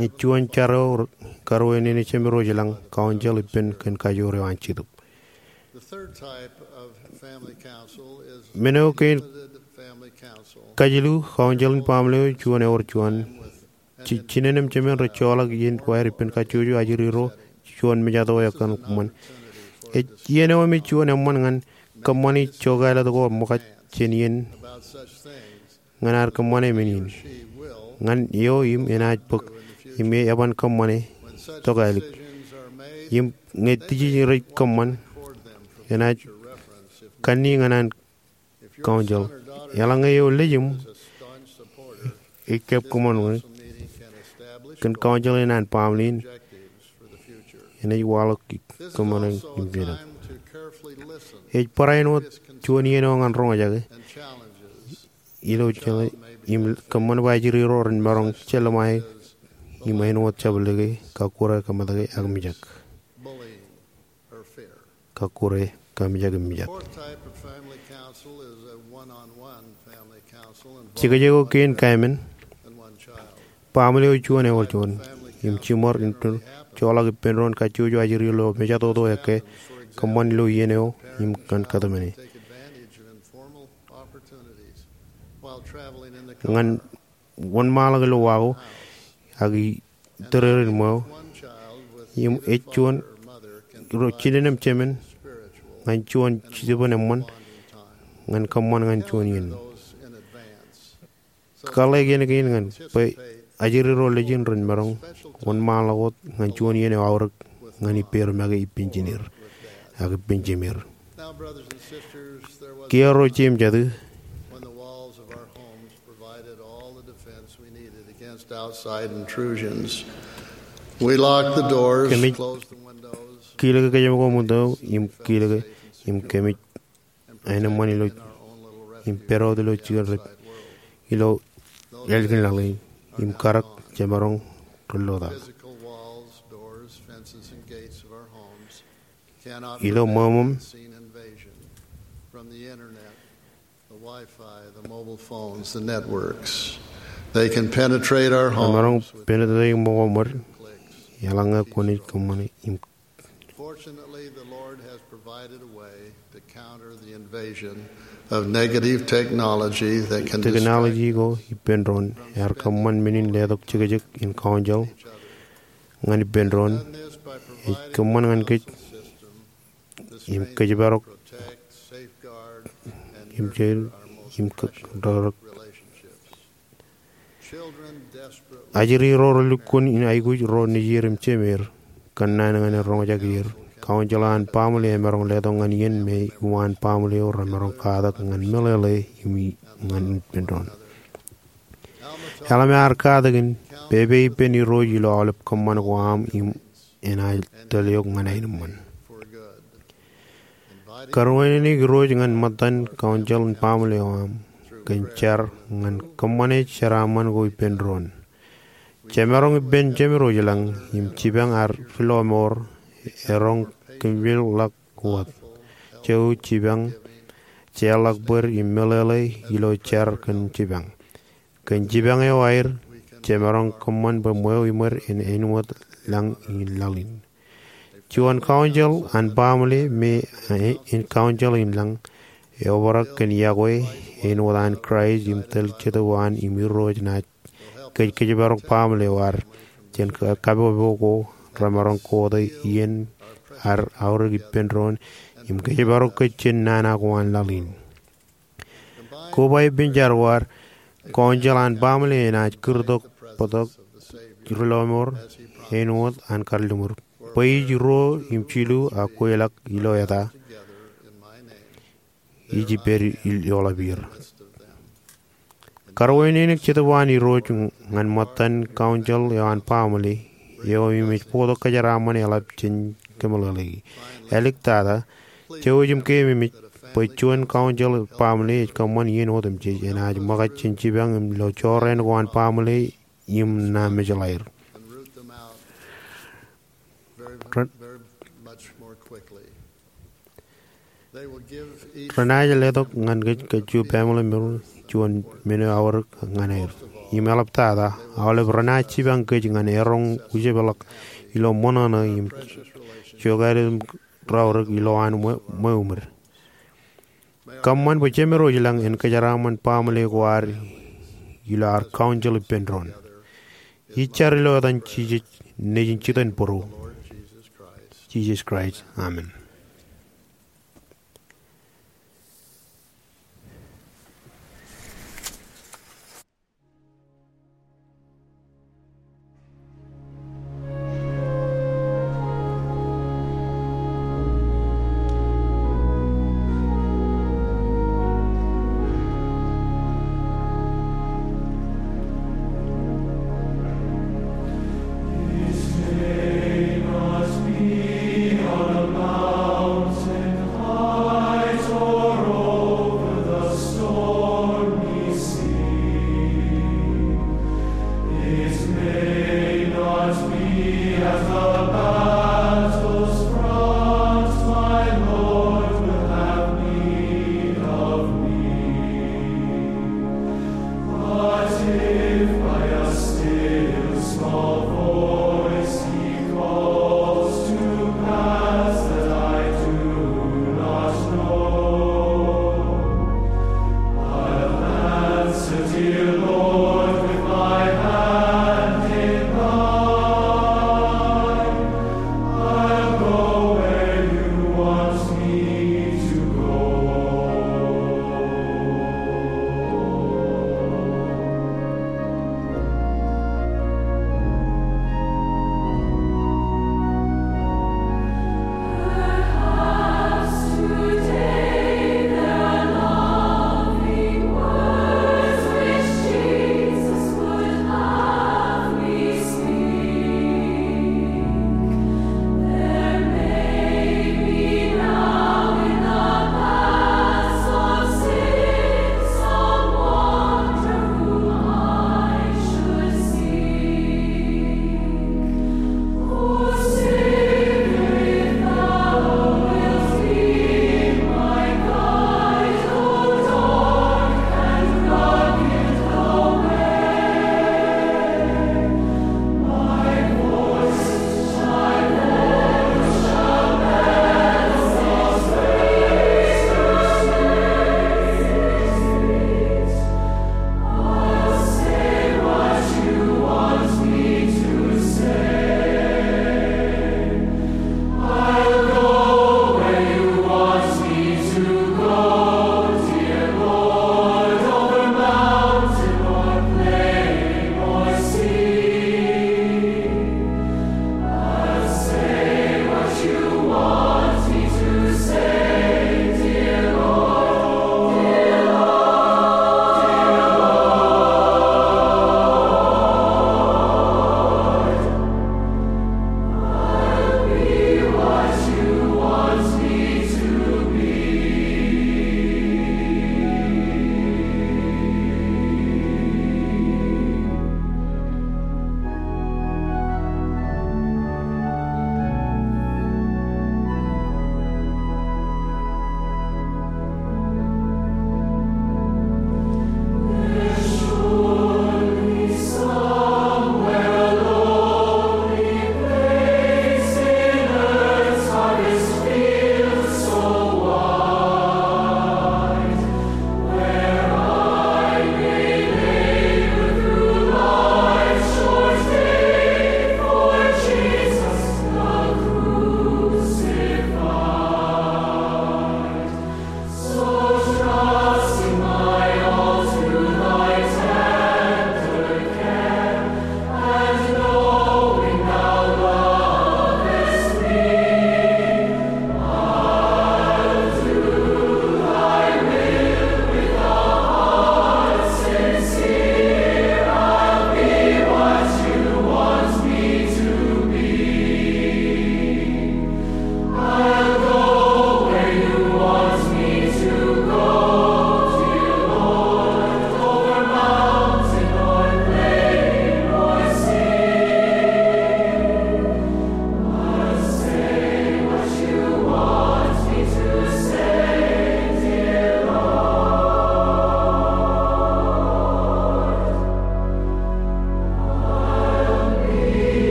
ej juon jar eo karuo in ej jemān ro ilañ kaunjel ippān kōn kajoor eo an Jetōb. Men eo kein kajilu kaunjel in baaṃle eo juon ewōr juon. Jinen im jemān rej joḷọk iien ko aer ippān kajjojo ajri ro juon mejatoto eo ekōṇaan kōṃṃan. Ej iien eo im ej juon eṃṃan ñan kōṃṃani jokālet ko ṃōkaj jān iien ñan ad kōṃṃane men in. Ñan eo im enaaj bōk im eban kōṃṃane tokālik. Im ñe dijej rej kōṃṃan, enaaj kanniōk ñan an kaunjel. Eḷaññe eo lejūṃ ej kab kōṃṃan wōt kōn kaunjel in an baaṃle in, enaaj waḷọk kōṃṃane im jeḷā. Ej barāinwōt juon iien eo ñan roñjake ilo jeḷā im kōṃṃan bwe ajri ro ren maroñ jelṃae im āinwōt jabdewōt, kakkure, kamōtke ak mijak. Kakkure, kamijak im mijak. Jekjek eo kein kaemān, baaṃle eo juon ewōr juon im jiṃor in joḷọk ippān doon kajjojo ajri ilo mejatoto ekkā, kōṃṃan ilo iien eo im ñan kōtmāne. Ñan wōnṃaanḷọk ilo wa ko ak itōrerein ṃweo, im ej juon ro jinen im jemān ñan juon jitōbōn eṃṃan ñan kōṃṃan ñan juon iien. Kaḷḷe kien kein ñan bwe ajri ro lejin ren maroñ wōnṃaanḷọk wōt ñan juon iien eo aorōk ñan ippāer make ippān jineer ak ippān jemeer. Kiiō ro jeiū im jatū, when the walls of our homes provided all the defense we needed against outside intrusions, we locked the doors, kōmij closed the windows, kilōk kōjām ko ṃōtto im kilōk im kōmij āneṃṃan ilo im pād wōt ilo jikin ro ilo ālikin laḷ in im karōk jemaroñ ri ḷota. Physical walls, doors, fences, and gates of our homes cannot ilo prevent ṃōṃ unseen invasion from the internet, the Wi-Fi, the mobile phones, the networks. They can penetrate our homes. Emaroñ penetrate ṃōṃ eo ṃōd eḷaññe kwōnaaj kōṃṃane im Fortunately, the Lord has provided a way to counter the invasion of negative technology that can distract us from spending quality time with each other. Technology ko ippān doon ear kōṃṃan men in letok jekjek in kaunjel ñan ippān doon. Ej kōṃṃan ñan kōj im kōjparok im jeḷ im kōjparok. Ajri ro relukkuun in aikuj ro nejier im jemeer kōnnaan ñan en roñjake er. Kaunjel an baaṃle emaroñ letok ñan iien me iwaan baaṃle eo remaroñ katak ñan meḷeḷe im ñan ippān doon. Alma ear katakin, pepe ippān Irooj ilo aolep kōṃṃan ko aṃ im enaaj tōl eok ñan aenōṃṃan. Kōrōnwōt eṇ Irooj ñan ṃōttan kaunjel in baaṃle eo aṃ kōn jar ñan kōṃṃane jeraaṃṃan ko ippān doon. Jemaroñ ippān Jemedwōj ilañ im jipañ ad ri-lọmọọr eroñ kōmjilḷọk wōt. Jouj jipañ jeorḷọk bōd im meḷeḷe ilo jar kōn jipañ. Kōn jipañ eo aer, jemaroñ kōṃṃan bwe ṃweo iṃōd en āinwōt lañ in laḷ in. Juon kaunjel an baaṃle me, eh, en kaunjel in lañ, eobrak kōn yokwe āinwōt an Kraist im tōl Jetōb eo an im Irooj naaj kōj kōjparok baaṃle eo ad jān ka-, kapopo ko remaroñ kote iien ad aorōk ippān doon im kōjparok kōj jān nana ko an laḷ in. Koba ippān jar ko ad, kaunjel an baaṃle enaaj kūrtok bōktok ri-lọmọọr āinwōt an kalliṃur. Bwe ij ruo im jilu ak kweilọk ilo eta, ij ippād ioḷap er. Karuwainene Jetōb an Irooj ñan ṃōttan kaunjel eo an baaṃle eo im ej bōktok kōjeraaṃṃan eḷap jān kōmeḷeḷeiki. Āliktata, jouj im keememej bwe juon kaunjel baaṃle ej kōṃṃan iien otemjej, enaaj ṃōkaj jān jipañ im ilo jorrāān ko an baaṃle im ṇa mejḷaer. Ren-, renaaj letok ñan kōj kajju baaṃle mour juon men eo aorōk ñan er. Im eḷaptata, aolep renaaj jipañ kōj ñan eroñ ujeḷpḷọk ilo ṃōṇōṇō im jokāāl im raorōk ilowaan ṃwe-, ṃweo ṃōd. Kōṃṃan bwe Jemedwōj ilañ en kōjeraaṃṃan baaṃle ko ad ilo ad kaunjel ippān doon. Ij jar ilo etan Jisōs, Nejin jitōnbōro, Jisōs Kraist. Amen.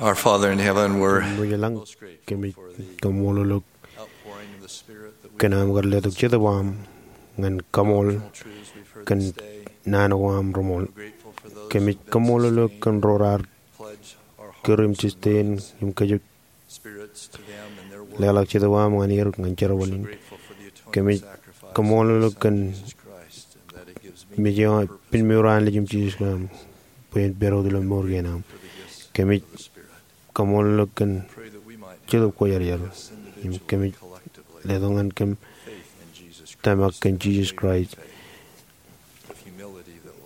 Our Father in heaven, we're Kōmij lañ, kōmij kaṃṃoolol eok kōn aṃ kar letok Jetōb eo aṃ ñan kaṃool kōn naan ko aṃ reṃool. Kōmij kaṃṃoolol eok kōn ro raar kūr im sustain im kōjepḷọk Jetōb eo aṃ ñan er ñan jerbal in. Kōmij kaṃṃoolol eok kōn mej eo pen mour an Nejūṃ Jisōs Kraist bwe en pād wōt ilo mour kein am. Kōmij kaṃṃoolol eok kōn Jetōb Kwōjarjar im kōmij letok ñan kōm tōmak kōn Jisōs Kraist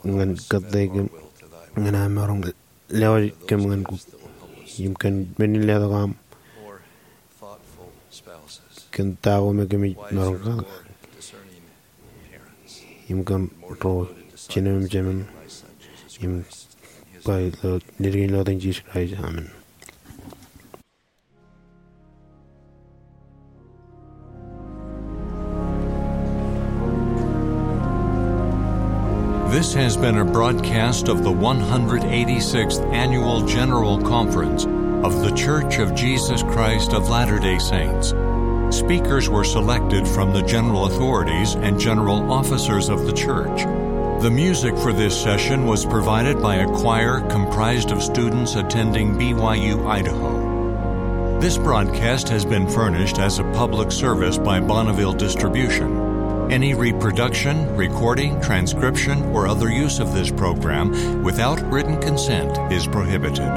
ñan kōttāik kōm ñan aṃ maroñ lewōj kōm ñan kōm im kōn men in letok aṃ kōn ta ko me kōmij maroñ kaḷọk im kōn ro jinem im jemem im ba ilo naan in ilo etan Jisōs Kraist, amen. This has been a broadcast of the one hundred eighty-sixth Annual General Conference of The Church of Jesus Christ of Latter-day Saints. Speakers were selected from the general authorities and general officers of the church. The music for this session was provided by a choir comprised of students attending B Y U Idaho. This broadcast has been furnished as a public service by Bonneville Distribution. Any reproduction, recording, transcription, or other use of this program without written consent is prohibited.